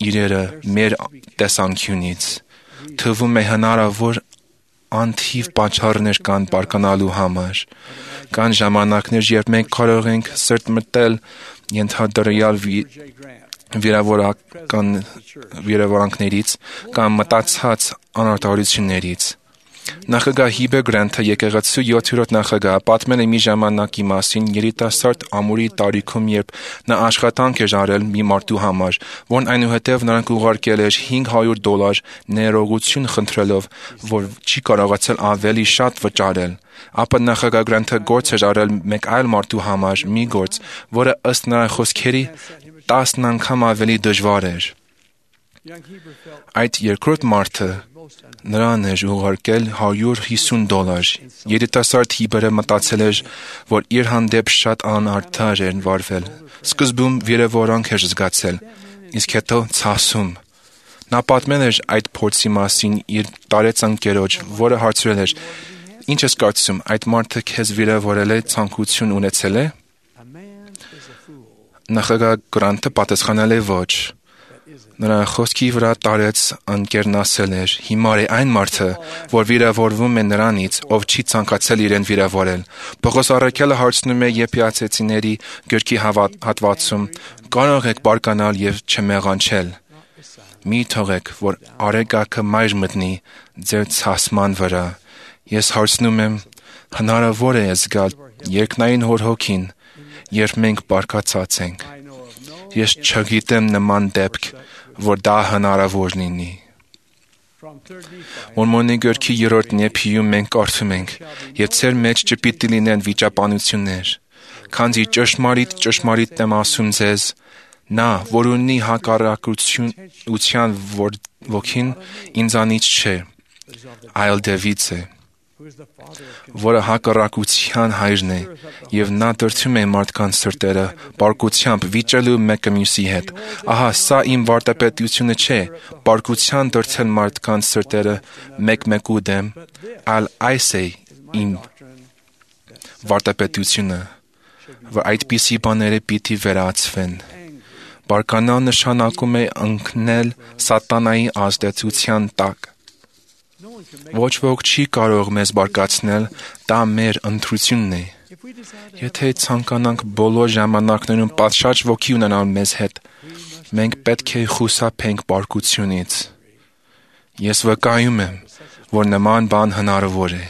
իրերը մեր տեսանկյունից։ Թվում է հնարավոր անթիվ պատճառներ կան բարկանալու համար։ Կան ժամանակներ, երբ մենք կարող ենք սրտմտել ենթադրյալ վիրավորանքներից կամ մտածած անարդարություններից։ Նախագահ Հիբեր Գրենթը եկեղեցու 7-րդ նախագահ պատմել է մի ժամանակի մասին երիտասարդ ամուրի տարիքում, երբ նա աշխատանք էր արել մի մարդու համար, որն այնուհետև նրանք ուղարկել էր $500 ներողություն խնդրելով, որ չի կարողացել ավելի շատ վճարել։ Ապա նախագահ Գրենթը գործ էր արել մեկ այլ մարդու համար, մի գործ, որը ըստ նրա խոսքերի 10 անգամ ավելի դժվար էր։ Այդ երկրորդ մարդը նրան էր ուղարկել $150։ Երիտասարդ Հիբերը մտածել էր, որ իր հանդեպ շատ անարդար էր վարվել։ Սկզբում վիրավորանք էր զգացել, իսկ հետո ցասում։ Նա պատմել էր այդ փորձի մասին իր տարեց ընկերոջ, որը հարցրել էր. Ինչ ես կարծում, այդ մարդը քեզ վիրավորել է, ցանկություն ունեցել է։ Նախագահ Գրանտը պատասխանել է ոչ։ Նրա խոսքի վրա տարեց ընկերն ասել էր. հիմար է այն մարդը, որ վիրավորվում է նրանից, ով չի ցանկացել իրեն վիրավորել։ Պողոս առաքյալը հարցնում է Եփեացեցիների գրքի հատվածում. կարող եք բարկանալ եւ չմեղանչել։ Մի թողեք, որ արեգակը մայր մտնի ձեր ցասման վրա։ Ես հարցնում եմ, հնարավոր է զգալ երկնային Հոր հոգին, երբ մենք բարկացած ենք։ Ես չգիտեմ նման դեպք, որ դա հնարավոր լինի։ Մորմոնի գրքի 3-րդ նեփիում մենք կարդում ենք. «Եվ ձեր մեջ չպիտի լինեն վիճաբանություններ, քանզի ճշմարիտ եմ ասում ձեզ, նա, որ ունի հակառակության ոգին, ինձանից չէ, այլ Դավիթից է, որը հակառակության հայրն է, եւ նա դրդում է մարդկանց սրտերը պարկությամբ վիճելու մեկը մյուսի հետ։ Ահա սա իմ վարտապետությունը չէ, պարկության դրդել մարդկանց սրտերը մեկ-մեկու դեմ, այլ այս է իմ վարտապետությունը, որ այդպիսի բաները պիտի վերացվեն։ Բարկանալ նշանակում է ընկնել սատանայի ազդեցության տակ։ Ոչ ոք չի կարող մեզ բարկացնել, դա մեր ընտրությունն է։ Եթե ցանկանանք բոլոր ժամանակներում պատշաճ ոգի ունենալ մեզ հետ, մենք պետք է խուսափենք բարկությունից։ Ես վկայում եմ, որ նման բան հնարավոր է։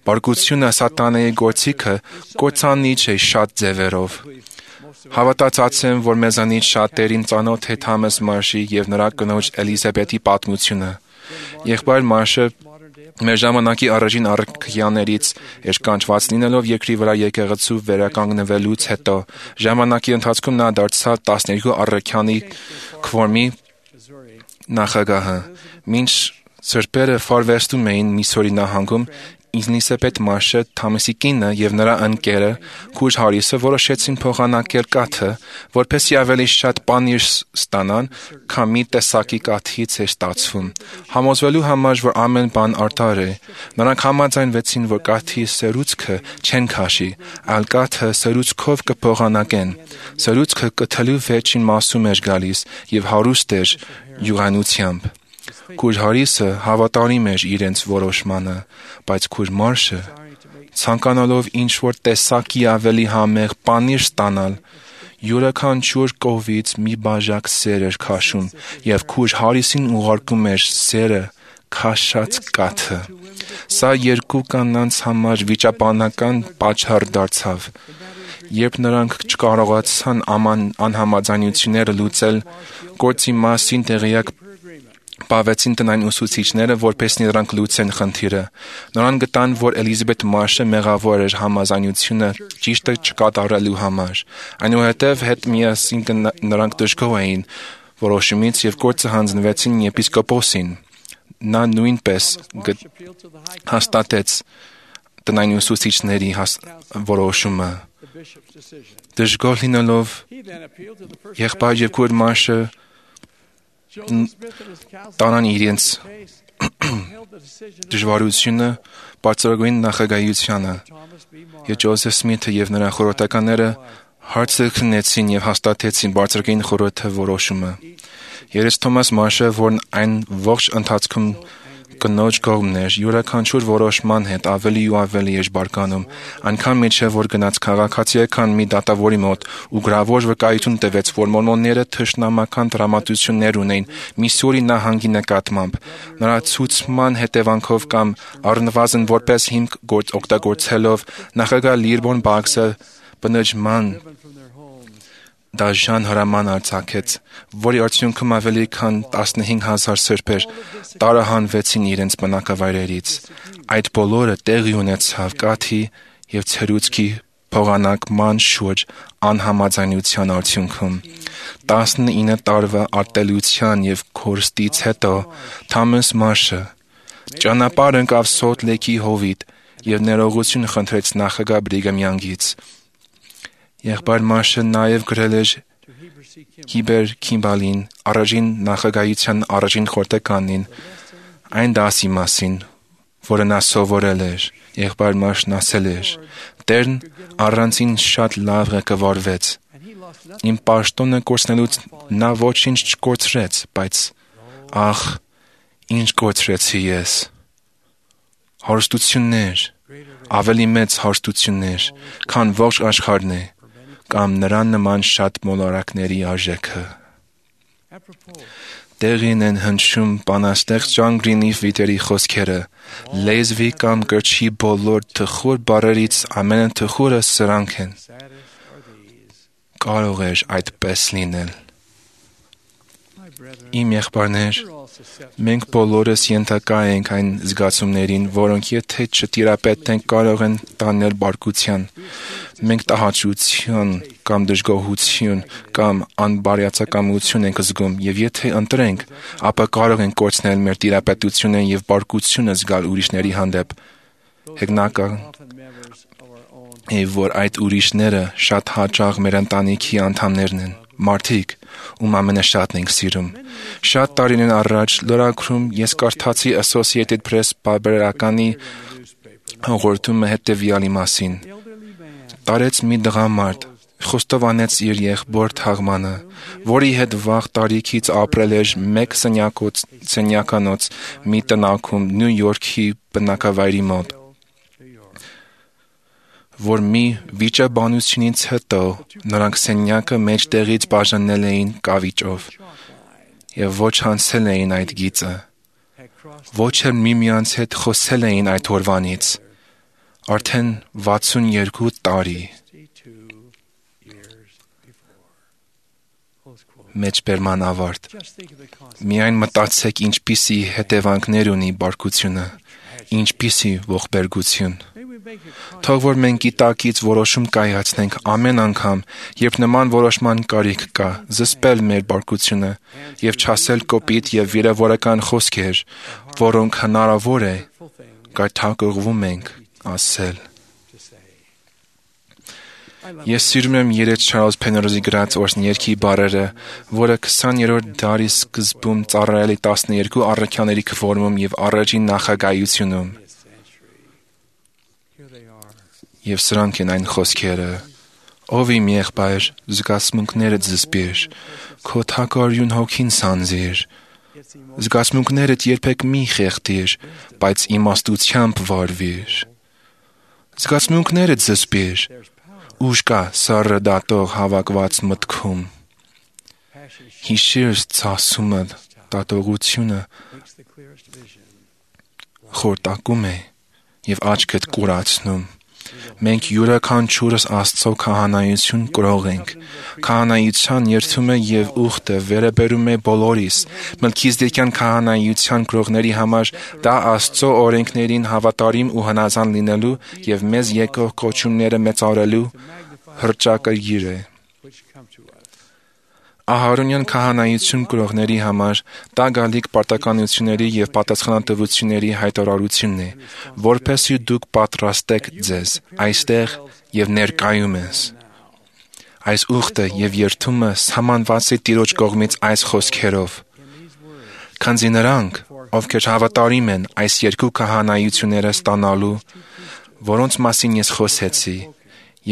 Բարկությունը սատանայի գործիքը կործանիչ է շատ ձևերով։ Հավատացած եմ, որ մեզանից շատերին ծանոթ է Թամաս Մարշի եւ նրա կնոջ Էլիզաբեթի պատմությունը։ Եղբայր Մարշը մեր ժամանակի առաջին առաքյալներից էր կանչված լինելով երկրի վրա եկեղեցու վերականգնվելուց հետո։ Ժամանակի ընթացքում նա դարձավ 12 առաքյալի քվորմի նախագահը։ Մինչ սրբերը ֆարվեստում էին Միսսուրի նահանգում, Էլիզաբեթ Մարշը, Թամասի կինը եւ նրա ընկերը Քուր Հարիսը որոշեցին փոխանակել կաթը, որպեսզի ավելի շատ պանիր ստանան, քան մի տեսակի կաթից էր ստացվում։ Համոզվելու համար, որ ամեն բան արդար է, նրանք համաձայնվեցին, որ կաթի սերուցքը չեն քաշի, այլ կաթը սերուցքով կփոխանակեն։ Սերուցքը կթելու վերջին մասում էր գալիս եւ հարուստ էր յուղանությամբ։ Քուր Հարիսը հավատարիմ էր իրենց որոշմանը, բայց Քուր Մարշը, ցանկանալով ինչ-որ տեսակի ավելի համեղ պանիր ստանալ, յուրաքանչյուր կողմից մի բաժակ սեր էր քաշում եւ Քուր Հարիսին ուղարկում էր սերը քաշած կաթը։ Սա երկու կանանց համար վիճաբանական պատճառ դարձավ։ Երբ նրանք չկարողացան անհամաձայնությունները լուծել, գործի մասին տեղյակ բավեցին տնային ուսուցիչները, որպեսզի նրանք լուծեն խնդիրը։ Նրանք գտան, որ Էլիզաբեթ Մարշը մեղավոր էր համաձայնությունը ճիշտը չկատարելու համար։ Այնուհետև հետ միասին նրանք դժգոհ էին որոշումից եւ գործը հանձնվեցին եպիսկոպոսին։ Նա նույնպես հաստատեց տնային ուսուցիչների որոշումը։ Դժգոհ լինելով եղբայր եւ Քուր Մարշը տանան իրենց դժվարությունը բարձրագույն նախագահությանը, եւ Ջոզեֆ Սմիթը եւ նրա խորհրդականները հարցը քննեցին եւ հաստատեցին բարձրագույն խորհրդի որոշումը։ Երես Թոմաս Մարշը, որն այն ողջ ընթացքում կնոջ կողմն էր, յուրաքանչյուր որոշման հետ ավելի ու ավելի էր բարկանում, այնքան միջև որ գնաց քաղաքացիական մի դատավորի մոտ ու գրավոր վկայություն տվեց, որ մորմոնները թշնամական տրամադրություններ ունեին Միսսուրի նահանգի նկատմամբ։ Նրա ցուցման հետևանքով կամ առնվազն որպես հիմք օգտագործելով նախագահ Լիրբոն Բաքսը բնաջման դաժան հրաման արձակեց, որի արդյունքում ավելի քան 15,000 սրբեր տարահանվեցին իրենց բնակավայրերից։ Այդ բոլորը տեղի ունեցավ կաթի եւ ցերուցքի փոխանակման շուրջ անհամաձայնության արդյունքում։ 19 տարվա արտելության եւ կորստից հետո Թամաս Մարշը ճանապարհ ընկավ Սոլտ Լեյքի հովիտ եւ ներողություն խնդրեց նախագահ Բրիգամ Յանգից։ Եղբայր Մարշը նաև գրել էր Հիբեր Քիմբալին, առաջին նախագահության առաջին խորհրդականին, այն դասի մասին, որը նա սովորել էր, եղբայր Մաշն ասել էր. Տերն առանցին շատ լավ ղեկավարվեց։ Իմ պաշտոնը կորցնելուց նա ոչինչ չկորցրեց, բայց ախ, ինչ կորցրեցի ես։ Հարստություններ, ավելի մեծ հարստություններ, քան ողջ աշխարհն է, կամ նրան նման շատ մոլորակների արժեքը։ Տեղին են հնչում բանաստեղծ Ջոն Գրինի վիտերի խոսքերը. լեզվի կամ կրչի բոլոր թխուր բառերից ամենաթխուրը սրանք են։ Կարող էր այդպես լինել։ Իմ եղբայրներ, մենք բոլորս ենթակա ենք այն զգացումներին, որոնք եթե չտիրապետենք կարող են տանել բարկության։ Մենք տհաճություն կամ դժգոհություն կամ անբարյացակամություն ենք զգում, եւ եթե ընտրենք, ապա կարող ենք կորցնել մեր տիրապետությունը եւ բարկությունը զգալ ուրիշների հանդեպ։ Հեգնական է, որ այդ ուրիշները շատ հաճախ մեր ընտանիքի անդամներն են, մարդիկ, ում ամենաշատն ենք սիրում։ Շատ տարիներ առաջ լրագրում ես կարդացի Associated Press պարբերականի հաղորդումը հետևյալի մասին։ Տարեց մի տղամարդ, խոստովանեց իր եղբոր թաղմանը, որի հետ վաղ տարիքից ապրել էր մեկ սենյականոց մի տնակում Նյու Յորքի բնակավայրի մոտ, որ մի վիճաբանությունից հետո նրանք սենյակը մեջտեղից բաժանել էին կավիճով եւ ոչ հանցել էին այդ գիծը, ոչ էլ միմյանց հետ խոսել էին այդ օրվանից, արդեն 62 տարի։ Մեջբերման ավարտ։ Միայն մտածեք ինչպիսի հետևանքներ ունի բարկությունը, ինչպիսի ողբերգություն։ Թող որ մենք գիտակից որոշում կայացնենք ամեն անգամ, երբ նման որոշման կարիք կա, զսպել մեր բարկությունը եւ չասել կոպիտ եւ վիրավորական խոսքեր, որոնք հնարավոր է գայթակղվում ենք ասել։ Ես սիրում եմ երեկ Չարլզ Փեներոզի գրած օրհներքի բառերը, որը 20-րդ դարի սկզբում ծառայել է 12 առաքյալների քվորում եւ առաջին նախագահությունում։ Եվ սրանք են այն խոսքերը. Ով իմ եղբայր, զգացմունքներդ զսպիր, քո թակարյուն հոգին սանձիր, զգացմունքներդ երբեք մի խեղդիր, բայց իմաստությամբ վարվիր։ Զգացմունքներդ զսպիր, ուժ կա սառը դատող հավաքված մտքում։ Հիշիր ցասումը, դատողությունը խորտակում է եւ աչքդ կուրացնում։ Մենք յուրաքանչյուրս Աստծո քահանայություն կրող ենք։ Քահանայության երդումը եւ ուխտը վերաբերում է բոլորիս։ Մելքիզեդեկյան քահանայության կրողների համար դա Աստծո օրենքներին հավատարիմ ու հնազանդ լինելու եւ մեզ եկող կոչումները մեծարելու հռչակագիր է։ Ահարոնյան քահանայություն կրողների համար դա գալիք պարտականությունների եւ պատասխանատվությունների հայտարարությունն է, որպեսզի դուք պատրաստեք ձեզ այստեղ եւ ներկայումս։ Այս ուխտը եւ երդումը սահմանված է Տիրոջ կողմից այս խոսքերով. Քանզի նրանք, ովքեր հավատարիմ են այս երկու քահանայությունները ստանալու, որոնց մասին ես խոսեցի,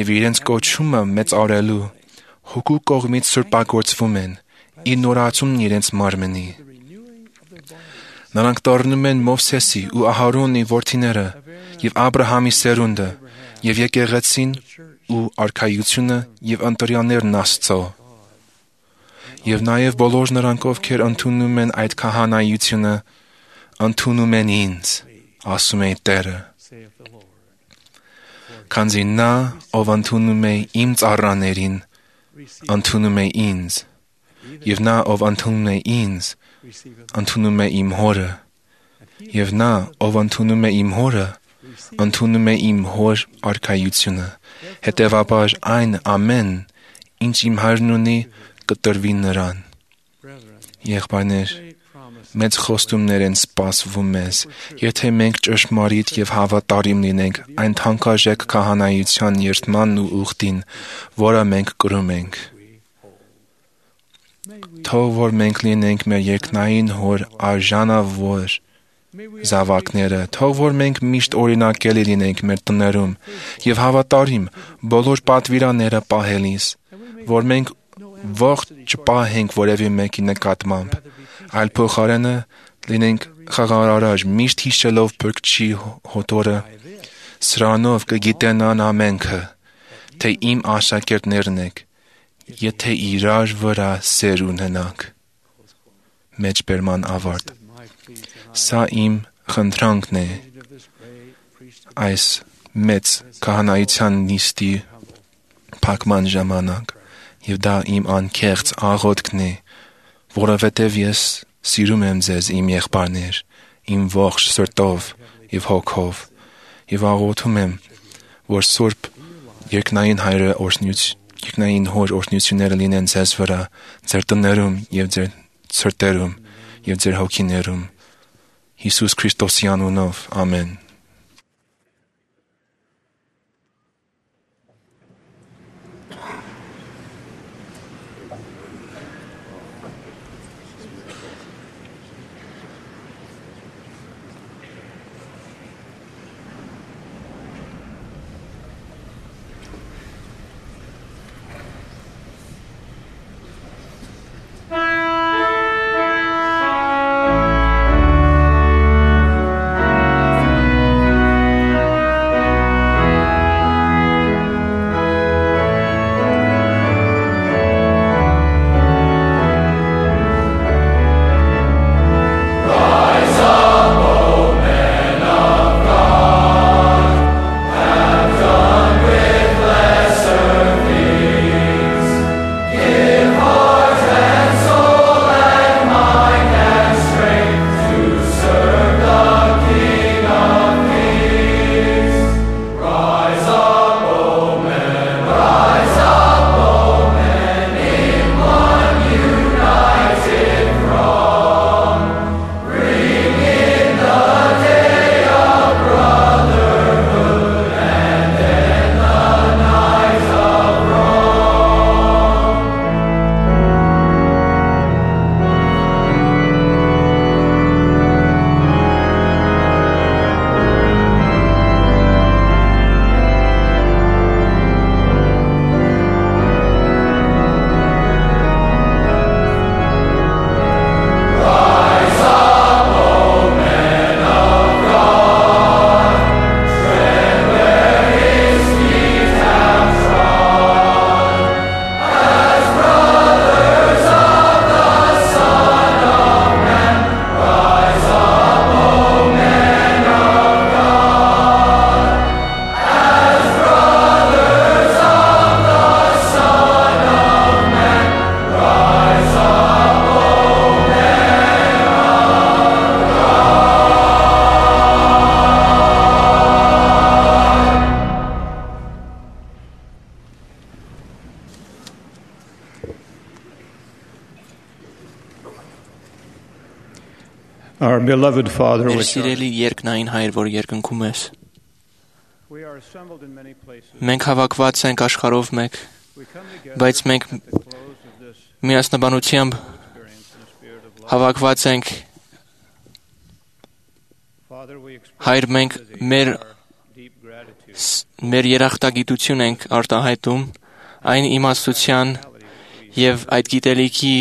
եւ իրենց կոչումը մեծարելու, Հոգու կողմից սրբագործվում են, իր նորացումն իրենց մարմնի։ Նրանք դառնում են Մովսեսի ու Ահարոնի որդիները եւ Աբրահամի սերունդը եւ եկեղեցին ու արքայությունը եւ ընտրյալներն Աստծո։ Եվ նաեւ բոլոր նրանք, ովքեր ընդունում են այդ քահանայությունը, ընդունում են ինձ, ասում է Տերը։ Քանզի նա, ով ընդունում է իմ ծառաներին, ընդունում է ինձ, եւ նա, ով ընդունում է ինձ, ընդունում է իմ Հորը, եւ նա, ով ընդունում է իմ Հորը, ընդունում է իմ Հոր արքայությունը, հետեւաբար այն ամեն, ինչ իմ Հայրն ունի, կտրվի նրան։ Եղբայրներ, մեծ խոստումներ են սպասվում մեզ, եթե մենք ճշմարիտ եւ հավատարիմ լինենք այն թանկարժեք քահանայության երդմանն ու ուխտին, որը մենք կրում ենք։ Թող որ մենք լինենք մեր երկնային Հոր արժանավոր զավակները, թող որ մենք միշտ օրինակելի լինենք մեր տներում եւ հավատարիմ բոլոր պատվիրանները պահելիս, որ մենք ողջ չպահենք որևէ մեկի նկատմամբ, այլ փոխարենը լինենք խաղաղարար, միշտ հիշելով Փրկչի հոտորը, սրանով կգիտենան ամենքը, թե իմ աշակերտներն եք, եթե իրար վրա սեր ունենանք։ Մեջբերման ավարտ։ Սա իմ խնդրանքն է այս մեծ քահանայության նիստի փակման ժամանակ, եւ դա իմ անկեղծ աղոթքն է, որովհետեւ ես սիրում եմ ձեզ, իմ եղբայրներ, իմ ողջ սրտով եւ հոգով, եւ աղոթում եմ, որ Սուրբ երկնային Հայրը երկնային Հոր օրհնությունները լինեն ձեզ վրա, ձեր տներում եւ ձեր սրտերում եւ ձեր հոգիներում, Հիսուս Քրիստոսի անունով, ամեն։ Our beloved Father, Մեր which սիրելի երկնային Հայր, որ երկնքում ես, we are assembled in many places. մենք հավաքված ենք աշխարհով մեկ, բայց մենք միասնաբանությամբ հավաքված ենք, Հայր, մենք մեր երախտագիտություն ենք արտահայտում այն իմաստության եւ այդ գիտելիքի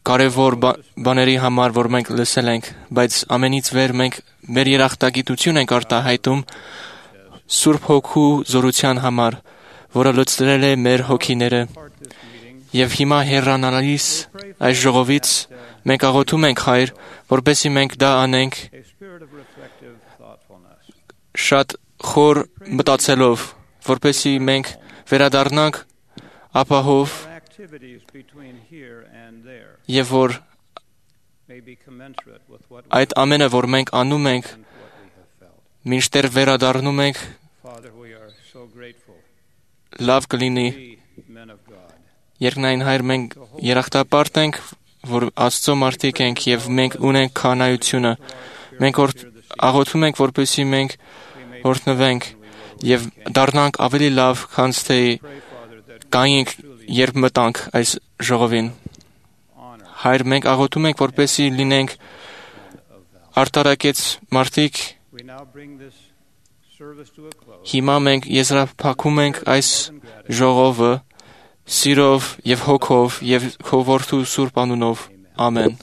կարևոր բաների համար, որ մենք լսել ենք, բայց ամենից վեր մենք մեր երախտագիտություն ենք արտահայտում Սուրբ Հոգու զորության համար, որը լցրել է մեր հոգիները։ Եվ հիմա հեռանալիս այս ժողովից մենք աղոթում ենք, Հայր, որպեսզի մենք դա անենք շատ խոր մտածելով, որպեսզի մենք վերադառնանք ապահով եւ որ այդ ամենը, որ մենք անում ենք, մինչդեռ վերադառնում ենք, լավ կլինի։ Երկնային Հայր, մենք երախտապարտ ենք, որ Աստծո մարդիկ ենք եւ մենք ունենք քահանայությունը։ Մենք աղոթում ենք, որպեսզի մենք օրհնվենք եւ դառնանք ավելի լավ, քան թե կայինք, երբ մտանք այս ժողովին։ Հայր, մենք աղոթում ենք, որպեսզի լինենք արտարակեց մարդիկ, հիմա մենք եզրափակում ենք այս ժողովը սիրով եւ հոգով եւ քո որդու սուրբ անունով։ Ամեն։